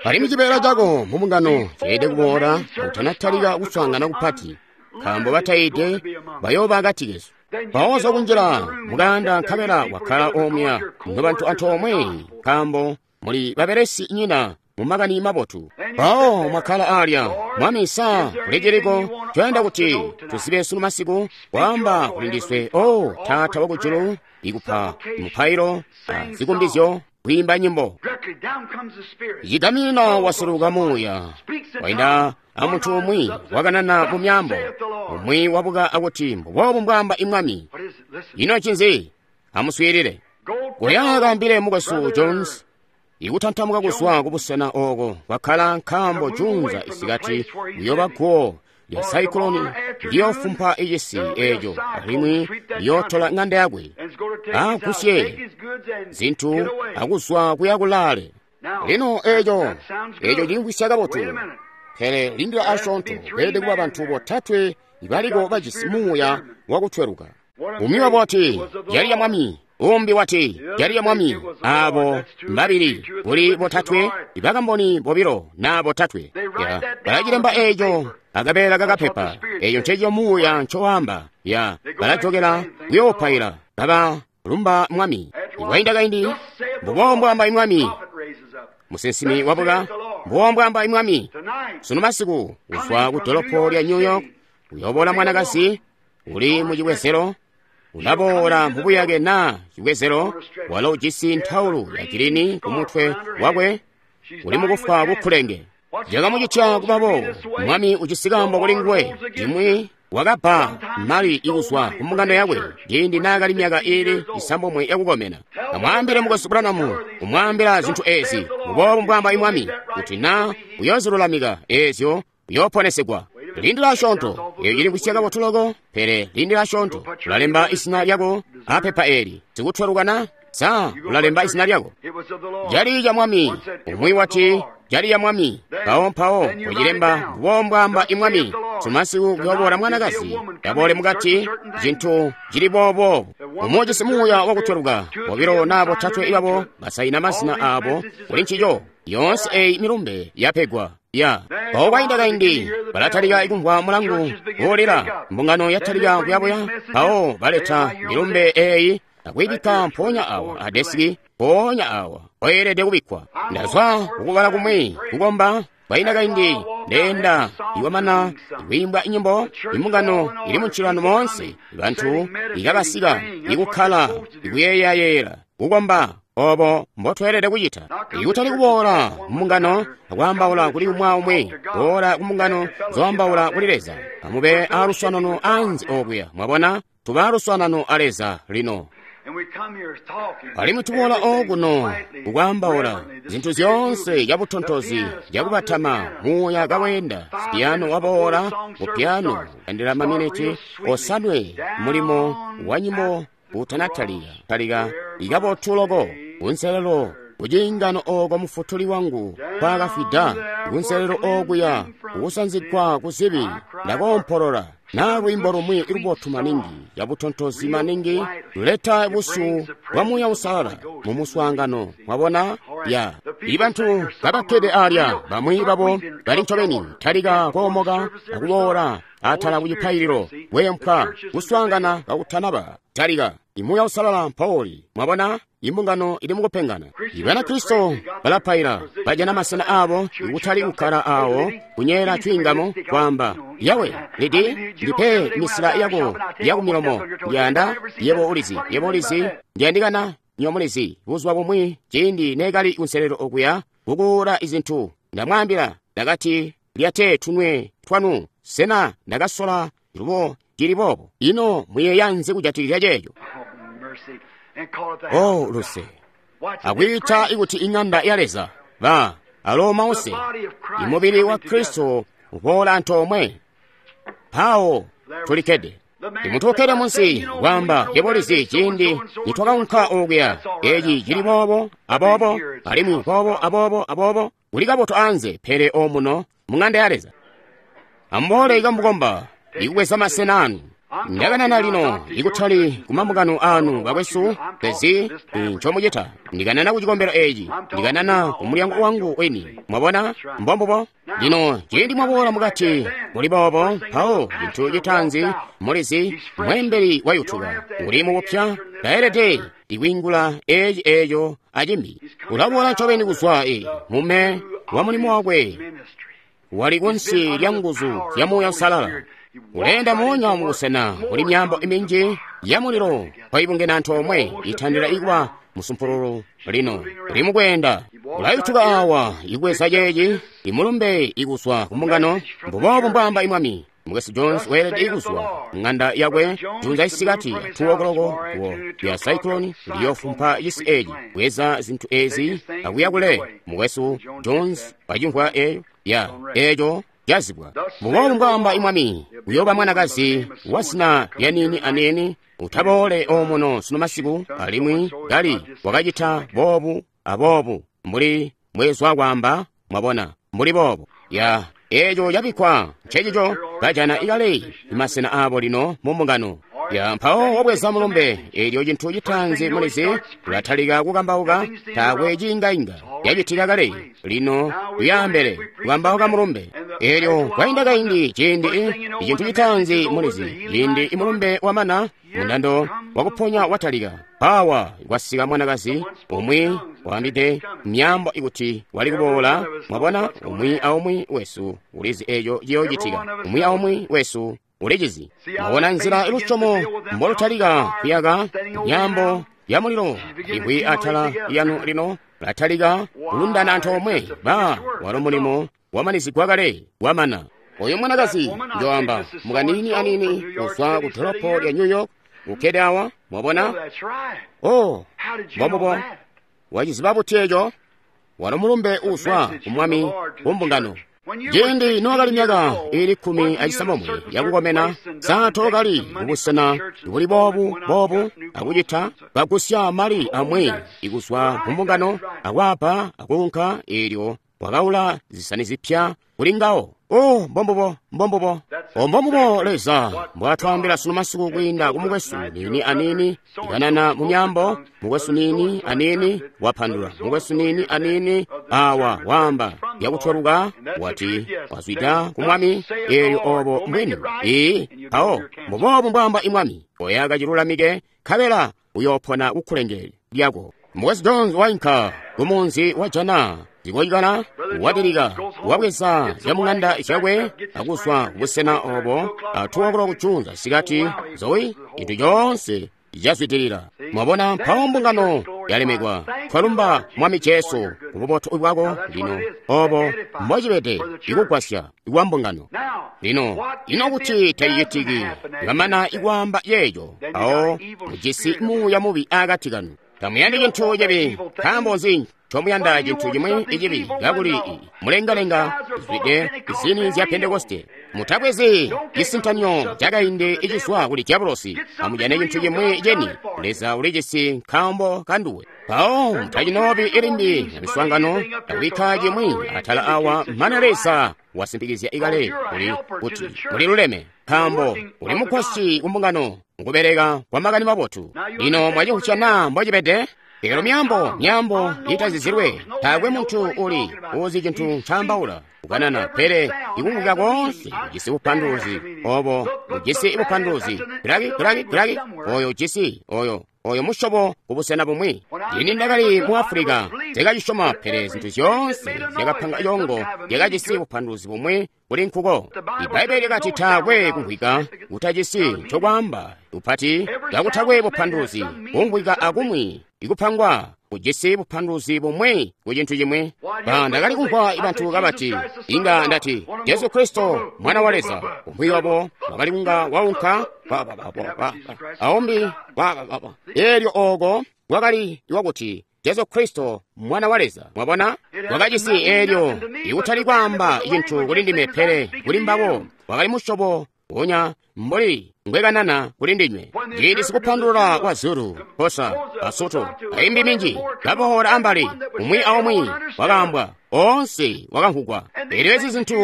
Alimwi cibeela cako mu mbungano ceelede kuboola kutanatalika kuswaangana kupati, nkaambo batayiide bayooba akati kesu. Mpawo kunjila mukaanda nkabela wakkala omuya nobantu antoomwe, nkaambo muli babelesi nyina mu makani mabotu. Mpawo mwakkala alya, Mwami, sa kuli ciliko coyanda kuti tuzibe sunu masiku, kwaamba kuli ndiswe, o Taata wakujulu, ikupa mupailo, zikumbizyo, kwiimba nyimbo. Cigamina wasuluka muuya, wainda amuntu umwi wakanana mu myaambo, umwi wabuka akuti mbuboobu mbwaamba imwami. Ino ncinzi? Amuswiilile. Kuya kaambile mukwesu Jones ikutantamuka kuzwa kubusena oko kwakkala, nkaambo junza isikati liyoba guwo lya saikuloni liyofumpa icisi eco, alimwi liyootola ng'anda yakwe, agusye zinthu akuzwa kuya kulaale. Lino eco eco cimvwisya kabotu, pele lindila asyoonto, beelede kuba bantu botatwe ibaliko bajisi muuya wakutweluka. Umwi wabo wati, yali ya Mwami. Umbi wati, yali ya Mwami. Abo mbabili kuli botatwe, ibakamboni bobilo na botatwe. Ya, balacilemba eco akabeela kakapepa. Eco nceco muuya ncowaamba. Ya, balajokela kuyoopaila kaba lumba Mwami. Iwainda kaindi, mbubo mbwaamba imwami. Musinsimi wabuka, mbubo mbwaamba imwami. Sunu masiku kuzwa ku dolopo lya New York uyoboola mwanakazi uli mu cibwezelo, ulaboola mubuyake na cibwezelo, walo ujisi ntaulu ya gilini kumutwe wakwe, uli mukufwa kukhulenge. Cakamucitya kuba boobo, Mwami ujisi kaambo kuli nguwe. Imwi wakabba mali ikuzwa ku mbungano yakwe ciindi naakali myaka iili isambomwe yakukomena. Amwaambile mukwesu Branham, kumwaambila zinthu ezi, mbuboobu mbwaamba imwami, kuti na uyoozilulamika eezyo uyooponesegwa. Lindila asyoonto, eyo cilimvwisya kabotu loko, pele lindila asyoonto. Ulalemba izina lyako apepa eli, sikutwelukana? Sa ulalemba izina lyako? Jali ya Mwami. Umwi wati, jali ya Mwami. Mpawo mpawo ucilemba mbubo mbwaamba imwami. Sumasiku kuyoboola mwanakazi, yaboole mukati, cintu cili boobo. Umwi ujisi muuya wakutweluka, bobilo na botatwe ibabo basaina mazina aabo kuli ncico. Yoonse eyi milumbe yapegwa. Ya, mpawo kwainda kaindi balatalika ikumvwa mulangu woolera, mbungano yatalika kuyabuya. Mpawo baleta milumbe eyi akuyibikka mpoonya awa adesiki, mpoonya awa oyeelede kubikkwa. Ndazwa kukubala kumwi kukomba kwainda kaindi, ndeenda iwamana ikwiimbwa inyimbo, imbungano ili muncilano moonse, bantu ikabasika ikukkala ikuyeeyayeela kukomba. Obo mbotweelede kucita, ikutali kuboola mumbungano akwaambaula kuli umwi aumwi, boola kumbungano zoambaula kuli Leza. Amube aaluswaanano anze okuya, mwabona, tuba aaluswaanano a Leza lino. Alimwi tuboola okuno kukwaambaula zinthu zyoonse cabutontozi cakubatama muuya kaweenda. Sipiyano waboola ku piyano kandila maminiti osanwe, mulimo wa nyimbo utanatalika talika ikabotu loko kunselelo kuciingano oko mufutuli wangu kwaakafwida, kunselelo okuya kukusanzigwa kuzibi. Ndakoompolola na lwiimbo lumwi lubotu maningi, cabutontozi maningi, luleta busyu bwa Muuya Uusalala mu muswaangano. Mwabona? Ya, ibantu kabakkede alya, bamwi babo bali ncobeni talika koomoka akuboola atala kucipaililo, weempwa kuswaangana kakutanaba talika. Imuuya Uusalala mpawoli. Mwabona? Imbungano ili mukupengana. Ibanakristo balapaila, bajana masena abo ikutali kukkala awo kunyeela cwiingamo kwaamba, Yawe, lidi ndipe misila yako yakumilomo, ndiyanda yebo ulizi, yebo ulizi, ndiyandikana nyo mulizi. Buzuba bumwi ciindi neekali kunselelo okuya kukuula izintu, ndamwaambila, ndakati, lyate tunwe twanu. Sena ndakasola lubo cili boobo? Ino muyeeya nzi kujatikizya ceeco? Oh, luse, Akwiita ikuti iŋanda ya Leza. Ba alo mause. Imubili wa Kristo uboola antoomwe. Mpawo tulikkede. Imuntu ukkede munsi wamba yebolizi ciindi nitwakaunka okuya. Eci cili boobo aboobo alimwi boobo aboobo aboobo kuli kabotu anze pele omuno mu ŋanda ya Leza. Amuboole ikamukomba ikubweza masena anu. Ndakanana lino ikutali kumambungano anu bakwesu pezi ncomucita. Ndikanana ku cikombelo eci, ndikanana ku mulyango wangu weni. Mwabona? Mbombubo. Lino ciindi mwaboola mukati muli boobo, mpawo cintu citaanzi mulizi mweembeli wayutuka uli mubupya taelede ikwiingula eci eco acimbi. Ulaboola ncobeni kuzwa e mume wa mulimo wakwe wali kunsi lya nguzu zya Muuya Uusalala. Uleenda moonya mubusena kuli myambo iminji ya mulilo kwaibungena antoomwe itandila ikuba musumpululu lino uli mukweenda. Ulayutuka awa ikweza ceeci imulumbe ikuzwa kumbungano mbuboobo mbwaamba imwami. Mukwesu Jones weelede ikuzwa ng'anda yakwe junza isikati two o'clock kuwo ya cyclone liyofumpa cisi eci bweza zinthu ezi akuya kule. Mukwesu Jones wacimvwa eyo ya eco cazibwa. Mbuboobo mbwaamba imwami uyoba mwanakazi wa zina lya nini anini utaboole omuno sunu masiku alimwi kali wakacita boobu aboobu mbuli mwezwa kwaamba mwabona mbuli boobo ya eco cabikkwa ncecico kajana ikale imasena abo lino mu mbungano ya mpawo wabweza mulumbe elyo cintu citaanzi mulizi ulatalika kukambauka taakwe ciingainga yacitika kale lino kuyaambele kukambauka mulumbe elyo kwainda kaindi ciindi icintu citaanzi mulizi ciindi imulumbe wamana mundando wakuponya watalika pawa kwasika mwanakazi umwi waambide myambo ikuti wali kuboola mwabona umwi aumwi wesu ulizi eco ciyoocitika umwi aumwi wesu ulicizi mwabona nzila ilusyomo mbolutalika kuyaka myambo ya mulilo iwi atala yanu lino latalika kulundana antoomwe ba walo mulimo wamanizigwa kale wamana. Oyo mwanakazi njoamba mukanini anini kuzwa ku dolopo lya New York ukkede awa mwabona. Oh, mbombubo waciziba buti eco walo mulumbe uzwa ku mwami kumbungano. Ciindi nowakali myaka ili kkumi acisambomwe yakukomena saatokali kubusena buli boobu boobu akucita kagusya mali amwi ikuzwa kumbungano akwapa akuunka eelyo wakaula zisani zipya kuli ngawo. Oh, mbombubo mbombubo o mbombubo Leza mbwatwaambila sunu masiku kwiinda ku mukwesu nini anini ikanana mu myambo mukwesu nini anini wapandula mukwesu nini anini awa waamba yakutweluka wati wazwida ku mwami eelyo obo mbwini ii mpawo mbuboobu mbwaamba imwami oyaka cilulamike nkabela uyoopona kukkulenge lyako. Mukwesu Jones wainka kumunzi wa Jana zikoyikana wadilika wabweza zyamung'anda zyakwe akuzwa kubusena obo atuokolo kuchunza sikati zoyi inthu chonse chazwitilira. Mwabona mpawo mbungano yalemekwa. Twalumba Mwami Jesu kububotu bwako lino obo mbocibede ikugwasya ikwa mbungano lino. Ino kuti tacicitiki ngamana ikwaamba yeeco awo mujisi muuya mubi akati kanu. Tamuyandi cintu cibi nkaambo nzi ncomuyanda cintu cimwi icibi kakuli mulengalenga zwide zini zya Pentekoste. Mutabwezi cisintanyo cakaindi icizwa kuli diabolosi. Amujane cintu cimwi ceni Leza ulicisi nkaambo kanduwe. Mpawo mutacinobi ilimbi na miswaangano akubikka cimwi atala awa mana Leza wasimpikizya ikale kuli kuti muliluleme nkaambo uli mugwasyi kumbungano mukubeleka kwa makani mabotu. Lino mwacimvwisya naa mbocibede? Lero myambo myambo itazizilwe taakwe muntu uli uzi cintu ncaambaula kukanana pele ikumvwika koonse kujisi bupanduluzi obo bujisi bupanduluzi kilaki kilaki kilaki oyo ujisi oyo oyo musyobo kubusena bumwi. Ini ndakali mu Afulika zyakacisyoma pele zinthu zyoonse zyakapanga congo zyakajisi bupanduluzi bumwi kuli nkuko. Ibaibbele lyakati taakwe kumvwika kutajisi ncokwaamba upati kakutakwe bupanduluzi kumvwika akumwi ikupangwa kujisi bupanduluzi bumwi ku cintu cimwi. Ba ndakali kumvwa bantu kabati inga ndati Jesu Kristo mwana wa Leza umwi wabo wakali kunga waunka aumbi eelyo oko wakali wakuti Jesu Kristo mwana wa Leza. Mwabona, wakajisi eelyo ikutali kwaamba cintu kuli ndime, pele kuli mbabo wakali musyobo wonya mbuli ngwekanana kuli ndinywe. Ciindi sikupandulula kwa Zulu, Xhosa, Basotho, aimbi minji kaboola ambali, umwi aumwi wakaambwa, oonse wakamvugwa. Eelyo ezi zintu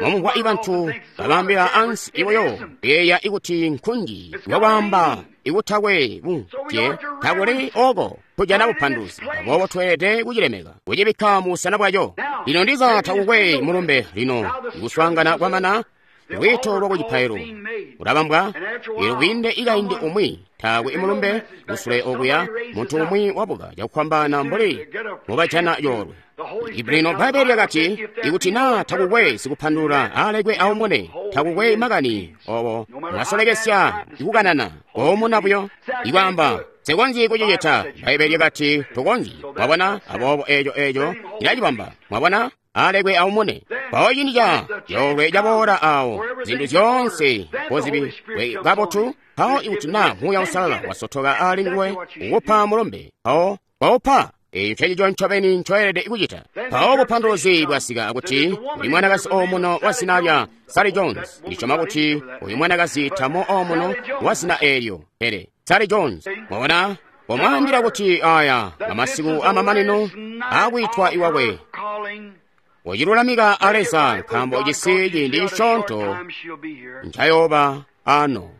mwamumvwa ibantu babaambila ansi iwoyo kuyeeya ikuti nkunji wakwaamba ikutakwe bunje takuli oko kujana bupanduzi. Aboobo tweelede kucilemeka kucibikka mu busena bwaco. Lino ndiza takukwe mulumbe lino ikuswaangana kwamana lwiito lwa kucipailo ulabambwa eelyo kwiinde ikaindi umwi taakwe imulumbe kusule okuya muntu umwi wabuka cakufwambaana mbuli mubajana yoolwe. Lino Bbaibbele lyakati ikuti naa takukwe sikupandulula alekwe aumune, takukwe makani obo mwasolekesya ikukanana koomuna buyo ikwaamba nsikonzyi kucicita. Bbaibbele lyakati tukonzyi. Mwabona, aboobo eeco eeco ilacibamba. Mwabona, alekwe aumune. Mpawo ciindi ca yoolwe caboola awo zintu zyoonse mpozibiwe kabotu. Mpawo ikuti naa Muuya Uusalala wasotoka ali nguwe ukupa mulumbe, mpawo waupa. Eeyo ncencico ncobeni ncoelede kucita. Mpawo bupanduluzi bwasika akuti uli mwanakazi omuno wa zina lya Sally Jones. Ndisyoma kuti uyu mwanakazi tamo omuno wa zina eelyo, pele Sally Jones. Mwabona, wamwaambila kuti aya amasiku amamanino aakwiitwa iwakwe wacilulamika a Leza, nkaambo ujisi ciindi cisyoonto ncayooba ano.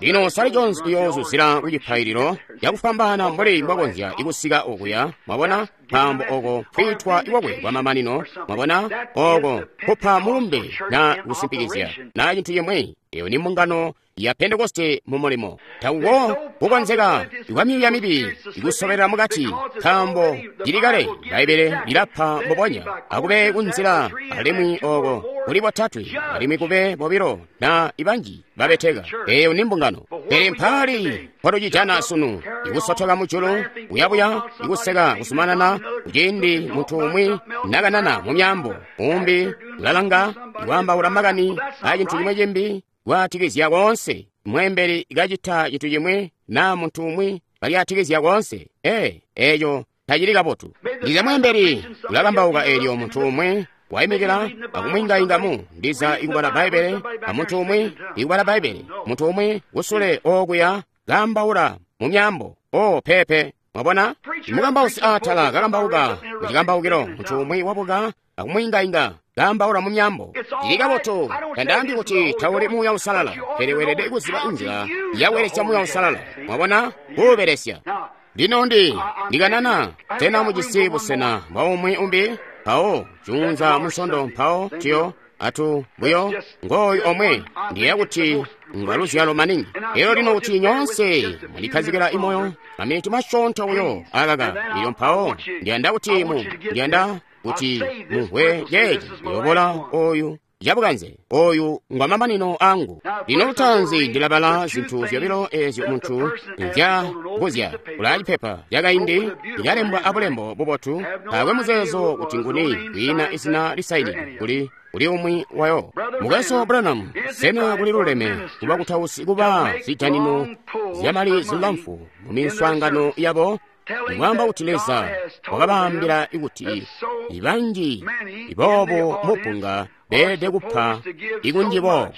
Lino Sally Jones uyoozuzila kucipaililo cakufwambaana mbuli mbwakonzya ikusika okuya. Mwabona, nkaambo oko kwiitwa iwakwe kwamamanino. Mwabona, oko kupa mulumbe na kusimpikizya na cintu cimwi. Eyo ni mbungano ya Pentekoste mu mulimo. Takuko kukonzeka kwa myuuya mibi ikusobelela mukati, nkaambo cili kale Bbaibbele lilapa mbubonya akube kunzila alimwi oko kuli botatwe alimwi kube bobilo na ibanji babeteka. Eyo ni mbungano. Pele mpaali mpotucijana sunu ikusotoka mujulu kuyabuya ikuseka kusumanana kuciindi muntu umwi nakanana mu myaambo, umbi ulalanga ikwaambaula makani a cintu cimwe cimbi kwaatikizya koonse. Mweembeli kacita cintu cimwe naa muntu umwi kalyatikizya koonse. Ee, eeco tacili kabotu. Ndiza mweembeli ulakambauka eelyo muntu umwi waimikila akumwingaingamu, ndiza ikubala Bbaibbele, a muntu umwi ikubala Bbaibbele, muntu umwi kusule okuya kaambaula mu myaambo. O pepe, mwabona, mukambausi aatala kakambauka mucikambaukilo, muntu umwi wabuka akumwingainga kaambaula mu myaambo. Cili kabotu. Tandaambi kuti tauli Muuya Uusalala, pele weelede kuziba inzila yakubelesya Muuya Uusalala. Mwabona, kuubelesya. Lino ndi ndikanana tena mujisi busena bwa umwi umbi, mpawo juunza munsondo, mpawo tiyo atu buyo ngooyu omwe. Ndiyeeya kuti ngwa luzyalo maningi. Elyo lino kuti nyoonse mwandikhazikira imoyo maminiti masyoonto buyo akaka. Ilyo mpawo ndiyanda kuti mu ndiyanda kuti mumvwe ceeci. Ndiyobola oyu cabukanze oyu ngwa mamanino angu. Lino lutaanzi ndilabala zinthu zyobilo eezyo munthu nzyakuzya. Kula cipepa cakaindi likalembwa abulembo bubotu, taakwe muzeezo kuti nguni, kwiina izina lisaini kuli kuli umwi wayo. Mukwesu Branham, sena kuli luleme kuba kutausi kuba zijanino zyamali zilamfu mu miswaangano yabo? Ikwaamba kuti Leza wakabaambila kuti ibanji iboobo mupunga beelede kupa ikunji boobo.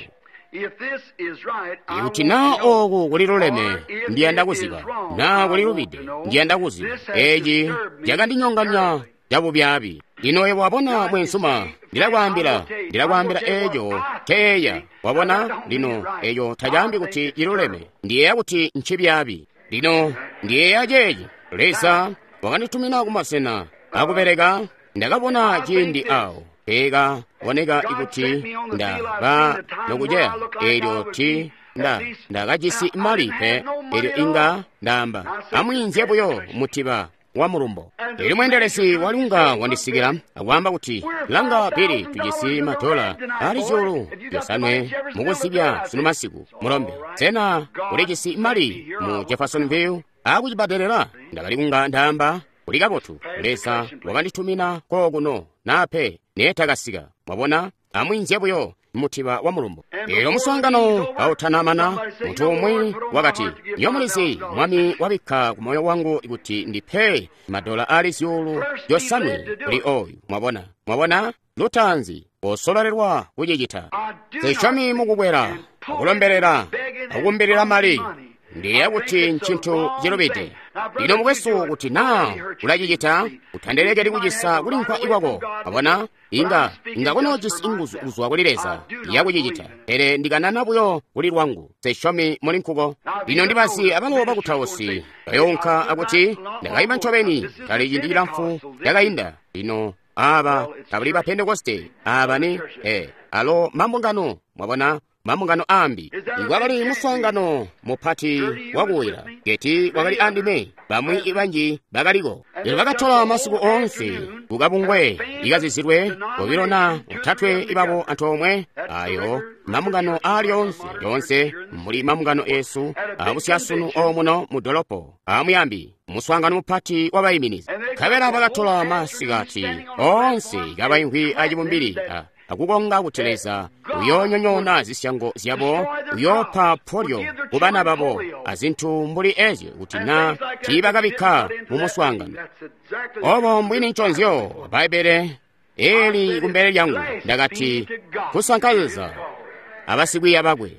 Ikuti naa ooku kuli luleme, ndiyanda kuziba. Naa kuli lubide, ndiyanda kuziba. Eeci cakandinyonganya cabubyaabi. Lino yebo wabona mweenzuma, ndilakwaambila, ndilakwaambila eeco nceyeeya. Wabona, lino eeco tacaambi kuti ciluleme. Ndiyeeya kuti ncibyaabi. Lino ndiyeeya ceeci. Leza wakanditumina kumasena akubeleka. Ndakabona ciindi awo peeka boneka ikuti ndaba nokuceya eelyo ti nda ndakajisi mali pe, eelyo inga ndaamba amwiinzye buyo mutiba wa mulumbo. Eelyo mweendelezi walunga wandisikila akwaamba kuti, langa Bili, tujisi madola ali zyuulu zyosanwe mukuzibya sunu masiku. Mulombe, sena ulijisi mali mu Jeffersonville akucibadelela? Ndakali kunga ndaamba kuli kabotu. Leza wakanditumina kookuno nape neetakasika. Mwabona, amwiinzye buyo mutiba wa mulumbo. Elyo muswaangano kautanamana, muntu umwi wakati, "Nyo mulizi, Mwami wabikka ku moyo wangu kuti ndipe madola ali zyuulu zyosanwe kuli oyu." Mwabona, mwabona, lutaanzi osololelwa kucicita. Sisyomi mukukwela, akulombelela, akukumbilila mali. Ndiyeeya kuti ncintu cilubide. Lino mukwesu, kuti naa ulacicita, utandelekeli kucisa kulimvwa kwako. Abona, inga inga kunoojisi nguzu kuzwa kuli Leza yakucicita, pele ndikanana buyo kuli lwangu. Sisyomi muli nkuko. Lino ndibazi abalo bakutausi bayounka akuti, "Ndakaima ncobeni kali ciindi cilamfu cakainda." Lino aba tabali ba Pentekoste, aba ni eh, alo mambungano, mwabona, mambungano ambi. Ikwakali muswaangano mupati wakuwira geti wakali andime, bamwi banji bakaliko. Lino bakatola masiku oonse kukabungwe ikazizilwe obilo na otatwe ibabo antoomwe. Ayo mambungano aali oonse lyoonse muli mambungano esu abusyasunu omuno mu dolopo amuyambi muswaangano mupati wabayiminizi. Nkabela bakatola masikati oonse kabaimvwi acibumbili akukonga kuti Leza uyoonyonyoona zisyango zyabo, uyoopa polyo ku bana babo azintu mbuli ezyo kuti na tiibakabikka mu muswaangano. Obo mbwini nconzyo Bbaibbele eli kumbele lyangu. Ndakati kusanka Leza abasikwiiya bakwe.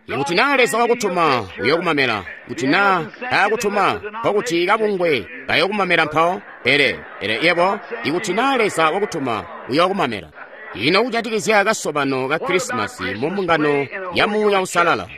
Ikuti naa Leza wakutuma, uyokumamela. Kuti naa taakutuma, nkokuti kabungwe kayokumamela mpawo. Pele, pele yebo, ikuti naa Leza wakutuma, uyokumamela. Ino kujatikizya kasobano ka Krisimasi mu mbungano ya Muuya Uusalala?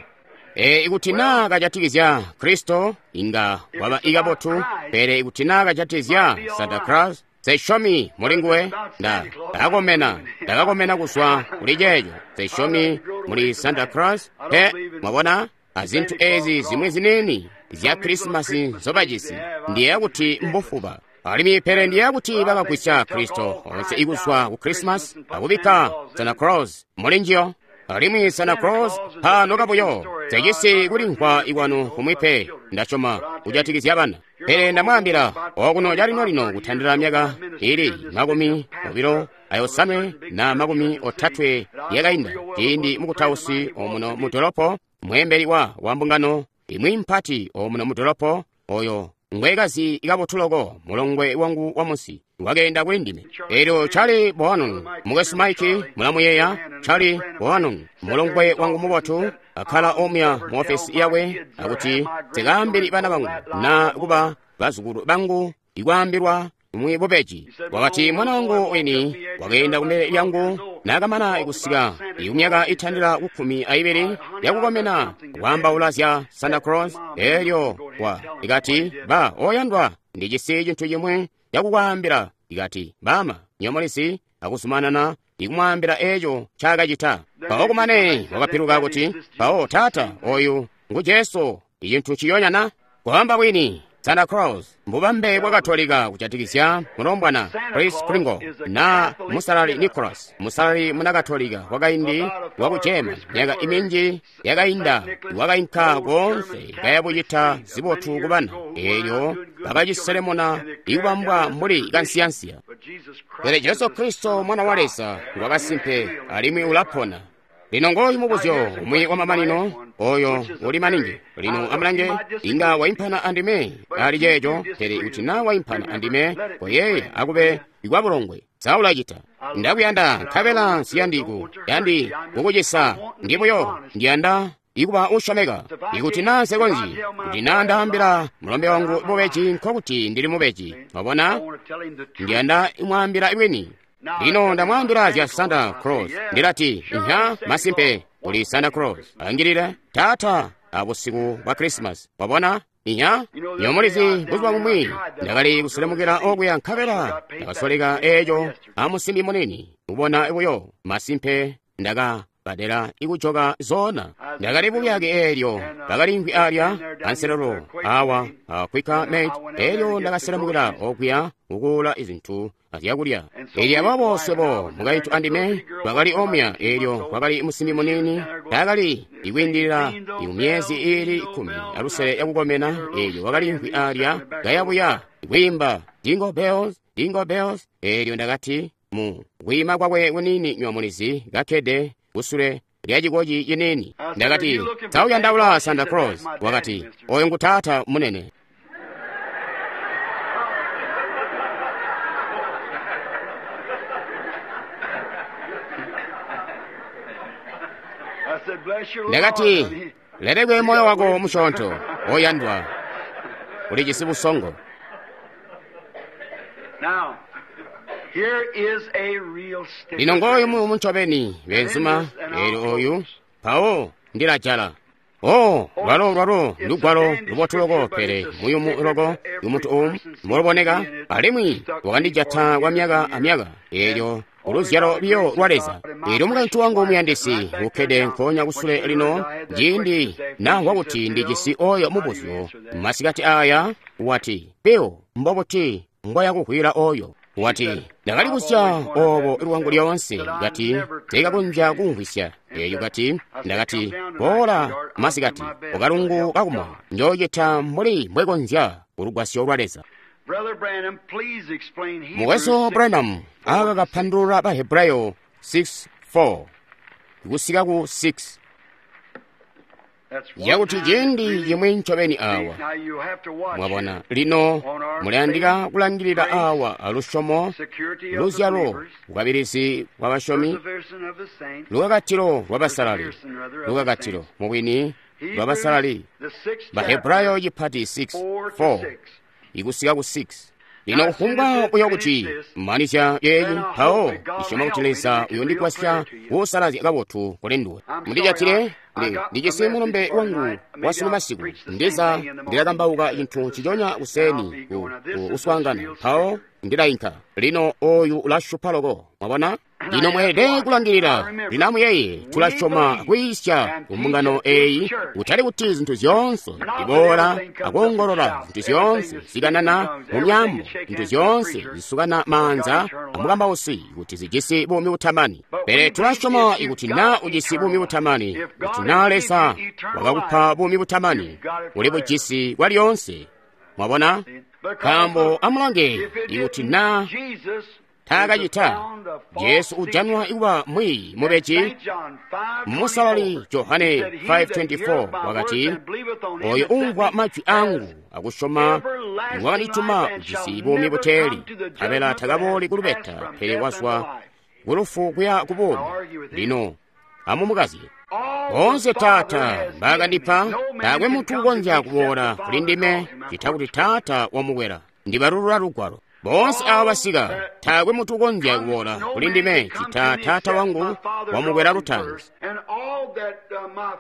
E, ikuti naa kajatikizya Kristo, inga waba ikabotu, pele ikuti naa kajatikizya Santa Claus, sesyomi muli nguwe. Nda ndakakomena, ndakakomena kuzwa kuli ceeco. Sesyomi muli Santa Claus, pe, mwabona, azintu ezi zimwi ziniini zya Krisimasi nzobajisi, ndiyeeya kuti mbufuba. Alimwi pele ndiyeeya kuti bakagwisya Kristo onse ikuzwa ku Krisimasi akubikka Santa Claus muli njiyo. Alimwi Santa Claus pano kabuyo sejisi kulimvwa ikwanu kumwi pe, ndasyoma kujatikizya bana. Pele ndamwaambila okuno calino-lino kutandila myaka ili makumi obilo ayosanwe na makumi otatwe yakainda, ciindi mukutausi omuno mu dolopo, mweembeli wa wa mbungano imwi mpati omuno mu dolopo, oyo ngwekazi kabotu loko, mulongwe wangu wa munsi, wakeenda kuli ndime. Elyo Charlie Bohannon, mukwesu Mike mulamuyeeya Charlie Bohannon, mulongwe wangu mubotu, akkala omuya mu ofesi yakwe, akuti sikaambili bana bangu na kuba bazukulu bangu ikwaambilwa mwi bubeji. Wakati mwana wangu wini wakeenda kumbele lyangu nakamana kusika ikumyaka itandila kukkumi aibili yakukomena kwaambaula zya Santa Claus. Elyo wa ikati, "Ba oyandwa, ndijisi cintu cimwe cakukwaambila." Ikati, "Bama, nyomolisi," akuzumanana ikumwaambila eco ncaakacita. Mpawo kumane wakapiluka kuti, "Mpawo taata, oyu ngu Jesu, icintu ciyonyana." Kwaamba bwini, Santa Claus mbubambe bwa Katolika kujatikizya mulombwana Chris Kringle na musalali Nicholas, musalali muna Katolika wakaindi waku German, myaka iminji yakainda wakainka koonse kayabucita zibotu ku bana. Elyo bakaciselemuna ikubambwa mbuli kansiyansiya. Pele Jesu Kristo mwana wa Leza ngwakasimpe alimwi ulapona. Lino ngoyu mubuzyo umwi wamamanino oyo uli maningi. Lino amulange, inga waimpana andime ali ceeco, pele kuti naa waimpana andime, koyeeya akube ikwabulongwe. Saulacita. Ndakuyanda nkabela nsiyandiku yandi kukucisa, ndi buyo ndiyanda ikuba usyomeka. Ikuti naa nsekonzyi, kuti naa ndaambila mulombe wangu bubeji, nkokuti ndili mubeji. Wabona, ndiyanda imwaambila bwini. Lino ndamwaambila zya Santa Claus. Ndilati, "Nha, masimpe kuli Santa Claus." Angilile taata abusiku bwa Krisimasi. Wabona, inya nyomulizi buzuba bumwi ndakali kuselemukila okuya nkabela ndakasoleka eco amusimbi munini kubona buyo masimpe ndaka badela ikujoka zona. Ndakali buyake eelyo bakalimvwi alya anselelo awa a Quaker Mate. Eelyo ndakaselemukila okuya kukuula izintu azyakulya. Eelyo aboobo swebo mukaintu andime twakali omuya. Eelyo kwakali musimbi munini taakali ikwiindilila imyezi iili kkumi alusele yakukomena. Eelyo wakalimvwi alya kayabuya kwiimba Jingle Bells, Jingle Bells. Eelyo ndakati mu kwiima kwakwe kunini nywamulizi kakkede kusule lya cikoci ciniini. Ndakati, sa uyandaula Santa Claus? Wakati, oyo ngu taata munene. I said, bless your little Ndakati, heart, honey. lelekwe moyo wako musyoonto, oyandwa, ulijisi busongo. Now, here is a real sticker. Lino ngooyu muyumu ncobeni, beenzuma, eelyo oyu, mpawo ndilajala. Oh, lwalo lwalo lugwalo lubotu loko, pele muyumu loko umuntu umu mboluboneka, alimwi wakandijata kwa myaka amyaka, eelyo uluzyalo biyo lwa Leza. Eelyo mukaintu wangu muyandisi ukkede nkoonya kusule lino, ciindi namvwa kuti ndijisi oyo mubuzyo masikati aya, wati, Bill, mbobuti mbwayakuhwila oyo? Wati, ndakali kusya obo lwangu lyoonse, kati teekakonzya kumvwisya. Eyo kati, ndakati, boola masikati, ukalungu kakumoyo, njoocita mbuli mbwekonzya kulugwasyo lwa Leza. Brother Branham, please explain Hebrews Mukwesu six Branham aka kapandulula ba Hebrayo six four kusika ku six That's one yakuti time ciindi really chimwe ncobeni awa. Now you have to watch Mwabona, here. lino mulayandika kulangilila awa alusyomo, Security of the luzyalo, believers, bukabilizi bwa basyomi, perseverance of the saints, lukakatilo lwa basalali, lukakatilo mubwini lwa basalali. the sixth Bahebrayo chipati six four to four six. ikusika ku six. Lino kufumbwa buyo kuti manizya yeeyi, mpawo ndisyoma kuti Leza uyondigwasya kuusalazya kabotu kuli nduwe. Mundijatile, ndi ndijisi mulumbe wangu wa sunu masiku, ndiza ndilakambauka chinthu nciconya kuseni ku ku uswaangana, mpawo ndilayinka. Lino oyu ulashupa loko, mwabona? Lino mweelede kulangilila. Lino amuyeye, tulasyoma kwiisya ku mbungano eyi, kutali kuti zinthu zyoonse ziboola akuongolola, zinthu zyoonse zikanana mu myambo, zinthu zyoonse zisukana manza amukambausi kuti zijisi buumi butamani. Pele tulasyoma kuti na ujisi buumi butamani, kuti na Leza wakakupa buumi butamani, uli bujisi kwa lyoonse. Mwabona? Nkaambo amulange, ikuti na Jesus taakacita, Jesu ujanwa ikuba mwiiyi mubeji. Musalali Johane five twenty-four wakati, oyo umvwa majwi angu akusyoma wakandituma ujisi buumi buteeli, nkabela takabooli kulubeta, pele wazwa kulufu kuya ku buumi. Lino amumukazye. Boonse Taata mbaakandipa, taakwe munthu ukonzya kuboola kuli ndime chita kuti Taata wamukwera. Ndibalulula lugwalo. Boonse aaba basika, taakwe munthu ukonzya kuboola kuli ndime chita Taata wangu wamukwera lutaanzi.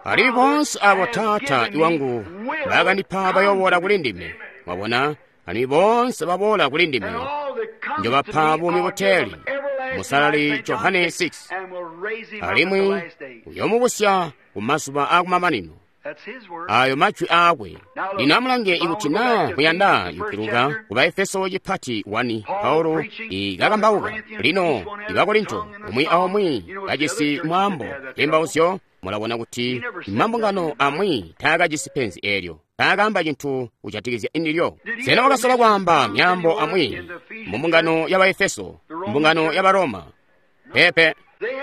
Alimwi boonse abo Taata iwangu baakandipa bayoboola kuli ndime. Mwabona, alimwi boonse baboola kuli ndime njobapa buumi buteeli. Musalali Johane six. Alimwi uyomubusya ku mazuba akumamanino. Ayo majwi aakwe. Lino amulange ikuti na muyanda kupiluka ku Baefeso chipati one, Paulo ikakambauka. Lino ibakorinto umwi aumwi kajisi mwaambo tembauzyo, mulabona kuti mambungano amwi taakajisi penzi eelyo, taakaamba cinthu kujatikizya indilyo. Sena wakasola kwaamba myaambo amwi mu mbungano ya Baefeso, mbungano ya Baroma? Pepe.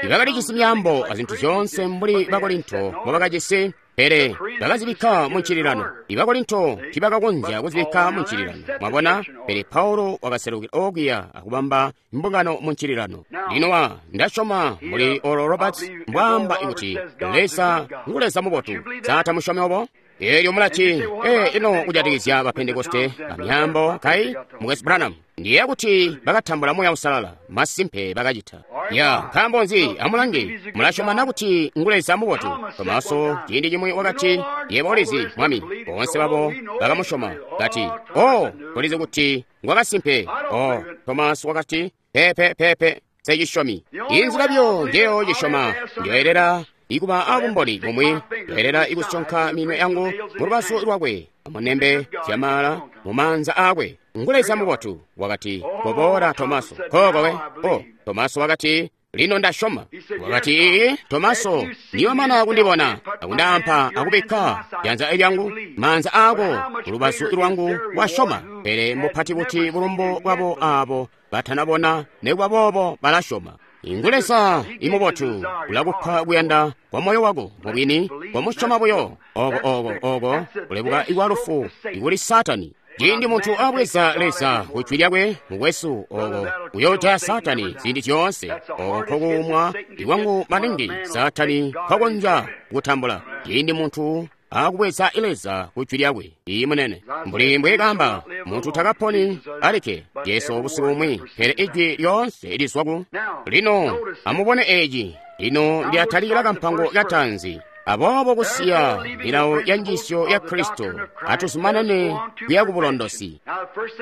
Ibakalijisi myaambo azinthu zyoonse mbuli Bakorinto mbobakajisi, pele bakazibikka mu ncililano. Ibakorinto tiibakakonzya kuzibikka mu ncililano, mwabona. Pele Paulo wakaselukila okuya akubamba mbungano mu ncililano. Lino wa ndasyoma muli Oral Roberts mbwaamba kuti Leza ngu Leza mubotu. Sa tamusyomi obo? Eelyo mulati, ee, ino kujatikizya ba Pentekoste amyaambo kai Mukwesu Branham? Ndiye kuti bakatambula Muuya Uusalala, masimpe bakacita. Ya, nkaambo nzi? Amulange, mulasyoma na kuti ngu Leza mubotu? Tomaso ciindi cimwi wakati, yebo ulizi, Mwami. Boonse babo bakamusyoma, kati, oh, tulizi kuti ngwakasimpe. Oh, Tomaso wakati, pepe pepe, secisyomi. Inzila byo njeyo cisyoma, njoyelela ikuba abumboni bumwi, njoyelela ikusyonka minwe yangu mu lubazu lwakwe, amunembe zyamala mu maanza aakwe. Ngu Leza mubotu. Wakati, koboola Tomaso. Kokowe. Oh, Tomaso wakati, lino ndasyoma. Wakati, Tomaso, niwamana kundibona, akundaampa akubikka janza lyangu maanza ako kulubazu lwangu, wasyoma. Pele mupati buti bulumbu bwabo abo batanabona, nekuba boobo balasyoma. Ngu Leza imubotu, ulakupa kuyanda kwa moyo wako mubwini, komusyoma buyo. Oko oko oko kulebuka ikwa lufu ikuli Saatani. Ciindi muntu abweza Leza ku jwi lyakwe, mukwesu, oko kuyoojaya Saatani ziindi zyoonse. Oko nkokuumwa ikwangu maningi Saatani nkwakonzya kutambula. Ciindi muntu akubweza Leza ku jwi lyakwe, iyi munene. Mbuli mbwe kaamba, muntu takaponi alikke, Jesu busiku bumwi, pele ijwi lyoonse lizwa ku. Lino amubone eci. Lino ndiyatalikila kampango kataanzi. Aboobo kusiya milawo ya njiisyo ya Kristo, atuzumanane kuya ku bulondosi.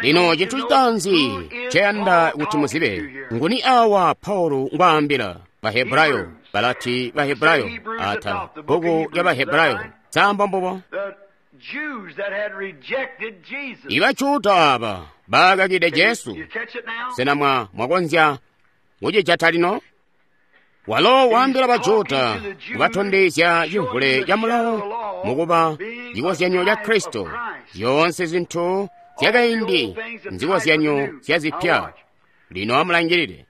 Lino cintu citaanzi nceyanda kuti muzibe, nguni awa Paulo ngwaambila? Bahebrayo, balati Bahebrayo, ata bbuku lya Bahebrayo, samba mbubo. Ibajuda aba bakakide Jesu. Sena mwa mwakonzya kucijata lino? Walo waambila Bajuda kubatondezya cimvule ca mulawo mukuba cikozyanyo ca Kristo. Zyoonse zintu zyakaindi nzikozyanyo zya zipya. Lino amulangilile.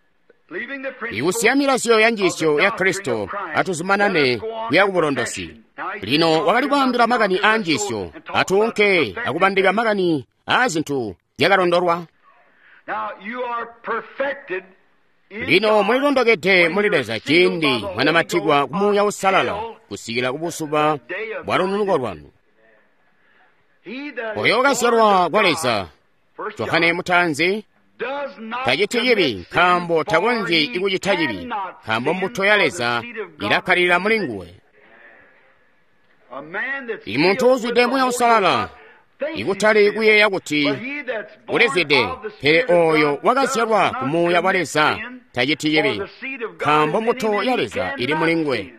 Ikusiya milazyo ya njiisyo ya Kristo, atuzumanane kuya kubulondosi. Lino wakali kwaambila makani aa njiisyo, atuunke akubandika makani aa zintu zyakalondolwa. Lino mulilondokede muli Leza ciindi mwanamatikwa ku Muuya Uusalala kusikila kubuzuba bwa lununuko lwanu. Oyo wakazyalwa kwa Leza, Johane mutaanzi, taciti cibi nkaambo takonzyi kucita cibi, nkaambo mbuto ya Leza ilakkalilila muli nguwe. Imuntu uuzwide Muuya Uusalala, ikutali kuyeeya kuti ulizwide, pele oyo wakazyalwa ku Muuya wa Leza taciti cibi, nkaambo mbuto ya Leza ili muli nguwe,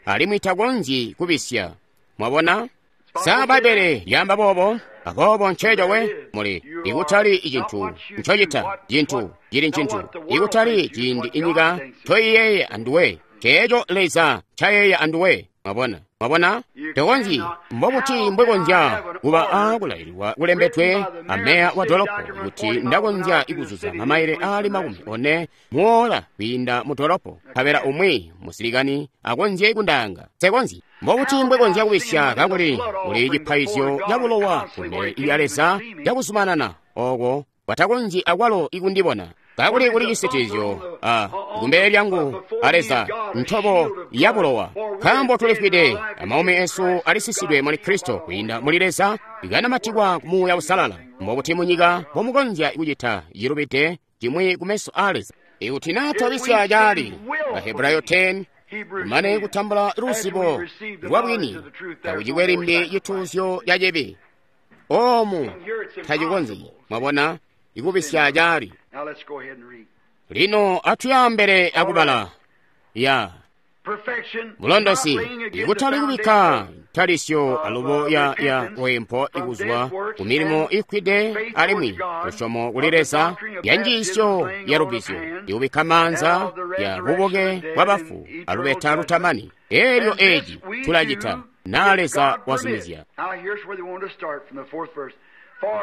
alimwi takonzyi kubisya. Mwabona? Sa Bbaibbele lyaamba boobo? Aboobo nceeco we muli, ikutali icintu ncocita, cintu cili ncintu, ikutali ciindi inyika ncoiyeeya anduwe, nceeco Leza ncayeeya anduwe. Mwabona? Mwabona? Tokonzyi. Mbobuti mbwekonzya kuba aakulaililwa kulembedwe ameya wa dolopo kuti ndakonzya ikuzuza mamaile aali makumi one muola kwiinda mu dolopo, nkabela umwi musilikani akonzye kundaanga? Nsekonzyi. Mbobuti mbwekonzya kubisya kakuli kuli cipaizyo ca bulowa kumbele lya Leza cakuzumanana oko batakonzyi akwalo ikundibona? Kakuli kuli cisitilizyo a kumbele lyangu a Leza, ntobo ya bulowa, nkaambo tulifwide, amaumi esu alisisidwe muli Kristo kwiinda muli Leza, ikanamatikwa ku Muuya Uusalala. Mbobuti munyika mbomukonzya kucita cilubide cimwi kumeso a Leza? Ikuti naa twabisya caali, Bahebrayo ten, kumane kutambula luzibo lwa bwini, takucikwe limbi cituuzyo ca cibi. Oomu tacikonzyi, mwabona, ikubisya caali. Lino atuyambele akubala ya bulondosi, ikutali kubikka ntalisyo alubo ya ya wempo ikuzwa ku milimo ikwide alimwi lusyomo kuli Leza ya njiisyo ya lubbizyo, ikubikka maanza ya bubuke bwa bafu alubeta lutamani. Elyo eci tulacita na Leza wazumizya.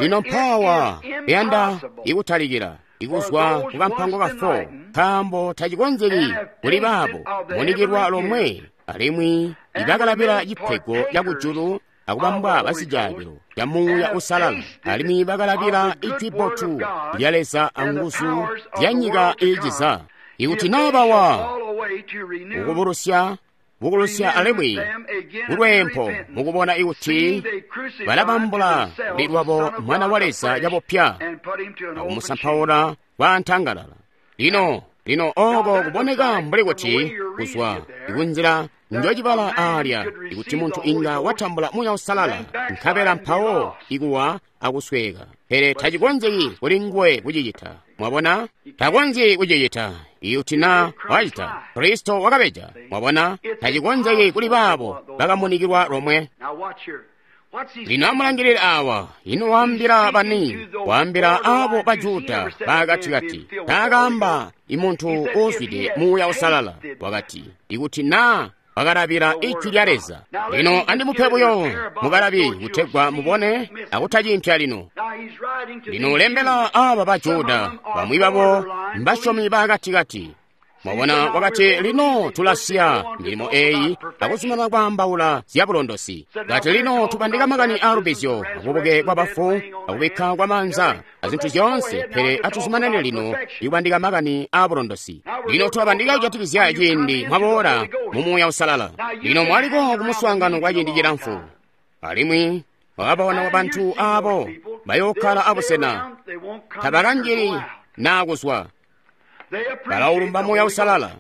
Lino mpawa yanda ikutalikila ikuzwa ku kampango ka four, nkaambo tacikonzeki kuli baabo munikilwa lomwe alimwi ibakalabila cipego ca kujulu akubambwa basijaabilo ca Muuya Uusalala, alimwi bakalabila ijwi bbotu lya Leza anguzu zya nyika iiciza. Ikuti naa bawa kukubulusya bukulusya alimwi kulweempo mukubona ikuti balabambula kuli lwabo Mwana wa Leza cabupya akumusampaula kwa ntangalala. Lino lino oko kuboneka mbuli kuti kuzwa ikunzila njocibala aalya, ikuti muntu inga watambula Muuya Uusalala nkabela mpawo ikuwa akusweeka, pele tacikonzeki kuli nguwe kucicita. Mwabona? Takonzyi kucicita. Ikuti na wacita, Kristo wakabeja. Mwabona? Tacikonzeki kuli baabo bakamunikilwa lomwe. Lino amulangilile awa. Ino waambila bani? Waambila abo Bajuda baakatikati. Taakaamba imuntu uuzwide Muuya Uusalala. Wakati, ikuti naa bakalabila ijwi lya Leza. Lino andimupe buyo mukalabi kutegwa mubone akutacimpya lino. Lino lembela aba Bajuda, bamwi babo mbasyomi baakatikati. Mwabona, wakati, lino tulasiya milimo eyi akuzumanana kwaambaula zya bulondosi. Kati, lino tubandika makani a lubbizyo, akubuke kwa bafu, akubikka kwa maanza, azintu zyoonse, pele atuzumanane lino ikubandika makani a bulondosi. Lino tulabandika kujatikizya ciindi mwaboola mu Muuya Uusalala. Lino mwaliko kumuswaangano kwa ciindi cilamfu, alimwi wababona bantu abo bayookkala abusena tabakanjili naa kuzwa. Balaulumba Muuya Uusalala,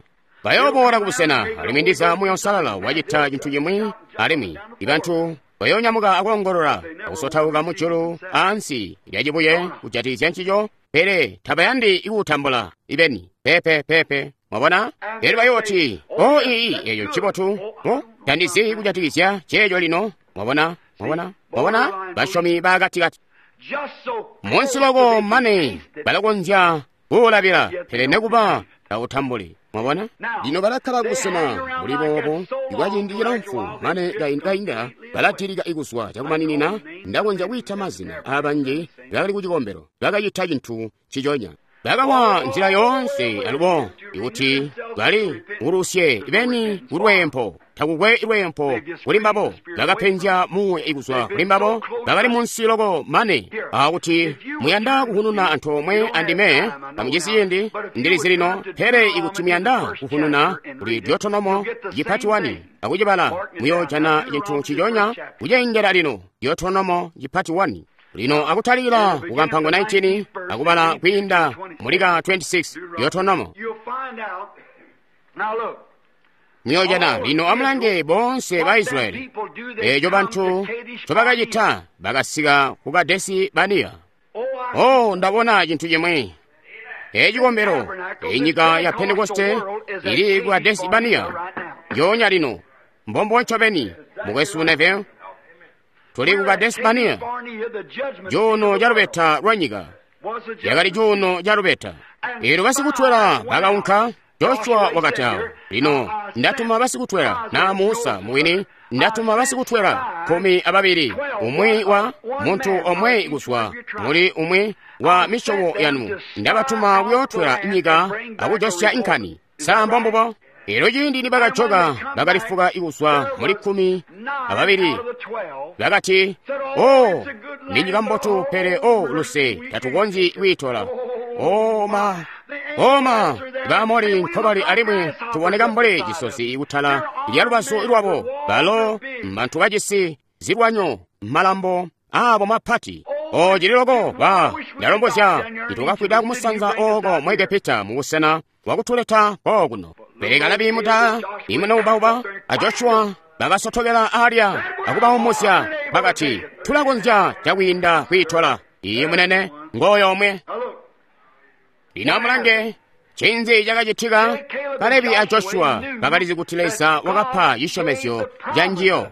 bayooboola kubusena, alimwi ndiza Muuya Uusalala wacita cintu cimwi, alimwi ibantu bayoonyamuka akoongolola akusotauka mujulu aansi lya cibuye kujatikizya ncico, pele tabayandi kuutambula ibeni. Pepe pepe, mwabona? Pele bayooti, o ii, eyo ncibotu, o tandizi kujatikizya ceeco lino. Mwabona? Mwabona? Mwabona? Basyomi bakatikati munsi loko mane balakonzya kuulabila, pele nekuba tautambuli. Mwabona? Lino balakkala kubusena buli boobo kwa ciindi cilamfu mane kainda balatilika ikuzwa cakumaninina. Ndakonzya kwiita mazina aabanji bakali kucikombelo bakacita cintu ciconya, bakawa nzila yoonse. Alubo ikuti bali kulusye ibeni kulweempo, takukwe lweempo kuli mbabo. Bakapenzya muuya ikuzwa kuli mbabo, bakali munsi loko mane akuti muyanda kuhununa antoomwe andime tamujisi ciindi, ndilizi lino. Pele ikuti muyanda kuhununa kuli Deuteronomo cipati wani akucibala, muyoojana cintu ciconya kucengela lino. Deuteronomo cipati wani lino akutalikila kukampango nineteen akubala kwiinda mulika twenty-six. Deuteronomo muyojana lino amulange boonse ba Israyeli eco bantu ncobakacita, bakasika ku Kadesi Baniya. Oh, ndabona cintu cimwi. Ecikombelo enyika ya Pentekoste ili ku Kadesi Baniya yonya lino. Mbombo ncobeni, mukwesu Neville, tuli ku Kadesi Baniya, cuuno ca lubeta lwa nyika. Yakali cuuno ca lubeta. Eelyo basikutwela bakaunka. Joshua wakati awo, lino ndatuma basikutwela na Musa mwini, ndatuma basikutwela kumi ababili, umwi wa muntu omwe kuzwa muli umwi wa misyobo yanu, ndabatuma kuyootwela nyika akujosya inkani. Sa mbombubo? Eelyo ciindi nibakajoka bakalifuka ikuzwa muli kumi ababili, bakati, o ni nyika mbotu, pele o luse tatukonzyi kwiitola. Oma oma Baamori nkobali, alimwi tuboneka mbuli cisozi kutala lya lubazu lwabo. Balo mbantu bajisi zilwanyo, malambo abo mapati. O cili loko ba ndalombozya itukafwida kumusanza oko mu Egepita mubusena bwakutuleta kokuno. Pele Kalebi muta imunaubauba a Joshua bakasotokela alya akubaumuzya, bakati, tulakonzya cakwiinda kwiitola. Iye munene ngoyo omwe. Lino amulange cinzi cakacitika. Kalebi a Joshua bakalizi kuti Leza wakapa cisyomezyo ca njiyo.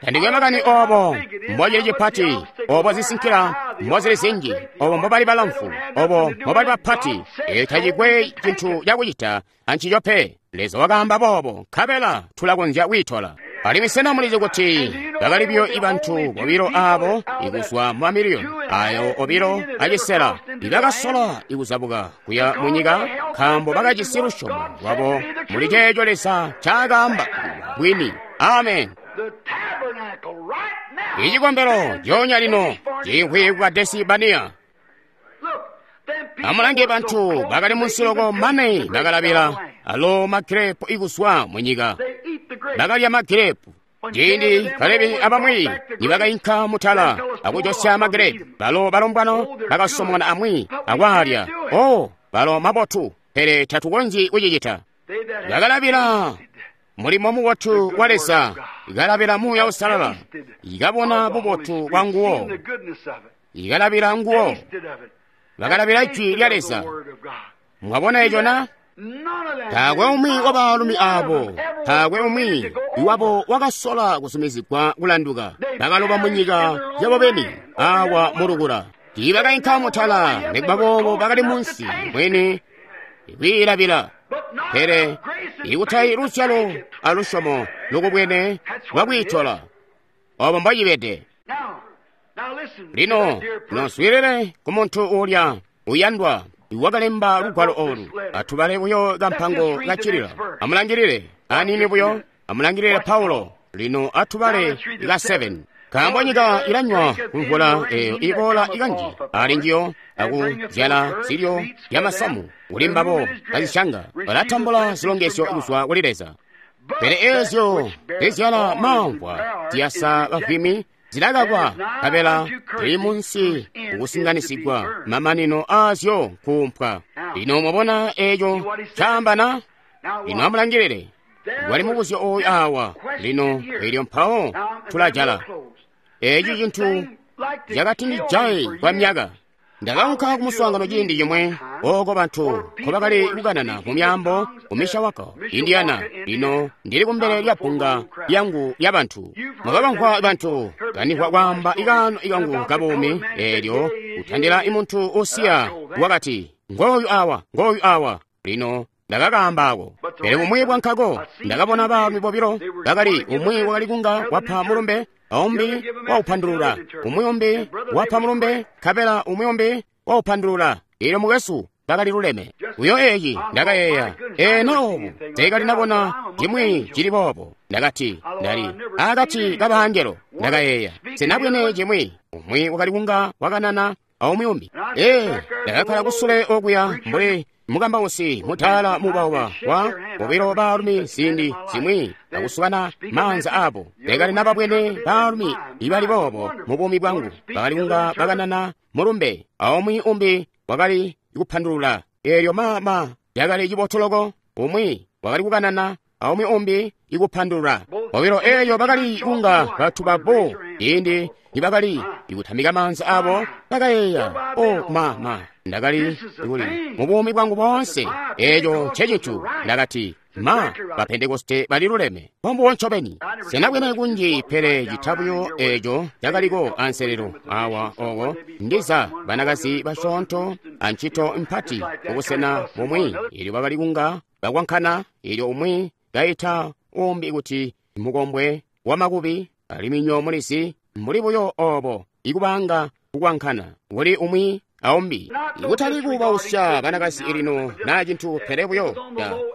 Tandikwe makani obo mbocili cipati, obo zisinkila mbozili zinji, obo mbobali balamfu, obo mbobali bapati, eyo tacikwe cintu cakucita ancico pe. Leza wakaamba boobo, nkabela tulakonzya kwiitola. Alimwi sena mulizi kuti bakali biyo ibantu bobilo abo ikuzwa mu mamiliyoni ayo obilo acisela ibakasola ikuzabuka kuya mu nyika, nkaambo bakajisi lusyomo lwabo muli ceeco Leza ncaakaamba bwini. Amen. Icikombelo coonya lino ciimvwi ku Kadesi Baniya. Amulange bantu bakali munsi loko mane bakalabila alo magirepu ikuzwa mu nyika. Bakalya magirepu. Ciindi Kalebi abamwi nibakainka mutala akujosya magirepu, balo balombwano bakasomona amwi akwaalya. O balo mabotu, pele tatukonzyi kucicita. Bakalabila mulimo mubotu wa Leza, ikalabila Muuya Uusalala, ikabona bubotu bwa nguwo, ikalabila nguwo, bakalabila jwi lya Leza. Mwabona eco na? Taakwe umwi wa baalumi abo, taakwe umwi iwabo wakasola kusumizigwa kulanduka. Bakaloba mu nyika yabo beni awa mulukula. Tiibakainka mutala, nikuba boobo bakali munsi mwini kwiilabila. Pele ikutayi luzyalo alusyomo lukubwene lwakwiitola. Obo mbocibede. Lino noswiilile ku muntu uulya uyandwa wakalemba lugwalo olu. Atubale buyo kampango kacilila. Amulangilile aniini buyo, amulangilile Paulo. Lino atubale ka seven. Nkaambo nyika ilanywa kumvula eyo iboola ikanji ali njiyo akuzyala zilyo byamasamu kuli mbabo bazisyanga balatambula zilongezyo kuzwa kuli Leza. Pele ezyo zizyala mamvwa ziyasa bavwimi zilakakwa nkabela zili munsi kukusinganisigwa mamanino aazyo nkuumpwa. Lino mwabona eco caambana? Lino amulangilile wali mubuzyo oyu awa lino elyo mpawo tulajala. Eeci cintu cakatindijaye kwa myaka. Ndakaunka kumuswaangano ciindi cimwe ooko bantu nkobakali kukanana mu myaambo ku Mishawaka, Indiana. Lino ndili kumbele lya bbunga lyangu lya bantu. Mwakabamvwa bantu kanimvwa kwaamba ikaano ikangu kabuumi eelyo kutandila imuntu usiya wakati, ngooyu awa, ngooyu awa. Lino ndakakaambaako. Pele bumwi bwankako ndakabona baalumi bobilo bakali umwi wakali kunga wapa mulumbe aumbi waupandulula, umwi umbi wapa mulumbe nkabela umwi umbi waupandulula. Eelyo mukwesu bakali luleme. Uyo eeci ndakayeeya, eno obu teekali nabona cimwi cili boobo. Ndakati ndali akati kabangelo. Ndakayeeya sinabwene cimwi. Umwi wakali kunga wakanana aumwi umbi. Ee, ndakakkala kusule okuya mbuli mukambausi mutaala mubauba wa bobilo baalumi ziindi zimwi akusukana maanza abo. Ndakali nababwene baalumi ibali boobo mu buumi bwangu. Bakali kunga bakanana mulumbe aumwi umbi wakali kupandulula. Eelyo mama yakali cibotoloko. Umwi wakali kukanana aumwi umbi ikupandulula. Bobilo eelyo bakali kunga batuba bo ciindi nibakali ikutamika maanza abo. Ndakayeeya, o mama, ndakali kuli mu buumi bwangu boonse eeco ncecintu. Ndakati, ma bapentekoste bali luleme bombuwo ncobeni. Senabwene kunji pele citabuyo eeco cakaliko anselelo awa oko ndiza banakazi basyoonto ancito mpati kubusena bumwi. Eelyo bakali kunga bakwankana, eelyo umwi kaita umbi kuti mukombwe wamakubi, alimwi nyo mulizi mbuli buyo obo ikubanga kukwankana kuli umwi aumbi. Ikutali kubausya banakazi lino na cintu, pele buyo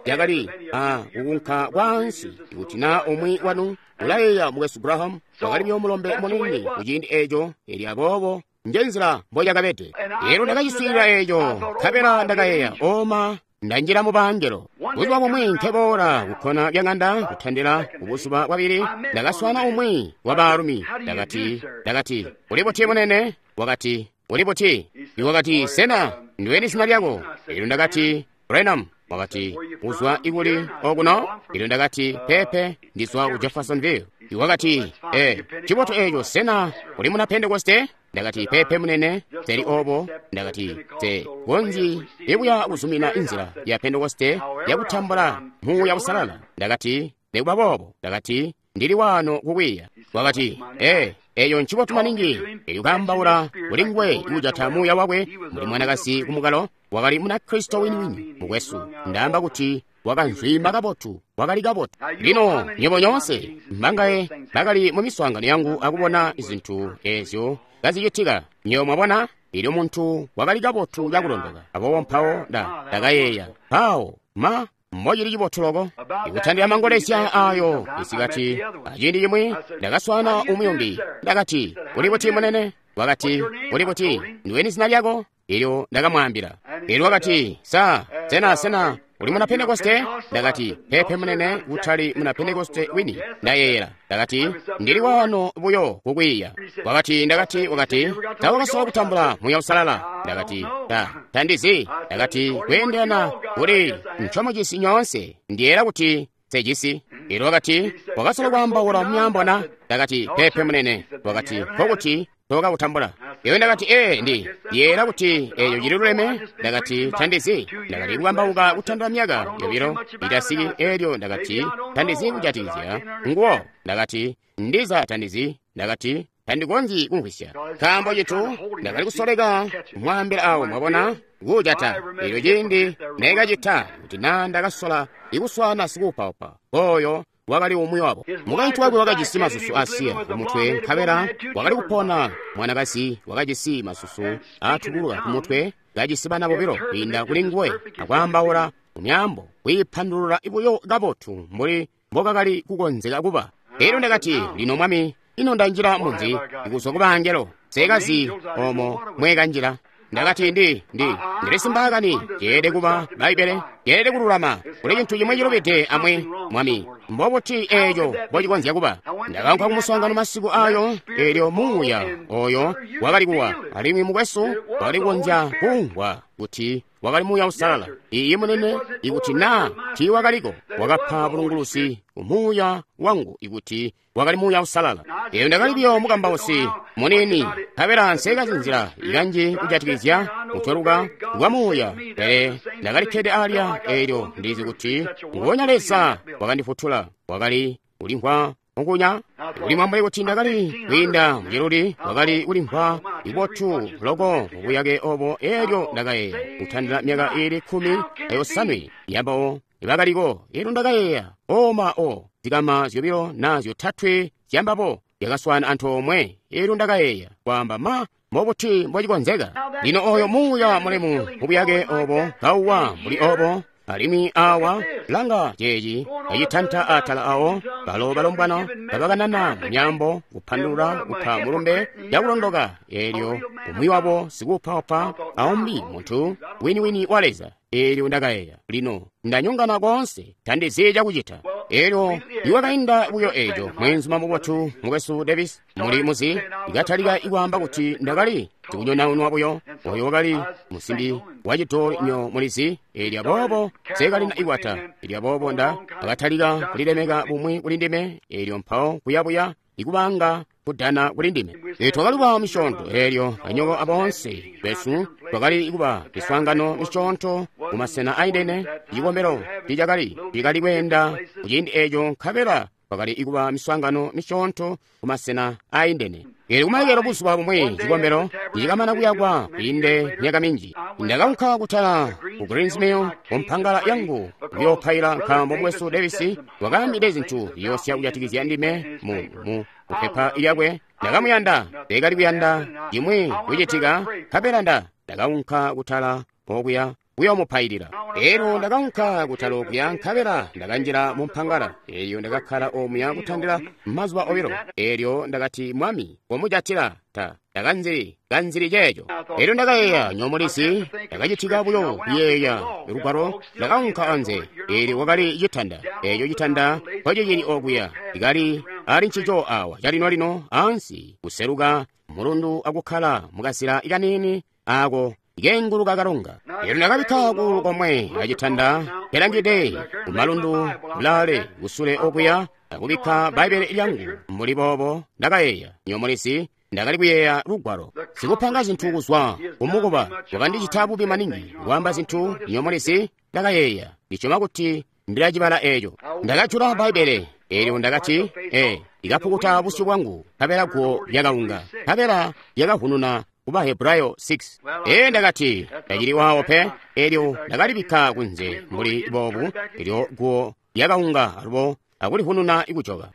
yakali a kukunka kwaansi. Ikuti na umwi wanu ulayeeya mukwesu Graham wakali buyo mulombe muniini kuciindi eeco, elyo aboobo njenzila mboyakabede. Eelyo ndakaciswiilila eeco nkabela ndakayeeya, oma ndanjila mu bangelo. Buzuba bumwi nkeboola kukkona lya ng'anda kutandila kubuzuba bwabili, ndakaswana umwi wa baalumi. Ndakati, ndakati, uli buti munene? Wakati, uli buti? Wakati, sena ndiweni zina lyako? Eelyo ndakati, Branham. Wakati, uzwa ikuli okuno? Eelyo ndakati, pepe, ndizwa ku Jeffersonville. Wakati, eh, cibotu eeco, sena uli muna Pentekoste? Ndakati, pepe munene, teli obo. Ndakati, te konzi ibuya kuzumina inzila ya Pentekoste yakutambula Muuya Uusalala. Ndakati, nikuba boobo. Ndakati, ndili wano kukwiiya. Wakati, eh, eyo ncibotu maningi. Elyo kaambaula kuli nguwe kujata muuya wakwe mbuli mwanakazi kumukalo. Wakali muna Kristo winiwini mukwesu. Ndaamba kuti wakanzwima kabotu, wakali kabotu. Lino nyebo nyoonse mbangaye bakali mu miswaangano yangu akubona zintu ezyo kazicitika. Nyo mwabona, elyo muntu wakali kabotu cakulondoka. Aboobo mpawo nda ndakayeeya, mpawo ma mbocili cibotu loko. Ikutandila mangolezya ayo isikati aciindi cimwi ndakaswana umwi umbi. Ndakati, uli buti munene? Wakati, uli buti? Ndiweni zina lyako? Elyo ndakamwaambila. Elyo wakati, sa sena sena uli muna Pentekoste? Ndakati, pepe munene, kutali muna Pentekoste wini. Ndayeeyela. Ndakati, ndili wano buyo kukwiiya. Wakati, ndakati, wakati, tawakasola kutambula Muuya Uusalala. Ndakati, ta, tandizi. Ndakati, kweendelana kuli ncomucisi nyoonse, ndiyeera kuti sejisi. Elyo wakati, wakasola kwaambaula myaambo na? Ndakati, pepe munene. Wakati, nkokuti tokakutambula. Eyo ndakati, ee, ndi ndiyeera kuti eyo cili luleme. Ndakati, tandizi. Ndakati kukambauka kutandila myaka yobilo itasiki. Elyo ndakati, tandizi kujatikizya nguwo. Ndakati, ndiza tandizi. Ndakati, tandikonzyi kumvwisya nkaambo cintu ndakali kusoleka kumwaambila awo, mwabona, kujata. Elyo ciindi nekacita kuti na ndakasola ikuswana sikuupaupa oyo wakali umwi wabo. Mukaintu wakwe wakajisi masusu asiya kumutwe, nkabela wakali kupona. Mwanakazi wakajisi masusu aatubuluka kumutwe, kajisi bana bobilo kwiinda kuli nguwe, akwaambaula mumyaambo, kwiipandulula buyo kabotu mbuli mbokakali kukonzeka kuba. Elyo ndakati, lino Mwami, ino ndanjila munzi kuzwa ku bangelo, sekazi omo mwekanjila. Ndakati, ndi ndi ndili simbaakani, ceelede kuba Bbaibbele, ceelede kululama, kuli cintu cimwe cilubide amwi, Mwami. Mbobuti eeco mbocikonzya kuba? Ndakaunka kumuswaangano masiku ayo, eelyo muuya oyo wakali kuwa, alimwi mukwesu wakali kukonzya kumvwa kuti wakali Muuya Uusalala. Iiyi munene, ikuti naa tiiwakaliko, wakapa bulungulusi umuuya wangu ikuti wakali Muuya Uusalala. Eyo ndakali buyo mukambausi muniini, nkabela nsekazi nzila ikanji kujatikizya kutweluka kwa muuya, pele ndakalikkede alya. Eelyo ndizi kuti nguwonya Leza wakandifutula wakali kulimvwa mukunya kulimwa mbuli kuti ndakali kwiinda muciluli, wakali kulimvwa ibotu loko mubuyake obo. Eelyo ndakayeeya kutandila myaka iili kkumi ayosanwe yambawo ibakaliko. Eelyo ndakayeeya, oma o zikama zyobilo na zyotatwe zyambabo zyakaswana antoomwe. Eelyo ndakayeeya kwaamba, ma mbobuti mbocikonzeka? Lino oyo muuya mulemu mubuyake obo kauwa mbuli obo, alimwi awa langa ceeci kacitanta atala awo, balo balombwana babakanana mumyaambo, kupandulula, kupa mulumbe cakulondoka. Eelyo umwi wabo sikuupaupa, aumbi muntu winiwini wa Leza. Eelyo ndakayeeya, lino ndanyongana koonse, tandizi cakucita. Eelyo iwakainda buyo eeco, mweenzuma mubotu mukwesu Davis muli muzi ikatalika ikwaamba kuti ndakali sikunyonaunwa buyo. Oyo wakali musimbi wacidooli nyo mulizi. Eelyo aboobo sekalina ikwata. Eelyo aboobo nda akatalika kulilemeka bumwi kuli ndime. Eelyo mpawo kuyabuya ikubanga kudana kuli ndime. E, twakali kuba misyoonto. Eelyo anyoko aboonse besu twakali kuba miswaangano misyoonto mu masena aindene. Cikombelo ticakali tikali kweenda kuciindi eeco, nkabela twakali kuba miswaangano misyoonto ku masena aindene. Eelyo kumalekelo buzuba bumwi cikombelo nicikamana kuyakwa kwiinde myaka minji, ndakaunka kutala ku Greens Mill kumpangala yangu kuyoopaila, nkaambo mukwesu Davis wakaambide zintu ziyoosya kujatikizya ndime mu mu kupepa lyakwe. Ndakamuyanda, ndakali kuyanda cimwi kucitika, nkabela nda ndakaunka kutala okuya kuyoomupailila. Eelyo ndakaunka kutala okuya, nkabela ndakanjila mu mpangala. Eelyo ndakakkala omuya kutandila mazuba obilo. Eelyo ndakati, Mwami, komujatila ta ndakanzili kanzili ceeco. Eelyo ndakayeeya, nyomulizi, ndakacitika buyo kuyeeya lugwalo. Ndakaunka anze. Eelyo wakali citanda, eeco citanda mpocicili okuya, ikali ali ncico awa calino-lino ansi kuseluka mulundu akukkala mukazila kaniini ako ikenguluka kalonga. Eelyo ndakabikka kuulu komwe acitanda kelangide kumalundu kulaale kusule okuya, akubikka Bbaibbele lyangu mbuli boobo. Ndakayeeya, nyomulizi, ndakali kuyeeya lugwalo. Sikupanga zintu kuzwa kumukuba wakandicita bubi maningi kwaamba zintu. Nyomulizi, ndakayeeya, ndisyoma kuti ndilacibala eeco. Ndakajula Bbaibbele. Eelyo ndakati, ee, ikapukuta busyu bwangu, nkabela guwo lyakaunga, nkabela lyakavununa kuba Hebrayo six. Ee, ndakati, ndacili waawo pe. Eelyo ndakalibikka kunze mbuli boobu. Eelyo guwo lyakaunga alubo akulivununa ikujoka.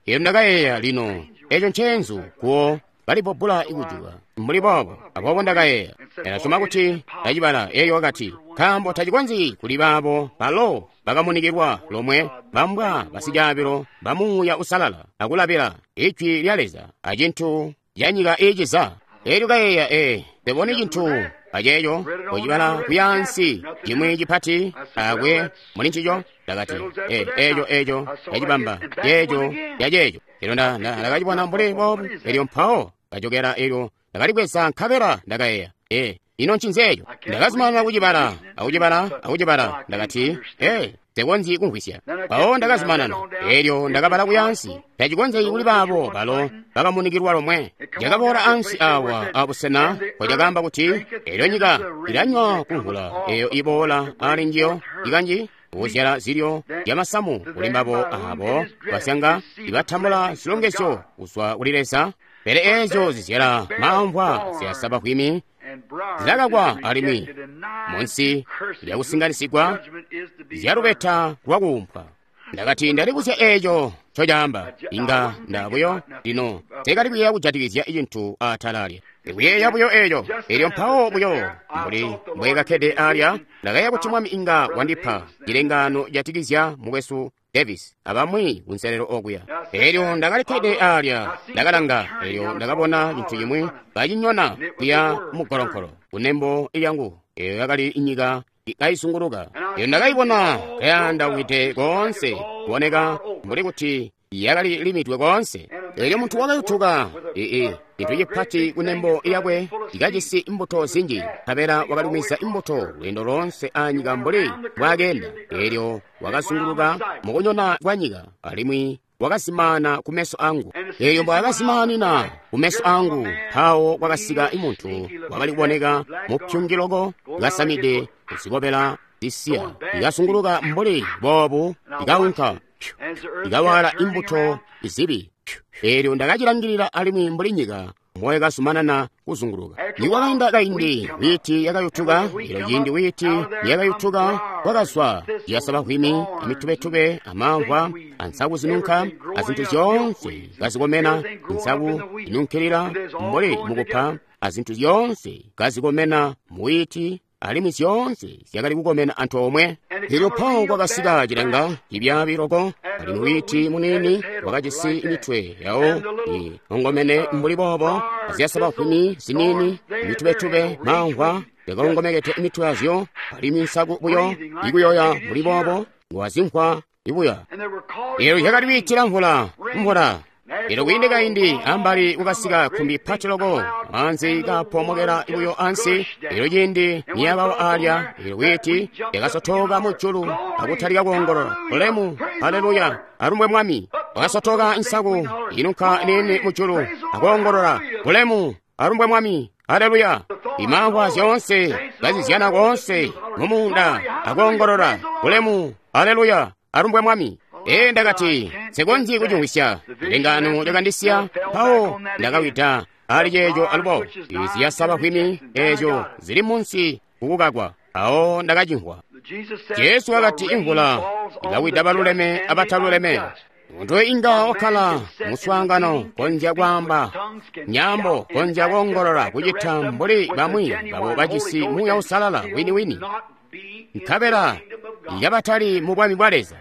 Eelyo ndakayeeya, lino eeco nceenzu, guwo kalibbobbula ikujuka mbuli boobo. Aboobo ndakayeeya, ndasyoma kuti ndacibala. Eelyo wakati, nkaambo tacikonzyi kuli baabo balo bakamunikilwa lomwe, bambwa basicaabilo ba Muuya Uusalala, akulabila ijwi lya Leza acintu canyika iiciza. Eelyo kayeeya, ee, ndibone cintu aceeco kucibala kuyaansi cimwi cipati akwe muli ncico. Ndakati, ee, eeco eeco ndacibamba, ceeco caceeco. Eelyo ndakacibona mbuli boobu. Eelyo mpawo kajokera. Eelyo ndakalibweza, nkabela ndakayeeya, ee, ino ncinzi eeco? Ndakazumanana kucibala akucibala akucibala. Ndakati, ee, nsekonzyi kumvwisya. Mpawo ndakazumanana. Eelyo ndakabala kuyaansi, tacikonzeki kuli baabo balo bakamunikilwa lomwe. Cakaboola ansi awa abusena mpocakaamba kuti, eelyo nyika ilanywa kumvula eyo iboola ali njiyo ikanji kuzyala zilyo zyamasamu kuli mbabo aabo basyanga ibatambula zilongezyo kuzwa kuli Leza. Pele eezyo zizyala maamvwa ziyasaba bwimi zilakakwa alimwi munsi lyakusinganisigwa zyalubeta lwakuumpwa. Ndakati ndalibuzya eeco ncocaamba. Inga ndabuyo lino teekali kuyeeya kujatikizya cintu atala alya. Ndikuyeeya buyo eeco. Elyo mpawo buyo mbuli mbwekakkede alya, ndakayeeya kuti Mwami inga wandipa cilengaano jatikizya mukwesu Davis abamwi kunselelo okuya. Elyo ndakalikkede alya, ndakalanga, elyo ndakabona cintu cimwi kacinyona kuya mugolonkolo kunembo lyangu. Eyo yakali inyika kayizunguluka. Elyo ndakayibona kayandawide koonse, kuboneka mbuli kuti yakali limidwe koonse. Elyo muntu wakayutuka ii cintu cipati kunembo lyakwe cikajisi imbuto zinji, nkabela wakalumiza imbuto lweendo loonse anyika mbuli mbwaakenda. Elyo wakazunguluka mukunyona kwa nyika, alimwi wakazimaana kumeso angu. Elyo mbwaakazimaanina kumeso angu, mpawo kwakasika muntu wakali kuboneka mupyungiloko, kasamide zikobela zisiya, ikazunguluka mbuli boobu, ikaunka ikawala imbuto izibi. Elyo ndakacilangilila alimwi mbuli nyika mboyakazumanana kuzunguluka. Nikwakainda kaindi, wiiti yakayutuka. Elyo ciindi wiiti yakayutuka, kwakazwa yasabahwimi, amitubetube, amamvwa, ansaku zinunka, azintu zyoonse kazikomena, nsaku zinunkilila mbuli mukupa, azintu zyoonse kazikomena muwiiti, alimwi zyoonse zyakali kukomena antoomwe. Elyo mpawo kwakasika cilenga cibyaabi loko, alimwi wiiti muniini wakajisi mitwe yawo iongomene mbuli boobo, azyasabahwimi ziniini, mitubetube, mamvwa yakaongomekete mitwe yazyo, alimwi nsaku buyo ikuyoya mbuli boobo, ngwazimvwa ibuya. Elyo zyakali kwiitila mvula, mvula. Elyo kwiinde kaindi ambali kukasika khumbi pati loko, maanzi kaapomokela buyo ansi. Elyo ciindi niyakawa alya, elyo wiiti yakasotoka mujulu akutalika kuongolola, "Ulemu, haleluya, alumbwe Mwami!" Wakasotoka nsaku inunka nini mujulu akuongolola, "Ulemu, alumbwe Mwami, haleluya!" Imamvwa zyoonse kazizyana koonse mumuunda akuongolola, "Ulemu, haleluya, alumbwe Mwami!" Ee, ndakati nsikonzyi kucimvwisya. Lengano lyakandisiya, mpawo ndakawida ali ceeco alubo. Ziyasabahwimi eezyo zili munsi kukukakwa. Awo ndakacimvwa. Jesu wakati imvula ilawida baluleme abataluleme. Muntu inga wakkala muswaangano konzya kwaamba nyambo, konzya koongolola, kucita mbuli bamwi babo bajisi Muuya Uusalala wini-wini, nkabela yabatali mu bwami bwa Leza.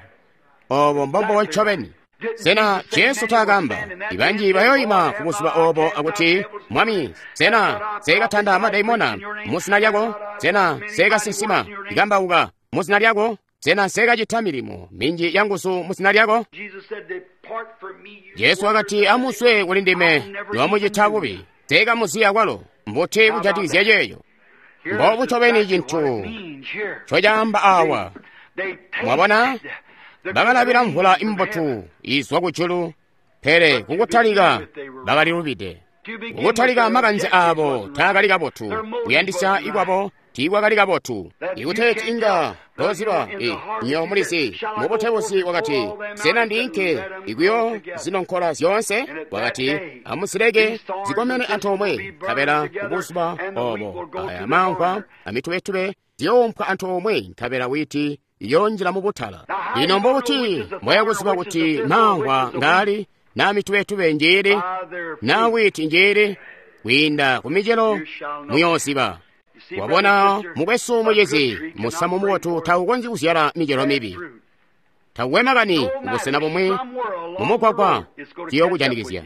Obo mbombo ncobeni. Sena Jesu taakamba, ibanji bayoyima ku buzuba obo akuti, "Mwami, sena seekatanda madaimona muzina lyako? Sena seekasinsima ikambauka muzina lyako? Sena seekacita milimo minji ya nguzu muzina lyako?" Jesu wakati, "Amuzwe kuli ndime, nomucita bubi, seekamuziya kwalo." Mbuti kujatikizya ceeco? Mbobu ncobeni cintu ncocaamba awa. Mwabona? Bakalabila mvula imbotu izwa kujulu, pele kukutalika bakalilubide. Kukutalika makanze aabo taakali kabotu, kuyandisya ikwabo tiikwakali kabotu. Ikuteeti inga toziba, nyo mulizi mubutebuzi wakati, "Sena ndiinke ikuyo zinonkola zyoonse?" Wakati, "Amuzileke zikomene antoomwe, nkabela kubuzuba obo aya mamvwa amitubetube ziyoompwa antoomwe, nkabela wiiti iyonjila mubutala." Lino mbobuti mbwayakuziba kuti mamvwa ngaali, na mitubetube njiili, na wiiti njiili? Kwiinda ku micelo muyooziba. Wabona, mukwesu mucizi, musamu mubotu taukonzyi kuzyala micelo mibi. Taukwe makani kubusena bumwi mumugwagwa ciyokujanikizya.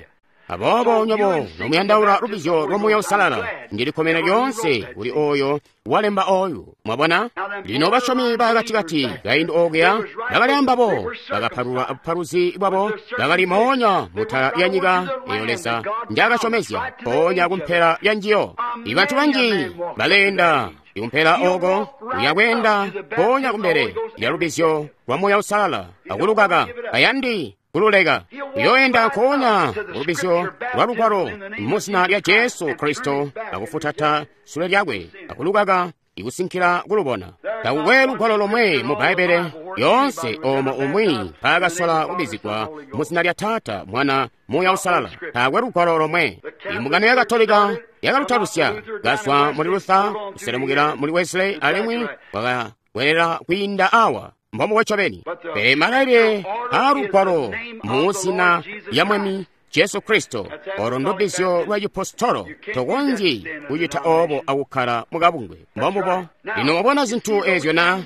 Aboobo nyobo nomuyandaula lubizyo lwa Muuya Uusalala, ndilikomena lyoonse kuli oyo walemba oyu. Mwabona? Lino basyomi bakatikati kaindi okuya bakali ambabo, bakapalulwa abupaluzi bwabo, bakali moonya mutala lya nyika eyo Leza njaakasyomezya, mpoonya kumpela lya njiyo. Ibantu banji baleenda ikumpela oko uyakweenda mpoonya kumbele lya lubizyo lwa Muuya Uusalala akulukaka, ayandi kululeka. Uyoenda nkoonya kulubizyo lwa lugwalo muzina lya Jesu Kristo akufutata sule lyakwe akulukaka ikusinkila kulubona. Takukwe lugwalo lomwe mu Bbaibbele yoonse omo umwi mpaakasola kubizigwa muzina lya Taata, Mwana, Muuya Uusalala. Taakwe lugwalo lomwe. Imbungano ya Katolika yakalutalusya, kazwa muli Luther kuselemukila muli Wesley, alimwi kwakakwelela kwiinda awa. Mbombubo ncobeni. Pele malailile aa Lugwalo mu zina lya Mwami Jesu Kristo, olo ndubbizyo lwa cipostolo, tokonzyi kucita obo akukkala mukabungwe. Mbombubo. Lino wabona zintu ezyo na?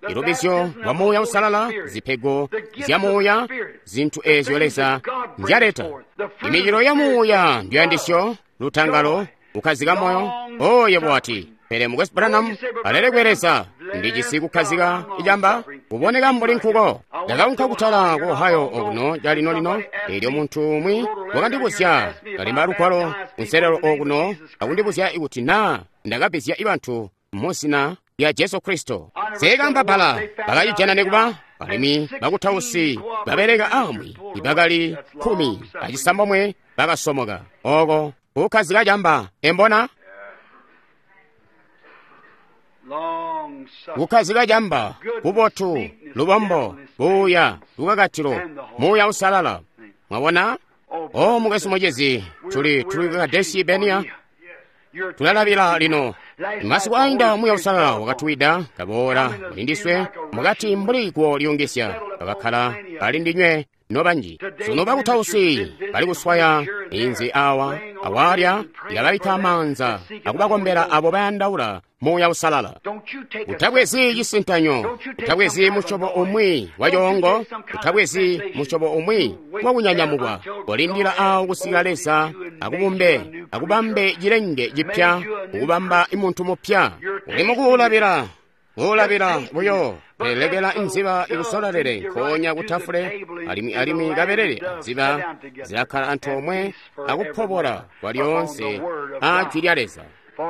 Ilubbizyo lwa Muuya Uusalala, zipego zya Muuya, zintu ezyo Leza nzyaleta. Imicilo ya Muuya nduyandisyo, lutangalo, kukkazika moyo. Oh, yebo wati, pele Mukwesu Branham, alelekwe Leza, ndijisi kukkazika icamba, kuboneka mbuli nkuko. Ndakaunka kutala ku Ohio okuno calino-lino, eelyo muntu umwi wakandibuzya, kalemba lugwalo kunselelo okuno, akundibuzya ikuti naa ndakabbizya bantu mu zina lya Jesu Kristo. Seekamba bbala, bakacijana nekuba, alimwi bakutausi babeleka amwi ibakali kkumi acisambomwe bakasomoka. Oko kukkazika camba, embona? Kukkazika camba, bubotu, lubombo, buuya, lukakatilo, Muuya Uusalala. Mwabona? O mukwesu mucizi, tuli tuli Kadesi Benia. Tulalabila lino. Masiku ainda Muuya Uusalala wakatuwida, kaboola mulindiswe mukati mbuli guwo lyungisya, bakakkala ali ndinywe nobanji. Sunu bakutausi bali kuswaya inzi awa awalya, ilababikka maanza akubakombela abo bayandaula Muuya Uusalala. Utabwezi cisintanyo, utabwezi musyobo umwi wa coongo, utabwezi musyobo umwi wa kunyanyamukwa. Kolindila awo kusika Leza akubumbe, akubambe cilenge cipya, akubamba muntu mupya. Uli mukuulabila, kuulabila buyo. Lekela nziba ikusolalele nkoonya kutafule, alimwi alimwi kabelele nziba zilakkala antoomwe akupobola kwalyoonse a jwi lya Leza.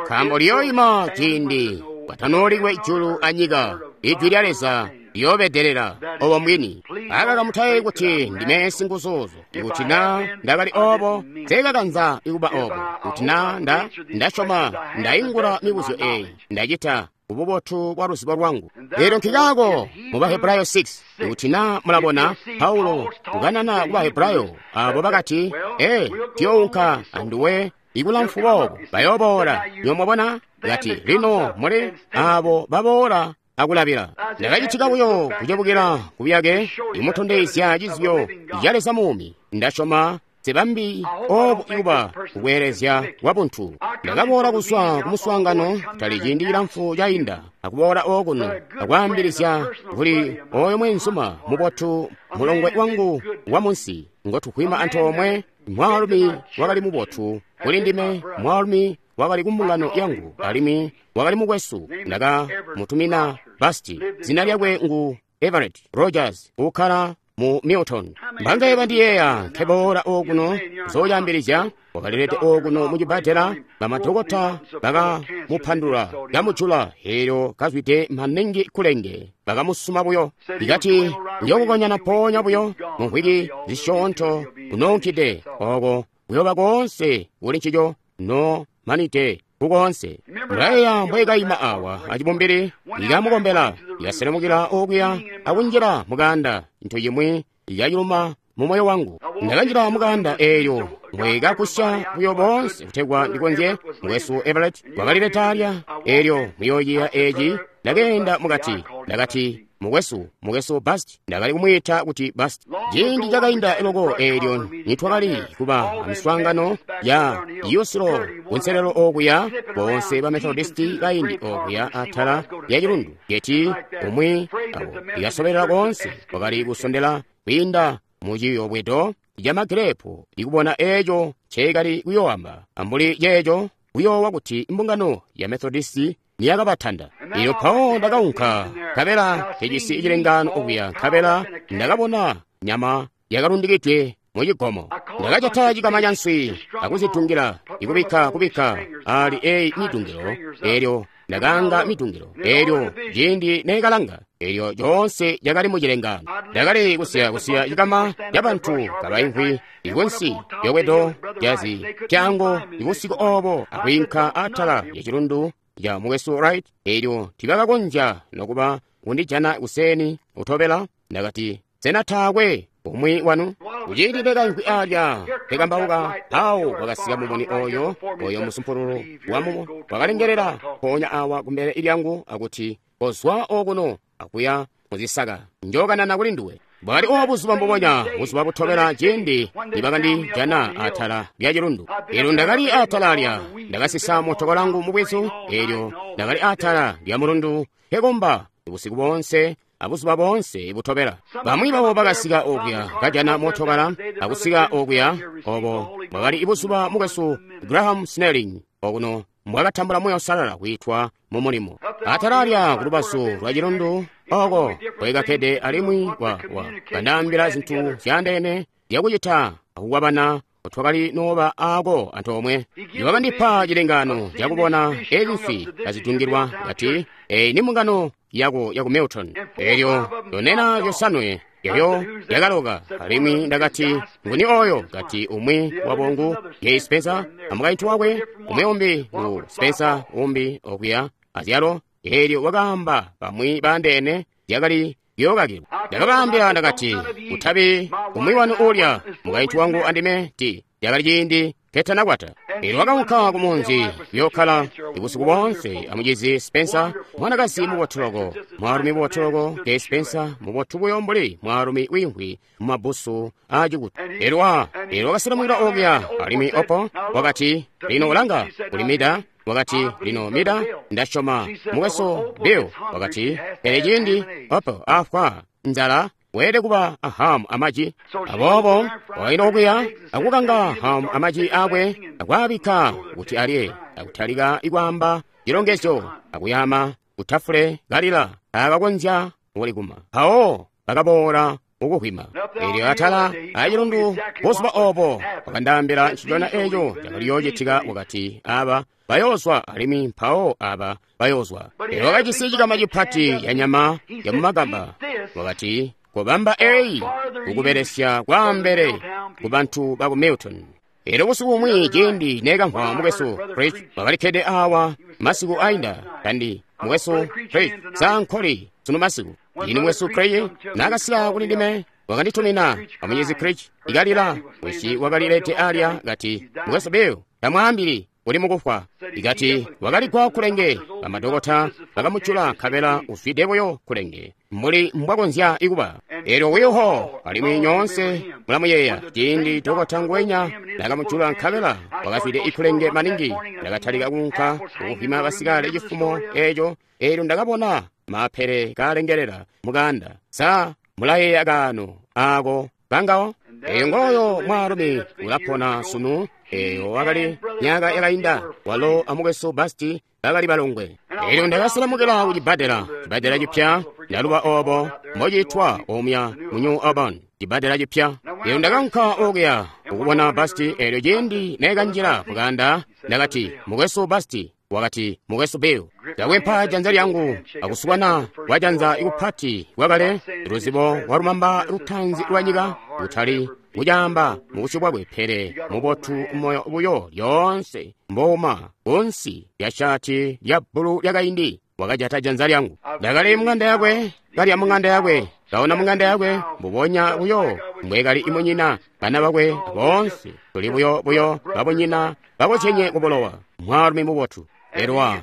Nkaambo liyoima ciindi kwatanoolikwe julu anyika, ijwi lya Leza liyoobedelela obo mbwini. Akaka mutayeeyi kuti ndime singuzuzo. Ikuti naa ndakali obo, nseekakanza ikuba obo. Kuti naa nda ndasyoma ndaingula mibuzyo eyi, ndacita ububotu bwa luzibo lwangu. Lero nkikaako mu Bahebrayo six, ikuti naa mulabona Paulo kukanana ku Bahebrayo abo bakati, ee, tuyounka anduwe ikulamfu boobo, bayooboola. Nyo mwabona? Kati, lino muli abo baboola akulabila. Ndakacitika buyo kucebukila kubuyake, imutondezya cizyo ca Leza muumi. Ndasyoma sibambi obo ikuba kubweelezya kwa buntu. Ndakaboola kuzwa kumuswaangano tali ciindi cilamfu cainda, akuboola okuno akwaambilizya kuli oyo mwenzuma mubotu, mulongwe wangu wa munsi ngotukwima antoomwe, mwaalumi wakali mubotu kuli ndime, mwaalumi wakali kumbungano yangu, alimwi wakali mukwesu. Ndaka mutumina Basti, zina lyakwe ngu Everett Rogers, ukkala mu Milton. Mbangaye bandiyeeya nkeboola okuno kuzoyambilizya, wakalilete okuno mu cibbadela, bamadokota bakamupandula kamujula, eelyo kazwide maningi kulenge, bakamusuma buyo. Ikati njokukonyana mpoonya buyo mu mvwiki zisyoonto kunoonkide oko kuyoba koonse kuli ncico no manite kukoonse. Mulayeeya mbwekaima awa acibumbili ikamukombela, ikaselemukila okuya akunjila mukanda, nto yimwi ikayuluma mu moyo wangu. Ndakanjila mukanda eeyo mbwekakusya buyo boonse kutegwa ndikonzye. Mukwesu Everett wakalileta alya, eelyo muyooyiya eeci. Ndakeenda mukati, ndakati, mukwesu, mukwesu Bast, ndakali kumwiita kuti Bast. Ciindi cakainda loko eelyo nitwakali kuba amiswaangano ya Yusilo kunselelo okuya, bonse ba Methodisti kaindi okuya atala ya cilundu, yeti umwi abo ikasobelela koonse wakali kusondela kwiinda mu ciyobwedo ca magirepu ikubona eeco nceekali kuyoamba, ambuli ceeco kuyoowa kuti mbungano ya Methodisti niyakabatanda. Elyo mpawo ndakaunka, nkabela tejisi cilengaano okuya, nkabela ndakabona nyama yakalundikidwe mu cigomo. Ndakajata cikama ca nswi akuzitungila, ikubikka kubikka ali eyi mitungilo, elyo ndakaanga mitungilo, elyo ciindi neekalanga, elyo coonse cakali mu cilengaano. Ndakali kusiya kusiya cikama ca bantu kabaimvwi ikunsi yobwedo lyazi pyango ibusiku obo, akwiinka atala ya cilundu ya mukwesu Wright, elyo tibakakonzya nokuba kundijana kuseni utobela. Ndakati, sena taakwe umwi wanu? Kuciindi ndekaimvwi alya nkekambauka, mpawo kwakasika mumuni oyo, oyo musumpululu wamumo wakalengelela mpoonya awa kumbele lyangu akuti, kozwa okuno akuya muzisaka. Njokanana kuli nduwe. Bwakali obo buzuba mbubonya, buzuba butobela ciindi nibakandijana atala lya cilundu. Eelyo ndakali atala lya, ndakasisa motoka langu mubwizu, eelyo ndakali atala lya mulundu nkekomba busiku boonse abuzuba boonse butobela. Bamwi babo bakasika okuya kajana mootokala akusika okuya obo bwakali buzuba mukwesu Graham Snelling okuno mbwakatambula Muuya Uusalala kwiitwa mu mulimo. Atala lya kulubazu lwa cilundu oko kwekakkede alimwi wa, wa kandaambila zintu zyaandeene zyakucita akukwabana twakali nooba aako antoomwe. Wakandipa cilengaano cakubona ezi nswi kazitungilwa kati, eyi ni mbungano yako yaku Milton. Eelyo yonena yosanwe elyo yakaloka, alimwi ndakati, nguni oyo? Kati umwi wabo ngu Jay Spencer amukaintu wakwe, umwi umbi ngu Spencer umbi okuya azyalo. Eelyo wakaamba bamwi baandeene zyakali yookakilwa. Ndakabaambila ndakati, kutabi umwi wanu uulya mukaintu wangu andime ti yakali ciindi ketanakwata. Eelyo wakaunka ku munzi kuyokkala busiku boonse amucizi Spencer, mwanakazi mubotu loko, mwaalumi mubotu loko. Jay Spencer mubotu buyo mbuli mwaalumi wiimvwi mumabbusu aacikutu. Eelyo wa eelyo wakaselemukila okuya, alimwi opo wakati, lino ulanga kuli Mida. Wakati, lino Mida, ndasyoma mukwesu Bill. Wakati, pele ciindi opo afwa nzala weelede kuba a hamu amaji. Aboobo wakaina okuya akukanga hamu amaji akwe akwaabikka kuti alye, akutalika ikwaamba cilongezyo akuyama kutafule kalila akakonzya kulikuma. Mpawo bakaboola ukuhwima. Eelyo atala acilundu buzuba obo wakandaambila ncicona eco cakali yoocitika. Wakati, aba bayoozwa alimwi mpawo aba bayoozwa. Eelyo wakajisi cikama cipati ya nyama ya mumagamba. Wakati, kobamba eyi kukubelesya kwaambele ku bantu baku Milton. Eelyo busiku bumwi ciindi nekamvwa mukwesu Creech wakalikkede awa masiku ainda kandi mukwesu Creech sankoli sunu masiku. Ini mukwesu Creech nakasika kuli ndime wakanditumina amunyezi Creech ikalila wisi wakalilete alya kati, mukwesu Bill tamwaambili uli mukufwa. Ikati wakaligwa kulenge, bamadokota bakamucula nkabela uzwide buyo kulenge mbuli mbwakonzya ikuba. Eelyo wiho alimwi nyoonse mulamuyeeya ciindi dokota ngwenya nakamucula nkabela wakazwide ikulenge maningi. Ndakatalika kuunka kukuhwima basikale cifumo eeco. Eelyo ndakabona mapere kalengelela mukanda. Sa mulayeeya kaano aako kangawo? Eyo ngoyo mwaalumi ulapona sunu. Eyo wakali myaka yakainda, walo amukwesu Basti bakali balongwe. Eelyo ndakaselemukila ku cibbadela, cibbadela cipya, ndaluba obo mbociitwa omuya mu New Auburn, cibbadela cipya. Eelyo ndakaunka okuya kukubona Basti. Eelyo ciindi nekanjila mukanda, ndakati, mukwesu Basti. Wakati, mukwesu Bill. Ndakwempa janza lyangu akusukana kwa janza ikupati kwakale luzibo lwa lumamba lutanzi lwa nyika, kutali kucaamba mubusyu bwakwe, pele mubotu moyo buyo lyoonse mbouma kunsi lya shati lya bbulu lyakaindi. Wakajata janza lyangu. Ndakali mung'anda yakwe, kalya mung'anda yakwe, kaona mung'anda yakwe, mbubonya buyo mbwekali imunyina bana bakwe boonse tuli buyo buyo babunyina bakozyenye kubulowa. Mwaalumi mubotu. Elwa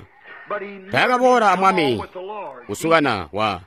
taakaboola amwami kusukana wa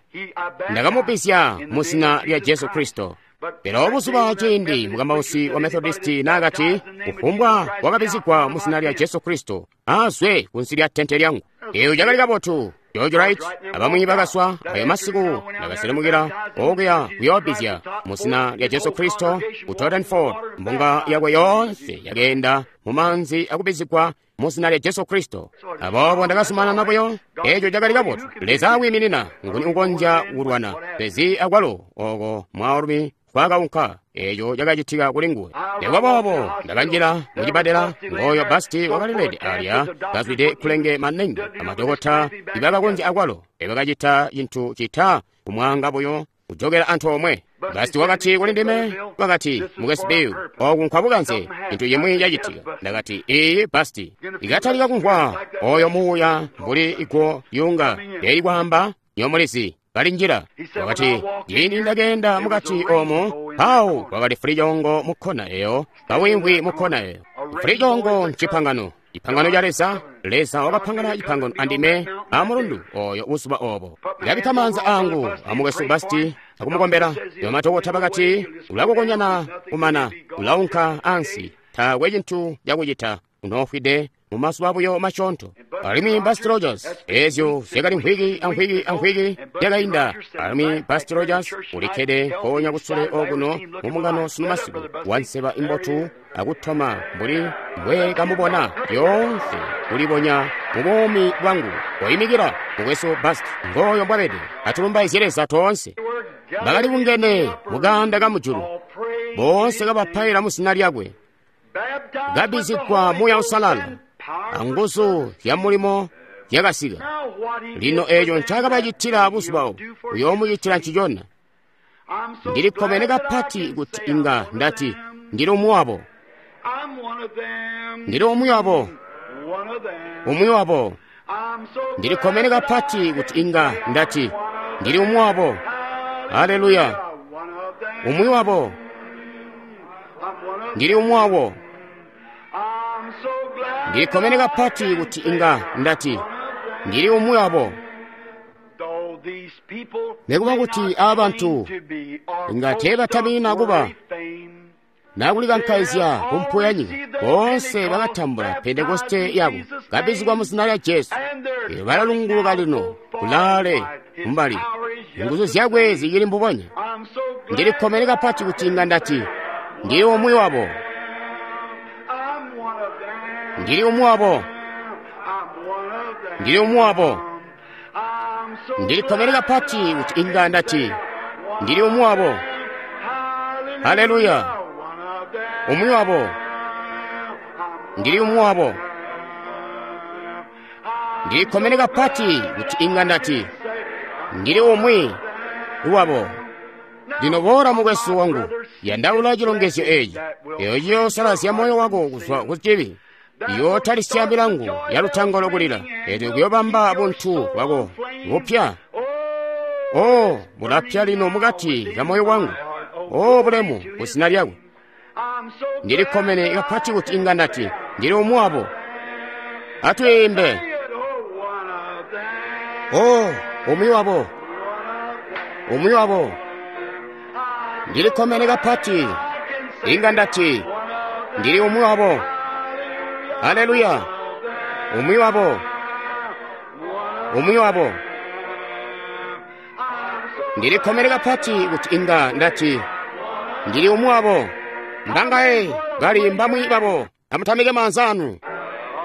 ndakamubisya mu zina lya Jesu Kristo. Pele obuzuba ciindi mukambausi wa Methodisti naakati, kufumbwa wakabizigwa mu zina lya Jesu Kristo azwe kunsi lya tente lyangu. Eyo cakali kabotu. George Wright abamwi bakaswa ayo masiku ndakaselemukila okuya kuyoobizya mu zina lya Jesu Kristo ku Torrenford. Mbunga yakwe yoonse yakeenda mu manzi akubizigwa mu zina lya Jesu Kristo. Aboobo ndakazumanana buyo. Eco cakali kabotu. Leza akwiiminina nguni ukonzya kulwana pezi akwalo oko mwaalumi kwakaunka. Eco cakacitika kuli nguwe. Nikuba boobo ndakanjila mucibbadela. Ngoyo Basti wakalilede alya kazwide kulenge maningi. Amadokota ibakakonzya akwalo ebakacita cintu cita kumwaanga buyo kujokela antoomwe. Basti wakati kuli ndime, wakati, mukwesu Bill, oku nkwabukanze, cintu cimwi cacitika. Ndakati, iyi Basti. Ikatalika kumvwa oyo muuya mbuli igwo lyunga lyali kwaamba, nyomulizi kalinjila. Wakati, ciindi ndakeenda mukati omo, mpawo kwakali fulicongo mu kkona eyo, kawimvwi mu kkona eyo. Fulicongo ncipangano, cipangano ca Leza Leza wakapangana cipangano andime amulundu oyo buzuba obo. Ndabikka maanza angu amukwesu Basti akumukombela. Bamadokota bakati ulakokonyana kumana ulaunka ansi, taakwe cintu cakucita, unoofwide mumazuba buyo masyoonto. Alimwi Busty Rogers, ezyo zyakali mvwiki amvwiki amvwiki yakainda. Alimwi Busty Rogers ulikkede mpoonya kusule okuno mumungano sunu masiku, wanseba imbotu akutoma mbuli mbwe kamubona lyoonse kulibonya mu buumi bwangu. Koimikila, mukwesu Busty, ngooyo mbwabede. Atulumbaizye Leza toonse. Bakali bungene mukaanda kamujulu, boonse kabapaila mu zina lyakwe, kabizigwa Muuya Uusalala anguzu zya mulimo zyakasika. Lino eeco ncakabacitila buzuba obo, uyoomucitila ncicona. Ndilikkomene kapati kuti inga ndati ndili umwi wabo, ndili umwi wabo, umwi wabo. Ndilikkomene kapati kuti inga ndati ndili umwi wabo. Haleluya! Umwi wabo, ndili umwi wabo. Ndilikkomene kapati kuti inga ndati ndili umwi wabo. Nekuba kuti aba bantu inga teebatamina kuba nakulikankaizya kumpu ya nyika, boonse bakatambula Pentekoste yabo, kabizigwa mu zina lya Jesu. Elyo balalunguluka lino kulaale kumbali, nguzu zyakwe zicili mbubonya. Ndilikkomene kapati kuti inga ndati ndili umwi wabo, ndili umwi wabo, ndili umwi wabo. Ndilikkomene kapati kuti inga ndati ndili umwi wabo. Haleluya! Umwi wabo, ndili umwi wabo. Ndilikkomene kapati kuti inga ndati ndili umwi wabo. Lino boola mukwesu wangu, yandaula cilongezyo eeci, eeyo ciyoosalazya moyo wako kuzwa ku cibi, iyootalisya milangu ya lutangalo kulila, eelyo kuyoobamba buntu bwako bupya. O, bulapya lino mukati ka moyo wangu. O, bulemu ku zina lyakwe. Ndilikkomene kapati kuti inga ndati ndili umwi wabo. Atwiimbe. O, umwi wabo, umwi wabo. Ndilikkomene kapati inga ndati ndili umwi wabo. Haleluya! Umwi wabo, umwi wabo. Ndilikkomene kapati kuti inga ndati ndili umwi wabo. Mbangaye bali mbamwi babo, amutamike maanza anu.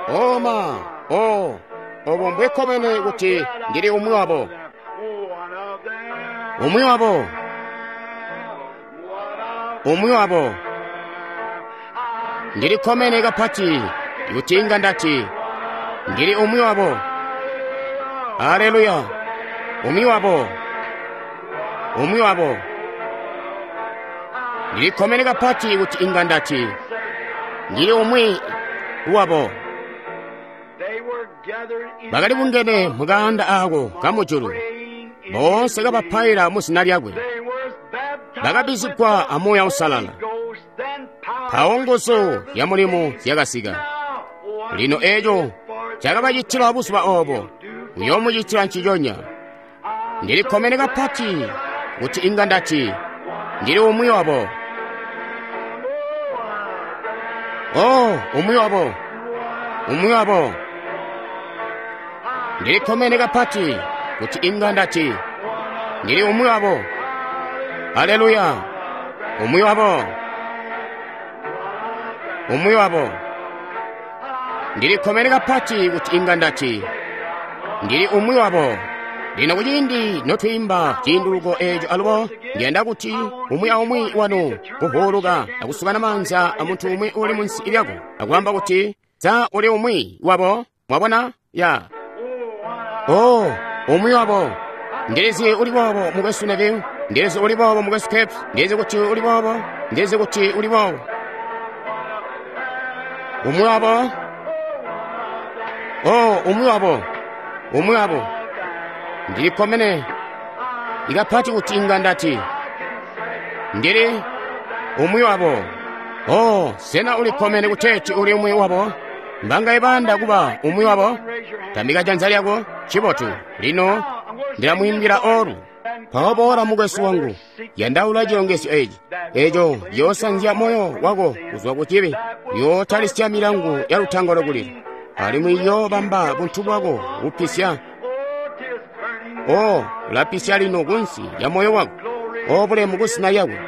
Oma, o, obo mbwekkomene kuti ndili umwi wabo, umwi wabo, umwi wabo. Ndilikkomene kapati kuti inga ndati ndili umwi wabo. Haleluya! Umwi wabo, umwi wabo. Ndilikkomene kapati kuti inga ndati ndili umwi wabo. Bakali bungene mukaanda aako kamujulu, boonse kabapaila mu zina lyakwe, bakabizigwa a Muuya Uusalala. Mpawo nguzu ya mulimu zyakasika. Lino eeco cakabacitila buzuba obo, uyoomucitila nciconya. Ndilikkomene kapati kuti inga ndati ndili umwi wabo. O, umwi wabo, umwi wabo. Ndilikkomene kapati kuti inga ndati ndili umwi wabo. Haleluya! Umwi wabo, umwi wabo. Ndilikkomene kapati kuti inga ndati ndili umwi wabo. Lino kuciindi notwiimba ciinduluko eeco alubo, ndiyanda kuti umwi aumwi wanu kuvuuluka akusukana maanza amuntu umwi uli munsi lyako akwaamba kuti, sa uli umwi wabo? Mwabona? Ya. O, umwi wabo. Ndilizi uli boobo mukwesu Neville, ndilizi uli boobo mukwesu Capes, ndilizi kuti uli boobo, ndilizi kuti uli boobo. Umwi wabo. O, umwi wabo, umwi wabo. Ndilikkomene ikapati kuti inga ndati ndili umwi wabo. O, sena ulikkomene kuteeti uli umwi wabo? Mbangaye bayanda kuba umwi wabo? Tambika janza lyako. Cibotu. Lino ndilamwiimbila olu. Mpawo boola mukwesu wangu, yandaula cilongezyo eci. Eco ciyoosanzya moyo wako kuzwa ku cibi, yootalisya milangu ya lutangalo kulila, alimwi iyoobamba buntu bwako bupisya. O, ulapisya lino kunsi lya moyo wako. O bulemu kusina lyakwe.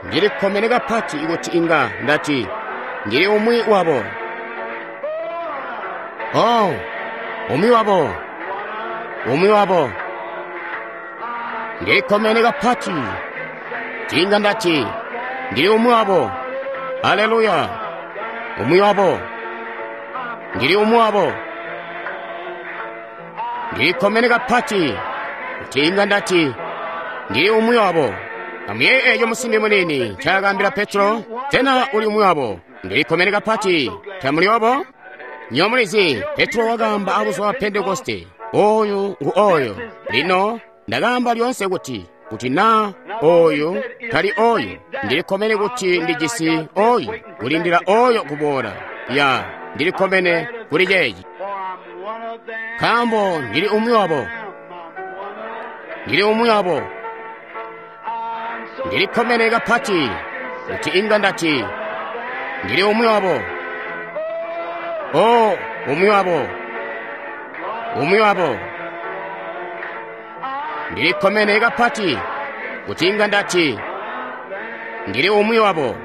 Ndilikkomene kapati kuti inga ndati ndili umwi wabo. O, umwi wabo, umwi wabo. Ndilikkomene kapati tinga ndati ndili umwi wabo. Haleluya! Umwi wabo, ndili umwi wabo. Ndilikkomene kapati tinga ndati ndili umwi wabo. Amuyeeye eco musimbi muniini ncaakaambila Petro, sena uli umwi wabo? Ndilikkomene kapati, tamuli obo? Nywebo mulizi, Petro wakaamba abuzuba bwa Pentekoste, oyu ngu oyo. Lino ndakaamba lyoonse kuti, kuti naa oyu tali oyu, ndilikkomene kuti ndijisi oyu, kulindila oyo kuboola. Ya, ndilikkomene kuli ceeci. Nkaambo ndili umwi wabo. Ndili umwi wabo. Ndilikkomene kapati kuti inga ndati ndili umwi wabo. O, umwi wabo, umwi wabo. Ndilikkomene kapati kuti inga ndati ndili umwi wabo.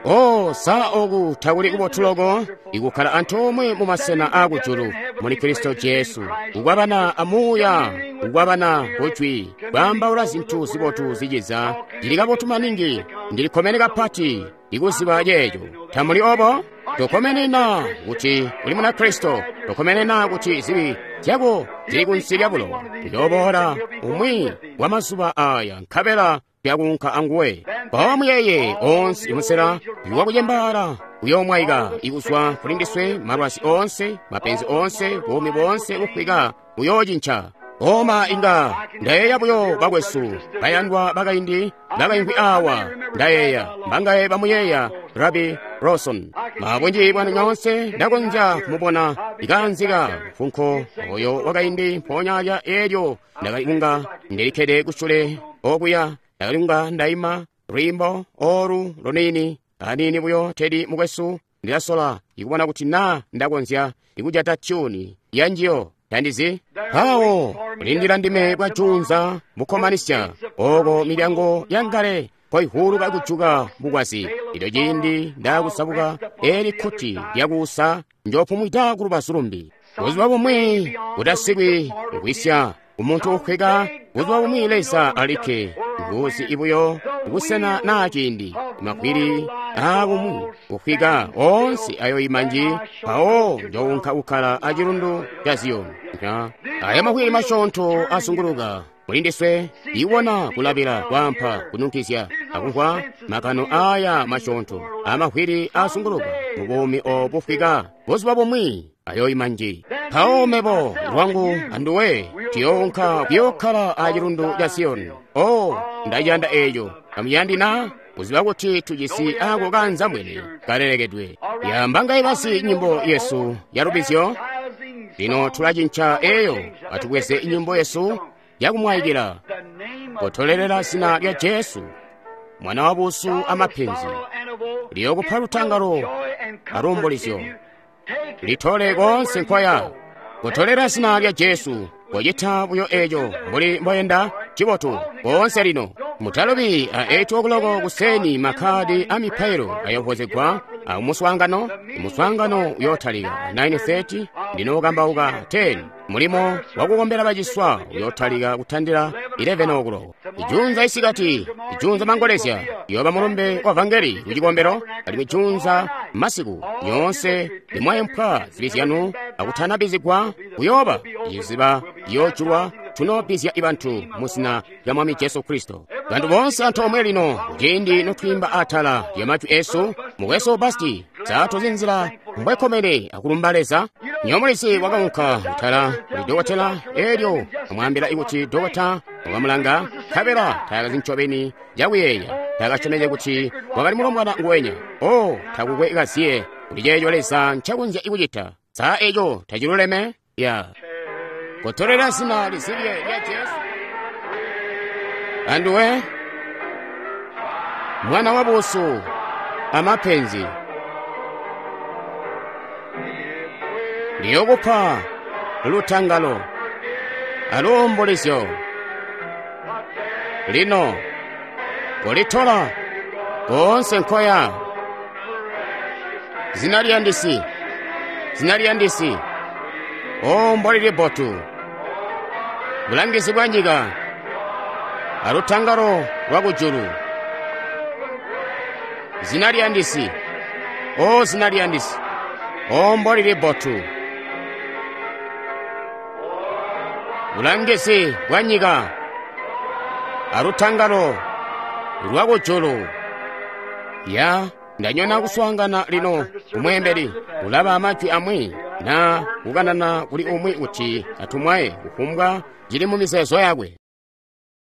O, sa oku takuli kubotu loko ikukkala antoomwe mu masena aakujulu muli Kristo Jesu, kukwabana amuuya, kukwabana kujwi, kwaambaula zintu zibotu ziciza. Ndili kabotu maningi, ndilikkomene kapati ikuziba ceeco. Tamuli obo? Tokkomene na kuti uli muna Kristo, tokkomene na kuti zibi zyako zili kunsi lya bulowa. Uyooboola umwi wa mazuba aya nkabela tuyakuunka anguwe. Mpawo muyeye onse musela wakucembaala uyoomwaika ikuzwa kuli ndiswe, malwazi onse, mapenzi onse, buumi boonse bufwika buyoocinca. Oma inga ndayeeya buyo bakwesu bayandwa bakaindi bakaimvwi awa. Ndayeeya mbangaye bamuyeeya Rabi Rawson. Mabunji bwanu nyoonse ndakonzya kumubona ikaanzika mfunko oyo wakaindi mpoonya lya eelyo ndakali kunga ndilikkede kusule okuya, ndakali kunga ndaima lwiimbo olu luniini aniini buyo. Tedi mukwesu, ndilasola ikubona kuti naa ndakonzya ikujata tyuni yanjiyo. Tandizi mpawo kulindila ndime bwajunza bukkomanisya oko milyango yangale koihuluka kujuka bukwazi. Ilyo ciindi ndaakusabuka eli kkuti lyakuusa, njoopumwida ku lubazu lumbi. Buzuba bumwi butasikwi kugwisya umuntu ukhweka, buzuba bumwi Leza alikke nguzi ibuyo busena naa ciindi. Makwili aakumwi kukhwika onse ayoyima nji, mpawo njounka kukkala acilundu ca Ziyoni. Aya makwili masyoonto asunguluka mulindiswe, iwona kulabila kwaampa kununkizya akumvwa makano aya masyoonto amakwili asunguluka mubuumi obu bufwika. Buzuba bumwi ayoyima nji, mpawo mebo lwangu anduwe tuyounka kuyookkala acilundu ca Ziyoni. O, ndaciyanda eeco. Amuyandi na kuziba kuti tujisi ako kanzambwene kalelekedwe. Yamba ngaibasi nyimbo yesu ya lubizyo. Lino tulacinca eyo, atubweze nyimbo yesu yakumwayikila. Kotolelela zina lya Jesu, mwana wa busu amapenzi, liyokupa lutangalo aluumbulizyo, litole konse nkwaya. Kotolera zina lya Jesu, kocita buyo eco mbuli mboyenda cibotu konse lino. Mutalubi a eight o'clock kuseni makhadi a mipailo ayovozegwa a muswaangano. Muswaangano uyotalika nine thirty, ndinokambauka ten. Mulimo wakukombela baciswa uyotalika kutandila eleven o'clock. Ijunza isikati, ijunza mangolezya yoba mulumbe wa vangeli kucikombelo, alimwi ijunza masiku nyonse limwayempwa zibi zyanu akutanabizigwa kuyoba iziba yojulwa tunobizya ibantu muzina lya Mwami Jesu Kristo. Bantu bonse antoomwe lino kuciindi notwiimba atala lya majwi esu, mukwesu Basti zatozi nzila mbwekkomene akulumba Leza. Nyomulisi wakaunka kutala kuli dokotela elyo amwaambila kuti dokota wakamulanga nkabela tayakazi ncobeni cakuyeeya, takasyomeke kuti wakali mulombwana nguwenya. O, takukwe kaziye Kuli ceeco Leza ncakonzya kucita. Sa eco taciluleme? Ya. Kotolela zina lizibye lya Jesu. Anduwe, mwana wa busu amapenzi, liyokupa lutangalo aluumbulizyo. Lino kolitola koonse nkoya. Zina liyandisi, zina liyandisi, o mbolili bbotu, bulangizi bwa nyika alutangalo lwa kujulu. Zina liyandisi, o zina liyandisi, o mbolili bbotu, bulangizi bwa nyika alutangalo lwa kujulu. Ya ndanyona kuswaangana lino kumweembeli ulaba amajwi amwi na kukanana kuli umwi kuti atumwaye kufumbwa cili mu mizeezo yakwe.